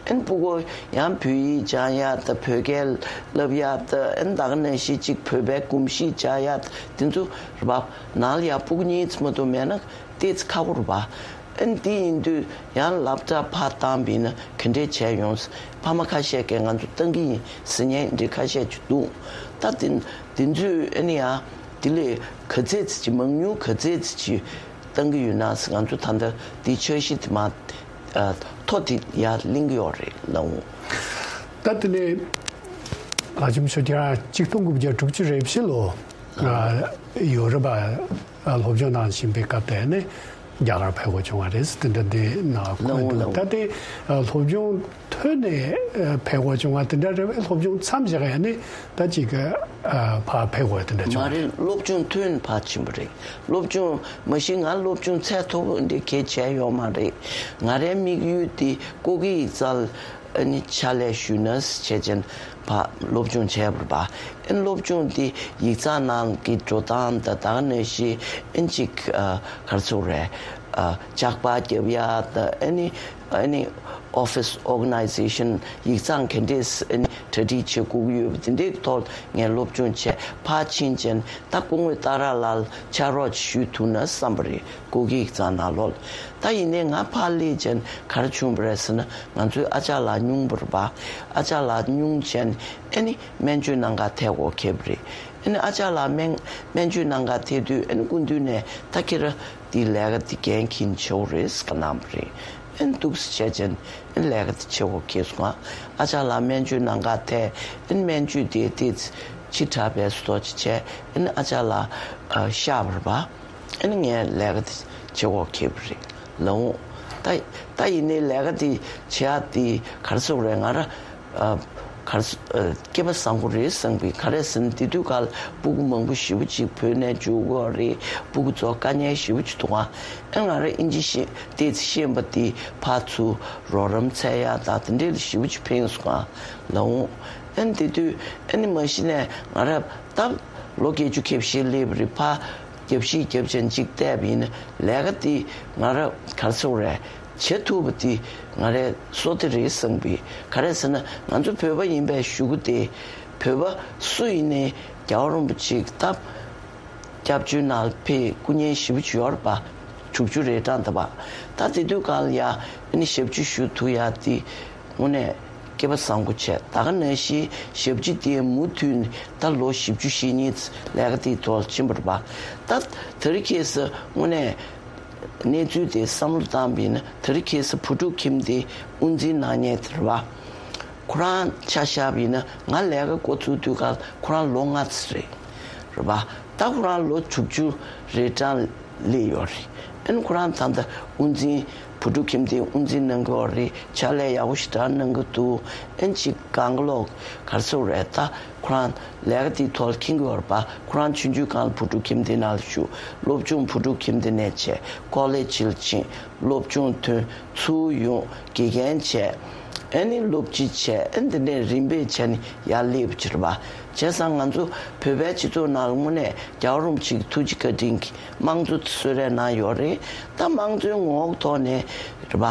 ཨ་ནི་ཕྲུ་གུ་ཡང་བོད་ཡིག་སྦྱང་ཡག་ད་བོད་སྐད་བསླབ་ཡག་ད་ཨ་ནི་ད་ག་ནང་བཞིན་ཅིག་བོད་པའི་གོམས་གཤིས་སྦྱང་ཡག་དེ་ཚོ་རེད་པ། ནང་ལ་ཡང་ཕྲུ་གུ་གཉིས་ཙམ་མ་གཏོགས་མེད་ན་ཏོག་ཙམ་ཁག་པོ་རེད་པ། ཨ་ནི་དེ་ཡིན་དུས་ཡང་སློབ་གྲྭ་ཕར་བཏང་བ་ཡིན་ན་ག་འདྲས་བྱས་ཡོང་། ཕ་མ་ཁ་ཤས་ཀྱིས་ང་ཚོ་བཏང་གི་ཡིན་ཟེར་མཁན་འདི་ཁ་ཤས་ཅིག་འདུག་ད་དེ་དེ་ཚོས་ཨ་ནི་ཡང་དེ་ལས་ག་ཚད་ཅིག་མང་ཉུང་ག་ཚད་ཅིག་བཏང་གི་ཡོད་ན་ཟེར། ང་ཚོ་ད་ལྟ་དེ་འཆར་གཞི་དེ་མ་ཨ་ཐོ་དེ་ཡར་གླེང་གི་ཡོད་རེད་ལགས་འོང་། ད་དེ་ནས་ལྷ་ལྕམ་ཆོས་རྒྱལ་གཅིག་སྟོང་དགུ་བརྒྱ་དྲུག་ཅུ་རེ་བཞི་ལོ་ཡོ་རོབ་ལ་སློབ་སྦྱོང་གནང་བཞིན་པའི་སྐབས་དེ་ནས། རྒྱ་གར་ཕེབས་དགོས་བྱུང་བ་རེད། དེ་འདྲ་འདི་ནང་འཁོད་འདུག་ལགས་འོང་། ད་དེ་སློབ་སྦྱོང་ཐོན་ནས་ཕེབས་དགོས་བྱུང་བ་དེ་འདྲ་རེད་པས། སློབ་སྦྱོང་མཚམས་བཞག་ཡ་ནི་ད་ཅིག་ཕར་ཕེབས་དགོས་དེ་འདྲ་བྱུང་བ་མ་རེད། སློབ་སྦྱོང་ཐོན་ཕར་ཕྱིན་པ་རེད། སློབ་སྦྱོང་མ་གཞི་ང་སློབ་སྦྱོང་ཚད་མཐོ་པོ་འདི་གས་བྱས་ཡོད་མ་རེད། ང་རའི་དམིགས་ཡུལ་དེ་སྐུ་སྒེར་ཡིག་ཚང་ཨ་ནི་ཕྱག་ལས་ཞུས་ན་བྱས་ཅན་ཕར་སློབ་སྦྱོང་བྱས་པ་རེད་པ། ཨ་ནི་སློབ་སྦྱོང་དེ་ཡིག་ཚང་ནང་གི་འགྲོ་སྟངས་དང་ད་ག་ནང་བཞིན་ཨ་ནི་ཅིག་ཨ་ག་རེ་ཟེར་དགོས་རེད། ཨ་ལྕགས་པར་རྒྱབ་ཡ་དང་ཨ་ནི་ཨ་ནི་office organization ཡིག་ཚང་ག་འདྲས་ཨ་ནི་གྲ་སྒྲིག་བྱེད་དགོས་ཀྱི་ཡོད་པ་དེ་འདྲའི་ཐོག་ངས་སློབ་སྦྱོང་བྱས་ཕར་ཕྱིན་ཅན་ད་སྐུ་ངོ་སྟག་ར་ལགས་ཕྱག་རོགས་ཅིག་ཞུ་ཐུབ་ན་བསམ་པ་རེད། སྐུ་སྒེར་ཡིག་ཚང་ནང་ལོགས་ལ། ད་ཡིན་ནའི་ང་ཕར་སླེབས་ཅན་ག་རེ་བྱུང་བ་རེད་ཟེར་ན། ང་ཚོའི་ཨ་ཅག་ལགས་སྙུང་པ་རེད་པ། ཨ་ཅག་ལགས་སྙུང་ཅན་ཨ་ནི་སྨན་བཅོས་གནང་ག་ཐད་དགོས་ཁེལ་བ་རེད། ཨ་ནི་ཨ་ཅག་ལགས་སྨན་སྨན་བཅོས་གནང་ག་ཐད་དུས་ཨ་ནི་སྐུ་མདུན་ནས་ད་ཁྱེད་རང་འདི་ལས་ཀ་འདི་འགན་འཁྱེར་ཆོག་རེད་ཟེར་གནང་བ་རེད། ཨ་ནི་འདུག་སེ་བྱས་ཅན་ཨ་ནི་ལས་ཀ་འདི་བྱེད་དགོས་ཁེལ་སོང་ང་། ཨ་ཅག་ལགས་སྨན་བཅོས་གནང་ག་ཐད་ཨ་ནི་སྨན་བཅོས་དེ་ཏོག་ཙམ་ཕྱི་དྲགས་པའི་བཟོ་འདྲ་ཅིག་བྱས། ཨ་ནི་ཨ་ཅག་ལགས་ཨ་གཤགས་པ་རེད་པ། ཨ་ནི་ངས་ལས་ཀ་དེ་བྱེད་དགོས་ཁེལ་བ་རེད་ལགས་འོང་། ད་ད་ཡིན་ནའི་ལས་ཀ་དེ་བྱེད་ཡག་དེ་ག་རེ་ཟེར་དགོས་རེད། ང་རང་ཨ་ག་རེ་ཟེར་ཨ་སྐལ་པ་བཟང་པོ་རེད་བསམ་གི། ག་རེ་ཟེར་ན་དེ་དུས་ཀ་ལ་ཕྲུ་གུ་མང་པོ་ཞེ་པོ་ཅིག་བོད་ནས་འབྱོར་གྱི་ཡོད་རེད། ཕྲུ་གུ་ཚོ་དཀའ་ངལ་ཞེ་པོ་ཅིག་འདུག་ག་ཨ་ང་རང་ཨིན་ཇི་ཤེས་ཏོག་ཙམ་ཤེས་པ་དེ་ཕར་ཚུར་རོགས་རམ་འཚོལ་ཡག་དང་དེ་འདྲས་ལ་ཞེ་པོ་ཅིག་ཕན་སོང་ག་ལགས་འོང་། ཨ་ནི་དེ་དུས་ཨ་ནི་མ་གཞི་ནས་ང་རང་ད་ལོ་བརྒྱད་ཅུ་གྱ་བཞི་སླེབས་པ་རེད། ཕར་རྒྱབ་བཤིག་རྒྱབ་ཅན་གཅིག་བལྟས་པ་ཡིན་ན་ལས་ཀ་དེ་ང་ར་ག་རེ་ཟེར་དགོས་རེད། བྱེད་ཐུབ་པ་དེ་ང་རའི་བསོད་བདེ་རེད་བསམ་པའི། ག་རེ་ཟེར་ན་ང་ཚོ་བོད་པ་ཡིན་པའི་གཞུག་གུ་དེ་བོད་པ་སུ་ཡིན་ནའི་རྒྱལ་བ་རིན་པོ་ཆེའི་སྟབས་སྐྱབས་བཅོལ་ནང་ཕེབས་སྐུ་ཉིད་ཞེ་པོ་ཅིག་ཡོད་རེད་པ། དྲུག་ཅུ་རེ་གྲངས་ད་པ། ད་དེ་དུས་གང་ལ་ཡ་ཨ་ནི་ཞབས་ཕྱི་ཞུ་ཐུབ་ཡ་དེ་དངོས་གནས་སྐལ་པ་བཟང་པོ་བྱས། ད་ག་ནང་བཞིན་ཞབས་ཕྱི་དེ་མུ་མཐུད་ནས་ད་ལོ་བཞི་བཅུ་ཞེ་གཉིས་ལས་ཀ་དེའི་ཐོག་ལ་ཕྱིན་པ་རེད་པ། ད་དེ་རིང་ཁ་སང་དངོས་གནས་གནས་ཚུལ་དེ་བསམ་བློ་བཏང་བ་ཡིན་ན་དེ་རིང་ཁ་སང་བུ་ཕྲུག་ཁྱིམ་སྡེ་དབུ་འཛིན་གནང་མཁན་དེ་རེད་པ། ཁོ་རང་ཆ་བཞག་པ་ཡིན་ན་ང་ལས་ཀ་འགོ་ཚུགས་དུས་སྐབས་ཁོ་རང་ལོ་ལྔ་ཙམ་རེད། རེད་པ། ད་ཁོ་རང་ལོ་དྲུག་ཅུ་རེ་གྲངས་སླེབས་ཡོད་རེད། ཨ་ནི་ཁོ་རང་ད་ལྟ་དབུ་འཛིན་བུ་ཕྲུག་ཁྱིམ་སྡེའི་དབུ་འཛིན་གནང་གི་ཡོད་རེད། ཕྱག་ལས་ཡག་པོ་ཞེ་དྲག་གནང་གི་འདུག་ཨ་ནི་ཅིག་གང་ག་ལོག་ག་རེ་ཟེར་དགོས་རེད། ད་ཁོ་རང་ལས་ཀ་དེའི་ཐོག་ལ་འཁྱེར་གྱི་ཡོད་རེད་པ། ཁོ་རང་ཆུང་ཆུང་སྒང་ལ་བུ་ཕྲུག་ཁྱིམ་སྡེ་ནང་ལ་ཞུགས། སློབ་སྦྱོང་བུ་ཕྲུག་ཁྱིམ་སྡེ་ནས་བྱས། ཀོ་ལེ་ཇི་ལ་ཕྱིན། སློབ་སྦྱོང་ཐོན། ཚུར་ཡོང་། དགེ་རྒན་བྱས། ཨ་ནི་སློབ་སྤྱི་བྱས། ཨ་ནི་དེ་ནས་རིམ་པས་བྱས་ནས་ཡར་སླེབས་ཀྱི་རེད་པ། བྱས་ཙང་ང་ཚོ་བོད་པའི་སྤྱི་ཚོགས་ནང་ལ་དངོས་གནས་རྒྱལ་བ་རིན་པོ་ཆེའི་ཐུགས་རྗེ་བཀའ་དྲིན་གྱིས་དམངས་གཙོ་གསོལ་རས་གནང་ཡོད་རེད། ད་དམངས་གཙོའི་ངོ་བོ་ཐོག་ནས་རེད་པ།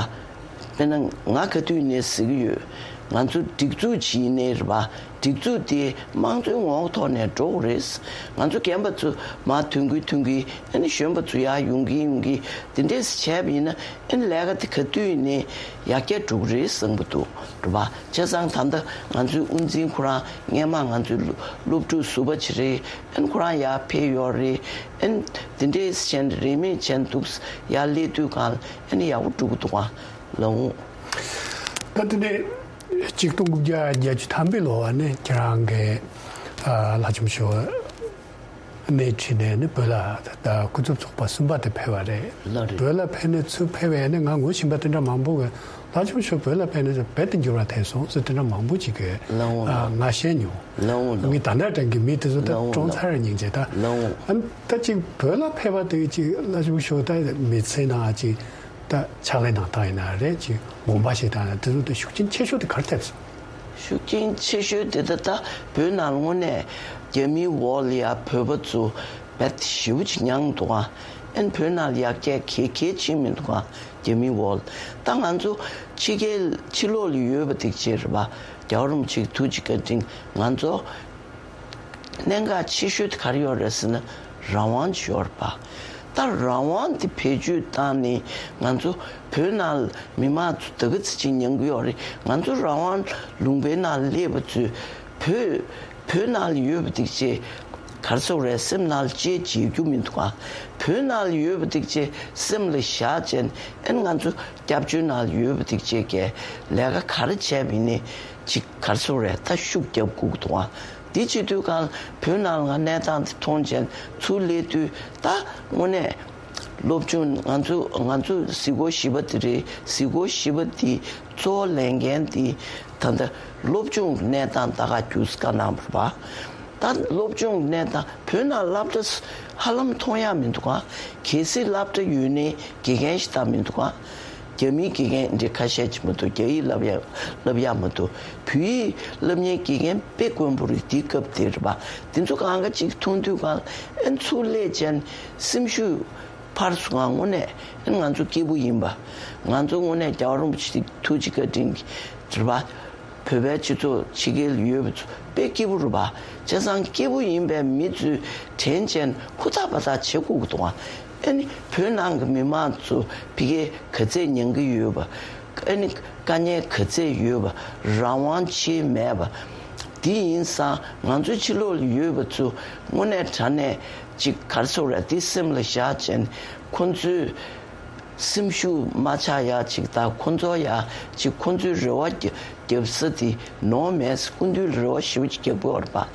དཔེར་ན་ང་ག་དུས་ནས་ཟེར་གྱི་ཡོད། ང་ཚོ་སྒྲིག་འཛུགས་ཅིག་ཡིན་ནའི་རེད་པ། སྒྲིག་འཛུགས་དེ་དམངས་གཙོའི་ངོ་བོ་ཐོག་ནས་འགྲོ་དགོས་རེད། ང་ཚོ་རྒན་པ་ཚོ་མར་ཐོན་གི་ཐོན་གི། ཨ་ནི་གཞོན་པ་ཚོ་ཡར་ཡོང་གི་ཡོང་གི། དེ་འདྲས་བྱས་པ་ཡིན་ན། ཨ་ནི་ལས་ཀ་དེ་ག་དུས་ནས་ཡར་རྒྱས་འགྲོ་གི་རེད་བསམ་གི་འདུག་རེད་པ། བྱས་ཙང་ད་ལྟ་ང་ཚོའི་དབུ་འཛིན་ཁོ་རང་སྔས་མ་ང་ཚོའི་སློབ་སློབ་ཕྲུག་ཟུར་པ་ཅིག་རེད། ཨ་ནི་ཁོ་རང་ཡར་ཕེབས་ཡོད་རེད། ཨ་ནི་དེ་འདྲས་བྱས་ནས་རིན་མེད་བྱས་འདུག་ཡར་སླེབས་དུས་གང་ལ་ཨ་ནི་ཡག་པོ་འགྲོ་གི་འདུག་ཨང་། ལགས་འོང་། ད་དེ་ནས་ཆིག་སྟོང་དགུ་བརྒྱ་བརྒྱད་ཅུ་ཐམ་པའི་ལོ་བ་ནས་ཁྱེད་རང་གི་ཨ་ལྷ་ལྕམ་ཞོ་ནས་ཁྲིད་ནས་ནི་བོད་ལ་ད་སྐུ་ཚབ་ཚོགས་པ་གསུམ་པ་དེ་ཕེབས་པ་རེད། ལགས་རེད། བོད་ལ་ཕེབས་ནས་ཚུར་ཕེབས་པའི་ནི་ང་ངོ་ཤེས་པ་དེ་འདྲ་མང་པོ་གི་ལྷ་ལྕམ་ཞོ་བོད་ལ་ཕེབས་ནས་རྦད་དེ་འགྱུར་བ་ཐེབས་སོང་ཟེར་དེ་འདྲ་མང་པོ་ཅིག་གི་ལགས་འོང་། ཨ་ང་བཤད་མྱོང་། ལགས་འོང་། ལགས་འོང་། ངས་ད་ལྟ་དྲན་གི་མི་དེ་ཚོ་ད་ལགས་འོང་། ཀྲོང་ཚར་རེ་སྙིང་རྗེ་ད། ལགས་འོང་། ཨ་ད་ཅིག་བོད་ལ་ཕེབས་པ་དེ་ཅིག་ལྷ་ལྕམ་ཞོ་ད་མི་ཚེ་ནང་ཅིག་ད་ཕྱག་ལས་གནང་སྟངས་ཡིན་ན་རེད། ཅིག་དགོངས་པ་བཞེས་སྟངས་ཡིན་ན་དེ་ཚོ་དེ་ཤུགས་རྐྱེན་ཆེ་ཤོས་དེ་ག་རེ་ཐེབས་སོང་། ཤུགས་རྐྱེན་ཆེ་ཤོས་དེ་ད་ལྟ་བོད་ནང་དངོས་གནས་རྒྱ་མིའི་འོག་ལ་ཡ་བོད་པ་ཚོ་རྦད་ཞེ་པོ་ཅིག་མྱངས་འདུག་ཨ། ཨན་བོད་ནང་ལ་ཡར་རྒྱས་ག་གེ་ཕྱིན་མི་འདུག་ཨ། རྒྱ་མིའི་འོག་ལ། ད་ང་ཚོ་ཕྱི་རྒྱལ་ཕྱི་ལོགས་ལ་ཡོད་པ་དེ་ཅིག་རེད་པ། རྒྱལ་བ་རིན་པོ་ཆེའི་ཐུགས་རྗེ་བཀའ་དྲིན་ང་ཚོ་གནད་འགག་ཆེ་ཤོས་དེ་ག་རེ་ཡོད་རེད་ཟེར་ན་རང་དབང་ཅིག་ཡོད་རེད་པ། ད་རང་དབང་དེ་བེད་སྤྱོད་བཏང་ནས་ང་ཚོ་བོད་ནང་ལ་མི་མང་ཚོ་ད་ག་ཚོད་ཅིག་མྱང་གི་ཡོད་རེད། ང་ཚོ་རང་དབང་ལུང་པའི་ནང་སླེབས་པ་ཚོས་བོད་བོད་ནང་ལ་ཡོད་པ་དེ་ཅིག་ག་རེ་ཟེར་དགོས་རེད། སེམས་ནང་ལ་ཅིག་བརྗེད་རྒྱུ་མི་འདུག་ཨ། བོད་ནང་ལ་ཡོད་པ་དེ་ཅིག་སེམས་ལ་བཞག་བྱས་ཨན་ང་ཚོ་སྐྱབས་བཅོལ་ནང་ལ་ཡོད་པ་དེ་ཅིག་གི་ལས་ཀ་ག་རེ་བྱས་པ་ཡིན་ནའི་ཅིག་ག་རེ་ཟེར་དགོས་རེད། ད་ཤུགས་རྒྱབ་དགོས་ཀྱི་འདུག་ཨ། དེ་བྱེད་དུས་གང་བོད་ནང་ལ་ང་གནས་སྟངས་དེ་མཐོང་བྱས་ཚུར་སླེབས་དུས་ད་དངོས་གནས་སློབ་སྦྱོང་ང་ཚོ་ང་ཚོ་གཟིགས་སྐོར་བཞི་པ་དེ་རེད། གཟིགས་སྐོར་བཞི་པ་དེ་གཙོ་བོ་ལེན་མཁན་དེ་ད་ལྟ་སློབ་སྦྱོང་གི་གནས་སྟངས་ད་ག་རྒྱུས་བཀའ་གནང་བ་རེད་པ། ད་སློབ་སྦྱོང་གི་གནས་སྟངས་བོད་ནང་སློབ་གྲྭ་ཧ་ལམ་མཐོང་ཡག་མི་འདུག་ག་གལ་སྲིད་སློབ་གྲྭ་ཡོད་ནའི་དགེ་རྒན་ཞིག་ད་མི་འདུག་ག་རྒྱ་མིའི་དགེ་རྒན་འདི་ཁ་ཤས་ཅིག་མ་གཏོགས་རྒྱ་ཡིག་བསླབ་ཡག་བསླབ་ཡག་མ་གཏོགས་བོད་ཡིག་བསླབ་མཁན་དགེ་རྒན་དཔེ་དཀོན་པོ་རེད། དེའི་སྐབས་དེ་རེད་པ། དེ་ཚོ་གང་ག་ཅིག་མཐོང་དུས་གང་ཨན་ཚུར་སླེབས་བྱས་སེམས་ཤུགས་འཕར་སོང་ང་། དངོས་གནས་ཨན་ང་ཚོ་སྐྱིད་པོ་ཡིན་པ། ང་ཚོ་དངོས་གནས་རྒྱལ་བ་རིན་པོ་ཆེ་ཐུགས་རྗེ་བཀའ་དྲིན་གྱིས་རེད་པ། བོད་པའི་སྤྱི་ཚོགས་ཕྱི་རྒྱལ་ཡོད་པ་ཚོ་དཔེ་སྐྱིད་པོ་རེད་པ། བྱས་ཙང་སྐྱིད་པོ་ཡིན་པའི་མི་ཚོས་དྲན་བྱས་ཧུར་ཐག་འབད་ཐག་བྱེད་དགོས་ཀྱི་འདུག་ཨ། ཨ་ནི་བོད་ནང་གི་མི་མང་ཚོ་ཕ་གིར་ག་ཚད་མྱང་གི་ཡོད་པ། ཨ་ནི་དཀའ་ངལ་ག་ཚད་ཡོད་པ། རང་དབང་ཆེ་མེད་པ། དེ་ཡིན་ཙང་ང་ཚོ་ཕྱི་ལོགས་ལ་ཡོད་པ་ཚོ་དངོས་གནས་དྲང་གནས་ཅིག་ག་རེ་ཟེར་དགོས་རེད། དེ་སེམས་ལ་བཞག་བྱས་ཁོང་ཚོས་སེམས་ཤུགས་མ་ཆག་ཡག་ཅིག་དང་། ཁོང་ཚོ་ཡག་ཅིག་ཁོང་ཚོའི་རེ་བ་རྒྱ་རྒྱབ་ས་དེ་ནོར་མེད། སྐུ་མདུན་ལ་རེ་བ་ཞེ་པོ་ཅིག་རྒྱག་གི་ཡོད་རེད་པ།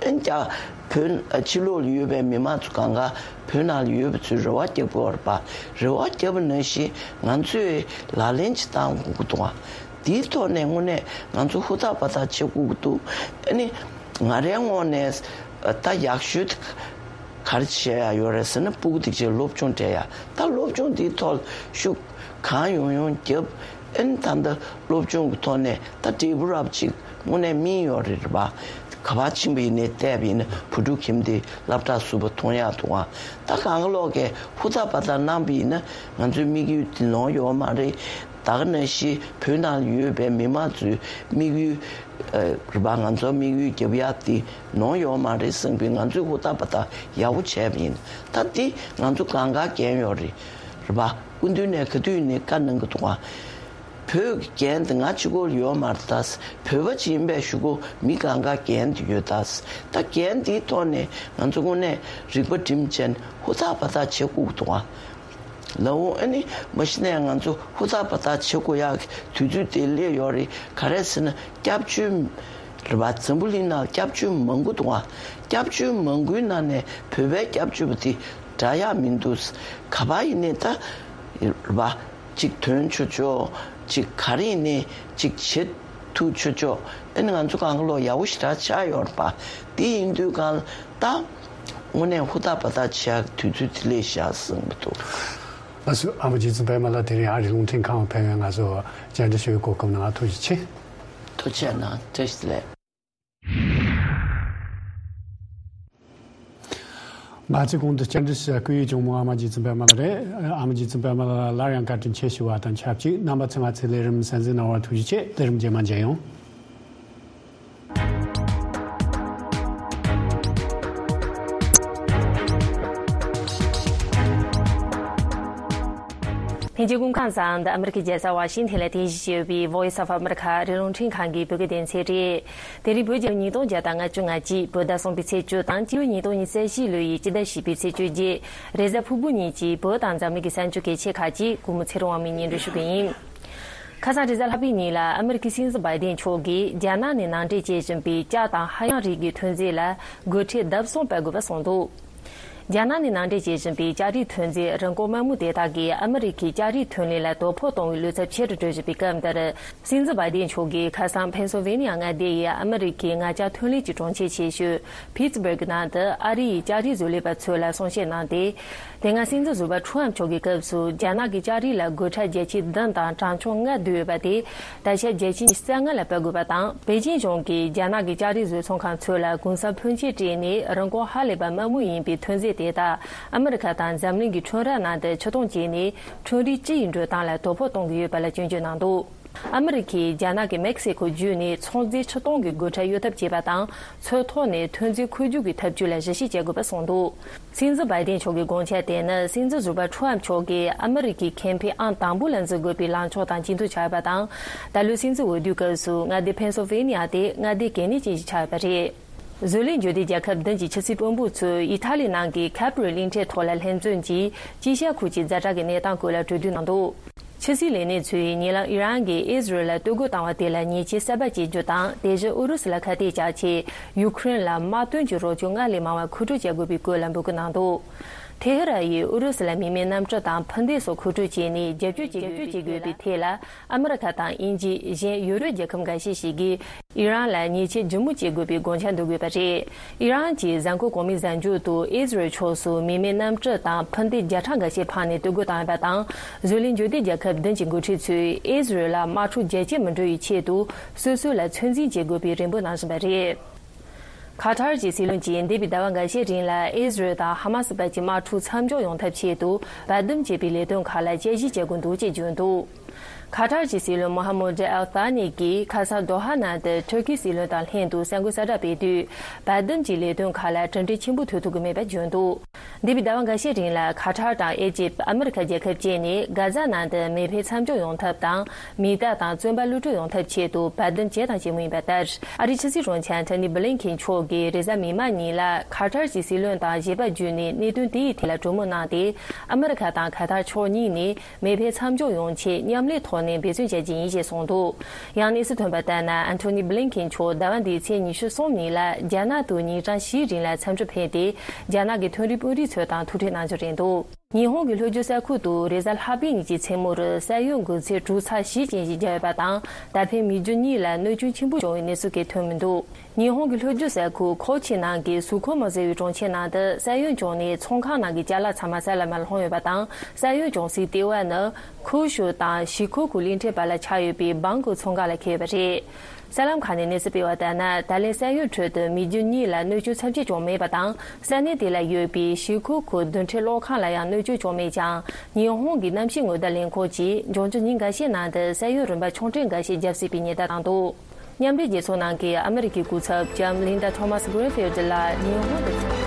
ཨན་ཀྱང་བོད་ཕྱི་ལོགས་ལ་ཡོད་པའི་མི་མང་ཚོ་གང་ག་བོད་ནང་ལ་ཡོད་པ་ཚོས་རེ་བ་རྒྱག་གི་ཡོད་རེད་པ། རེ་བ་རྒྱབ་པ་ནང་བཞིན་ང་ཚོས་ལག་ལེན་ཅིག་བསྟར་དགོས་ཀྱི་འདུག་ཨ། དེའི་ཐོག་ནས་དངོས་གནས་ང་ཚོ་ཧུར་ཐག་འབད་ཐག་བྱེད་དགོས་ཀྱི་འདུག་ཨ་ནི་ང་རའི་ངོས་ནས་ད་ཡག་ཤོས་དེ་ག་རེ་བྱེད་ཡག་ཡོད་རེད་ཟེར་ན། སྤུ་གུ་དེ་ཚོར་སློབ་སྦྱོང་སྤྲད་ཡག་ད་སློབ་སྦྱོང་དེའི་ཐོག་ཤུགས་གང་ཡོང་ཡོང་རྒྱབ། ཨ་ནི་ད་ལྟ་སློབ་སྦྱོང་གི་ཐོག་ནས་ད་འབྲས་བུ་རབ་ཅིག་དངོས་གནས་སྨིན་ཡོད་རེད་པ། ག་པར་ཕྱིན་པ་ཡིན་ནའི་བལྟས་པ་ཡིན་ན་བུ་ཕྲུག་ཁྱིམ་སྡེ་སློབ་གྲྭ་ཟུར་པ་མཐོང་ཡག་འདུག་ཨ། ད་གང་ག་ལོག་གིས་ཧུར་ཐག་འབད་ཐག་གནང་པ་ཡིན་ན་ང་ཚོའི་དམིགས་ཡུལ་དེ་ལོང་ཡོད་མ་རེད། ད་ག་ནང་བཞིན་བོད་ནང་ཡོད་པའི་མི་མང་ཚོའི་དམིགས་ཡུལ་རེད་པ། ང་ཚོ་དམིགས་ཡུལ་རྒྱབ་ཡག་དེ་ལོང་ཡོད་མ་རེད་བསམ་པའི་ང་ཚོས་ཧུར་ཐག་འབད་ཐག་ཡག་པོ་བྱས་པ་ཡིན། ད་དེ་ང་ཚོ་གང་ག་འགན་ཡོད་རེད། རེད་པ། སྐུ་མདུན་ནས་ག་དུས་ནས་བཀའ་གནང་གི་འདུག་ཨ། བོད་ཀྱི་འགན་དེ་ང་གཅིག་པོར་ཡོད་མ་རེད་ད། བོད་པ་ཅིག་ཡིན་པའི་གཞུག་གུ་མི་གང་ག་འགན་དེ་ཡོད་ད། ད་འགན་དེའི་ཐོག་ནས་ང་ཚོ་དངོས་གནས་རིག་པ་སྒྲིམ་བྱས་ཧུར་ཐག་འབད་ཐག་བྱེད་དགོས་ཀྱི་འདུག་ཨ། ལགས་འོང་། ཨ་ནི་མ་གཞི་ནས་ང་ཚོ་ཧུར་ཐག་འབད་ཐག་བྱེད་དགོས་ཡག་གི་དུས་ཚོད་དེ་སླེབས་ཡོད་རེད། ག་རེ་ཟེར་ན་སྐྱབས་བཅོལ་རེད་པ། འཛམ་བུ་གླིང་ནང་སྐྱབས་བཅོལ་མང་པོ་འདུག་ཨ། སྐྱབས་བཅོལ་མང་པོའི་ནང་ནས་བོད་པའི་སྐྱབས་བཅོལ་བ་དེ་འདྲ་ཡག་མི་འདུག་ག་པར་ཡིན་ནའི་ད་རེད་པ། ཅིག་ཐོན་ཆོག་ཆོག་ཅིག་ག་རེ་ཡིན་ནའི་ཅིག་བྱེད་ཐུབ་ཆོག་ཆོག་ཨ་ནི་ང་ཚོ་གང་ག་ལོག་ཡག་པོ་ཞེ་དྲག་ཆགས་ཡོད་རེད་པ། དེ་ཡིན་དུས་གང་ལ་ད་དངོས་གནས་ཧུར་ཐག་འབད་ཐག་བྱེད་ཡག་དུས་ཚོད་དེ་སླེབས་ཤག་བསམ་གྱི་འདུག་ལགས་སོ། ཨ་མ་རྗེ་བཙུན་པད་མ་ལགས་དེ་རིང་ཨ་རི་རླུང་འཕྲིན་ཁང་ཕེབས་ཡོད། ང་ཚོ་བཅར་འདྲི་ཞུ་བའི་གོ་སྐབས་གནང་བ་ཐུགས་རྗེ་ཆེ། ཐུགས་རྗེ་གནང་། བཀྲ་ཤིས་བདེ་ལེགས། ང་ཚོའི་གོང་དུ་བཅར་འདྲི་ཞུ་བའི་སྐུ་ཡི་གཅུང་མོ་ཨ་མ་རྗེ་བཙུན་པད་མ་ལགས་རེད། ཨ་མ་རྗེ་བཙུན་པད་མ་ལགས་ལ་སླར་ཡང་བཀའ་དྲིན་ཆེ་ཞུ་བ་དང་ཆབས་ཅིག་རྣམ་པ་ཚོས་ང་ཚོའི་ལས་རིམ་གསན་གཟིགས་གནང་བར་ཐུགས་རྗེ་ཆེ། ལས་རིམ་རྗེས་མ་མཇལ་ཡོང་། ལྷན་རྒྱས་སྐུ་ཁམས་བཟང་། འདི་ཨ་མི་རི་ཀའི་རྒྱལ་ས་ཝ་ཤིང་ཐན་ལ་རྟེན་གཞི་བྱས་ཡོད་པའི་Voice of America ཨ་རིའི་རླུང་འཕྲིན་ཁང་གི་བོད་སྐད་སྡེ་ཚན་རེད། དེ་རིང་བོད་རྒྱལ་ལོ་ཉིས་སྟོང་བརྒྱ་དང་ལྔ་བཅུ་ང་གཅིག་བོད་ཟླ་གསུམ་པའི་ཚེས་བཅུ་དང་སྤྱི་ལོ་ཉིས་སྟོང་ཉི་ཤུ་རྩ་བཞི་ལོའི་སྤྱི་ཟླ་བཞི་པའི་ཚེས་བཅོ་བརྒྱད། རེས་གཟའ་ཕུར་བུ་ཉིན་གྱི་བོད་དང་འཛམ་གླིང་གི་གསར་འགྱུར་གལ་ཆེ་ཁག་ཅིག་གུས་མོ་ཚེ་རིང་དབང་མོས་སྙན་སྒྲོན་ཞུ་གི་ཡིན། ཁ་སང་རེས་གཟའ་ལྷག་པའི་ཉིན་ལ་ཨ་མི་རི་ཀའི་སྲིད་འཛིན་བྷའི་ཌེན་མཆོག་གིས་རྒྱ་ནག་ནས་ནང་འདྲེན་བྱེད་བཞིན་པའི་ལྕགས་དང་ཧ་ཡང་རིགས་ཀྱི་ཐོན་རྫས་ལ་སྒོ་ཁྲལ་ལྡབ་གསུམ་སྤར་དགོས་པ་གསུངས་འདུག་རྒྱ་ནག་ནས་ནང་འདྲེན་བྱེད་བཞིན་པའི་ལྕགས་རིགས་ཐོན་རྫས་རིན་གོང་དམའ་མོ་དེ་དག་གིས་ཨ་མི་རི་ཀའི་ལྕགས་རིགས་ཐོན་ལས་ལ་དོ་ཕོག་གཏོང་བའི་བློ་འཚབ་ཆེ་རུ་འགྲོ་བཞིན་པའི་སྐབས་འདིར། སྲིད་འཛིན་བྷའི་ཌེན་མཆོག་གིས་ཁ་སང་ཕེན་སིལ་ཝེ་ནི་ཡ་མངའ་སྡེ་ཡི་ཨ་མི་རི་ཀའི་ངར་ལྕགས་ཐོན་ལས་ཀྱི་གྲོང་ཁྱེར་ཆེ་ཤོས་ཕིད་སི་སྦུག་ནང་དུ་ཨ་རི་ཡི་ལྕགས་རིགས་བཟོ་ལས་པ་ཚོ་ལ་གསུང་བཤད་གནང་སྟེ། དེ་སྔ་སྲིད་འཛིན་ཟུར་པ་ཁྲུའམ་མཆོག་གི་སྐབས་སུ་རྒྱ་ནག་གི་ལྕགས་རིགས་ལ་སྒོ་ཁྲལ་བརྒྱ་ཆའི་བདུན་དང་གྲངས་ཆུང་ལྔ་བསྡུས་ཡོད་པ་དེ། ད་ཆ་བརྒྱ་ཆའི་ཉི་ཤུ་རྩ་ལྔ་ལ་སྤར་དགོས་པ་དང་། པེ་ཅིན་གཞུང་གིས་རྒྱ་ནག་གི་ལྕགས་རིགས་བཟོ་ཚོང་ཁང་ཚོ་ལ་གུང་གསེང་ཕོན་ཆེ་སྤྲད་ནས་རིན་གོང་ཧ་ལས་པ་དམའ་མོ་ཡིན་པའི་ཐོན་རྫས་དེ་དག་ཨ་མི་རི་ཁ་དང་འཛམ་གླིང་གི་ཁྲོམ་ར་ནང་དུ་ཕྱིར་གཏོང་བྱས་ནས་ཁྲོམ་རའི་སྤྱི་ཡི་འགྲོ་སྟངས་ལ་དོ་ཕོག་གཏོང་གི་ཡོད་པ་ལ་སྐྱོན་བརྗོད་གནང་འདུག་ཨ་མི་རི་ཁས་རྒྱ་ནག་གི་མེག་སི་ཁོ་བརྒྱུད་ནས་ཚོང་རྫས་ཕྱིར་གཏོང་གི་སྒོ་ཁྲལ་གཡོལ་ཐབས་བྱས་པ་དང་། མཚོ་ཐོག་ནས་ཐོན་རྫས་འཁོར་རྒྱུག་གི་ཐབས་ཇུས་ལ་གཞི་བཞེས་བྱེད་དགོས་པ་གསུངས་འདུག་སྲིད་འཛིན་བྷའི་ཌེན་མཆོག་གི་དགོངས་འཆར་དེ་ནི་སྲིད་འཛིན་ཟུར་པ་ཁྲུའམ་མཆོག་གིས་ཨ་མི་རི་ཀའི་ཁེ་ཕན་ཨང་དང་པོ་ལ་འཛིན་དགོས་པའི་ལངས་ཕྱོགས་དང་གཅིག་མཐུན་ཆགས་ཡོད་པ་དང་། ད་ལོའི་སྲིད་འཛིན་འོས་བསྡུའི་སྐབས་སུ་མངའ་སྡེ་ཕེན་སིལ་ཝེ་ནི་ཡ་དེ་མངའ་སྡེ་གལ་གནད་ཅན་ཞིག་ཆགས་ཡོད་པ་རེད། བཟོ་ལས་འཇུག་སྡེ་རྒྱལ་ཁབ་བདུན་གྱི་ཕྱི་སྲིད་དཔོན་པོ་ཚོས་ཨི་ཐ་ལི་ནང་གི་ཁ་པི་རི་གླིང་ཕྲན་ཐོག་ལ་ལྷན་འཛོམས་ཀྱིས་དཀྱིལ་ཤར་ཁུལ་གྱི་ཛ་དྲག་གི་གནས་སྟངས་སྐོར་ལ་གྲོས་བསྡུར་གནང་འདུག་ཕྱི་སྲིད་ལས་སྣེ་ཚོས་ཉེ་ལམ་ཨི་རན་གྱིས་ཨི་ཟི་རལ་ལ་གཏོར་རྒོལ་བཏང་བ་དེ་ལ་ཉེས་ཆད་གསར་པ་བཅད་རྒྱུ་དང་། དེ་བཞིན་ཨུ་རུ་སུ་ལ་ཁ་གཏད་བཅག་ཆེད་ཡུ་ཁུ་རེན་ལ་དམག་དོན་གྱི་རོགས་སྐྱོར་སྔར་ལས་མང་བ་མཁོ་སྤྲོད་བྱ་དགོས་པའི་སྐོར་ལ་འབོད་སྐུལ་གནང་འདུག་ཐེ་ཧི་རན་ཡིས་ཨུ་རུ་སུ་ལ་མི་མེད་གནམ་གྲུ་དང་འཕུར་མདེལ་སོགས་མཁོ་སྤྲོད་བྱས་ནས་རྒྱབ་སྐྱོར་བྱེད་དགོས་པའི་ཐད་ལ། ཨ་མི་རི་ཁ་དང་དབྱིན་ཇི། གཞན་ཡོ་རོབ་རྒྱལ་ཁབ་འགའ་ཤས་ཤིག་གིས་ཨི་རན་ལ་ཉེས་ཆད་ལྗིད་མོ་བཅད་དགོས་པའི་དགོངས་འཆར་འདོན་གྱི་ཡོད་པ་རེད། ཨི་རན་གྱི་གཟའ་འཁོར་གོང་མའི་གཟའ་མཇུག་ཏུ་ཨི་ཟི་རལ་ཕྱོགས་སུ་མི་མེད་གནམ་གྲུ་དང་འཕུར་མདེལ་བརྒྱ་ཕྲག་འགའ་ཤས་འཕངས་ནས་གཏོར་རྒོལ་བཏང་ཡོད་པ་དང་། བཟོ་ལས་འཇུག་སྡེ་རྒྱལ་ཁབ་བདུན་གྱི་འགོ་ཁྲིད་ཚོས་ཨི་ཟི་རལ་ལ་དམག་འཁྲུག་རྒྱ་སྐྱེད་མི་འགྲོ་བའི་ཆེད་དུ་སོ་སོ་ལ་ཚོད་འཛིན་བྱེད་དགོས་པའི་རེ་འབོད་གནང་བཞིན་པ་རེད། ཁ་ཐར་གྱི་སྲིད་བློན་གྱིས་འདས་པའི་ཟླ་བ་འགའ་ཤས་རིང་ལ་ཨི་ཟི་རལ་དང་ཧ་མ་སི་བར་གྱི་དམག་འཁྲུག་མཚམས་འཇོག་ཡོང་ཐབས་ཆེད་དུ་བར་འདུམ་བྱེད་པའི་ལས་དོན་ཁག་ལ་དཔྱད་ཞིབ་བྱེད་དགོས་འདུག་ཅེས་བརྗོད་འདུག་ཁ་ཐར་གྱི་སྲིད་བློན་མོ་ཧ་མུ་ཌི་ཨལ་ཐ་ནི་གིས་ཁ་སང་དོ་ཧ་ནང་དུ་ཐུར་ཁི་སྲིད་བློན་དང་ལྷན་དུ་གསར་འགོད་གསལ་བསྒྲགས་སྤེལ་དུས། བར་འདུམ་གྱི་ལས་དོན་ཁག་ལ་གྲུབ་འབྲས་ཆེན་པོ་ཐོན་ཐུབ་ཀྱི་མེད་པ་བརྗོད་འདུག་འདས་པའི་ཟླ་བ་འགའ་ཤས་རིང་ལ་ཁ་ཐར་དང་ཨེ་ཇིབ། ཨ་མི་རི་ཁ་རྒྱལ་ཁབ་བཅས་ནས་གྷ་ཛ་ནང་དུ་མེ་འཕེན་མཚམས་འཇོག་ཡོང་ཐབས་དང་། མི་རྟ་དང་བཙོན་པ་གློད་གྲོལ་ཡོང་ཐབས་ཆེད་དུ་བར་འདུམ་བྱས་དང་བྱེད་མུས་ཡིན་པ་ལྟར། ཨ་རིའི་ཕྱི་སྲིད་དྲུང་ཆེ་ཨན་ཐོ་ནི་བྷི་ལིན་ཁེན་མཆོག་གིས་རེས་གཟའ་མིག་དམར་ཉིན་ལ་ཁ་ཐར་གྱི་སྲིད་བློན་དང་བཞེས་པ་བརྒྱུད་ནས་གནད་དོན་དེའི་ཐད་ལ་གྲོས་མོལ་གནང་སྟེ། ཨ་མི་རི་ཁ་དང་ཁ་ཐར་ཕྱོགས་གཉིས་ནས་མེ་འཕེན་མཚམས་འཇོག་ཡོང་ཆེད་མཉམ་ལས་ཐོག་ནས་འབད་བརྩོན་བྱ་རྒྱུ་ཡིན་ཞེས་གསུངས་འདུག་ཡང་གནས་ཚུལ་ཐོན་པ་ལྟར་ན། ཨན་ཐོ་ནི་བྷི་ལིན་ཁེན་མཆོག་ཟླ་བ་འདིའི་ཚེས་ཉི་ཤུ་གསུམ་ཉིན་ལ་རྒྱ་ནག་ཏུ་ཉིན་གྲངས་བཞིའི་རིང་ལ་འཚམས་འདྲིར་ཕེབས་ཏེ། རྒྱ་ནག་གི་མཐོ་རིམ་དཔོན་རིགས་ཚོ་དང་ཐུག་འཕྲད་གནང་རྒྱུ་རེད་འདུག་ཉི་ཧོང་གི་ལྷོ་རྒྱུད་ས་ཁུལ་དུ་རེས་གཟའ་ལྷག་པའི་ཉིན་གྱི་མཚན་མོར་ས་ཡོམ་འགོས་ཚད་དྲུག་ཚེག་བཞི་ཅན་ཞིག་བརྒྱབ་ཡོད་པ་དང་། ད་ཕན་མི་རྒྱུ་གཉིས་ལ་གནོད་སྐྱོན་ཆེན་པོ་བྱུང་བའི་གནས་ཚུལ་གང་ཐོན་མི་འདུག་ཉི་ཧོང་གི་ལྷོ་རྒྱུད་ས་ཁུལ་ཁོ་ཆི་ནང་གི་སུ་ཁོ་མོ་ཟེར་བའི་གྲོང་ཁྱེར་ནང་དུ་ས་ཡོམ་བྱུང་ནས་ཚོང་ཁང་ནང་གི་ཅ་ལག་ཚང་མ་ས་ལ་མར་ལྷུང་ཡོད་པ་དང་། ས་ཡོམ་བྱུང་སའི་ལྟེ་བ་ནི་ཁུའུ་ཤུ་དང་ཞི་ཁོ་ཁུ་གླིང་ཕྲན་བར་ལ་ཆགས་ཡོད་པའི་སྦང་ཀོ་ཚོང་ཁང་ལ་འཁེལ་ཡོད་པ་རེད། གསར་ལམ་ཁག་ནས་གནས་ཚུལ་སྤེལ་བ་ལྟར་ན། ད་ལན་ས་ཡོམ་ཁྲོད་དུ་མི་རྒྱུ་གཉིས་ལ་གནོད་སྐྱོན་ཚབས་ཆེ་བྱུང་མེད་པ་དང་། ས་གནས་དེ་ལ་ཡོད་པའི་ཞི་ཁུ་ཁུ་རྡུལ་ཕྲན་གློག་ཁང་ལ་ཡང་གནོད་སྐྱོན་བྱུང་མེད་ཀྱང་། ཉི་ཧོང་གི་གནམ་གཤིས་སྔོན་བརྡ་ལས་ཁུངས་ཀྱིས་འབྱུང་འགྱུར་ཉིན་འགའ་ཤས་ནང་དུ་ས་ཡོམ་རིམ་པ་ཆུང་གྲས་འགའ་ཤས་བརྒྱབ་སྲིད་པའི་ཉེན་བརྡ་བཏང་འདུག་མཉམ་འབྲེལ་རྒྱལ་ཚོགས་ནང་གི་ཨ་མི་རི་ཀའི་སྐུ་ཚབ་ལྕམ་ལིན་ཌ་ཐོ་མཱས་གྷི་རིན་ཕིལ་ཌི་ལགས་ཉི་ཧོང་དུ།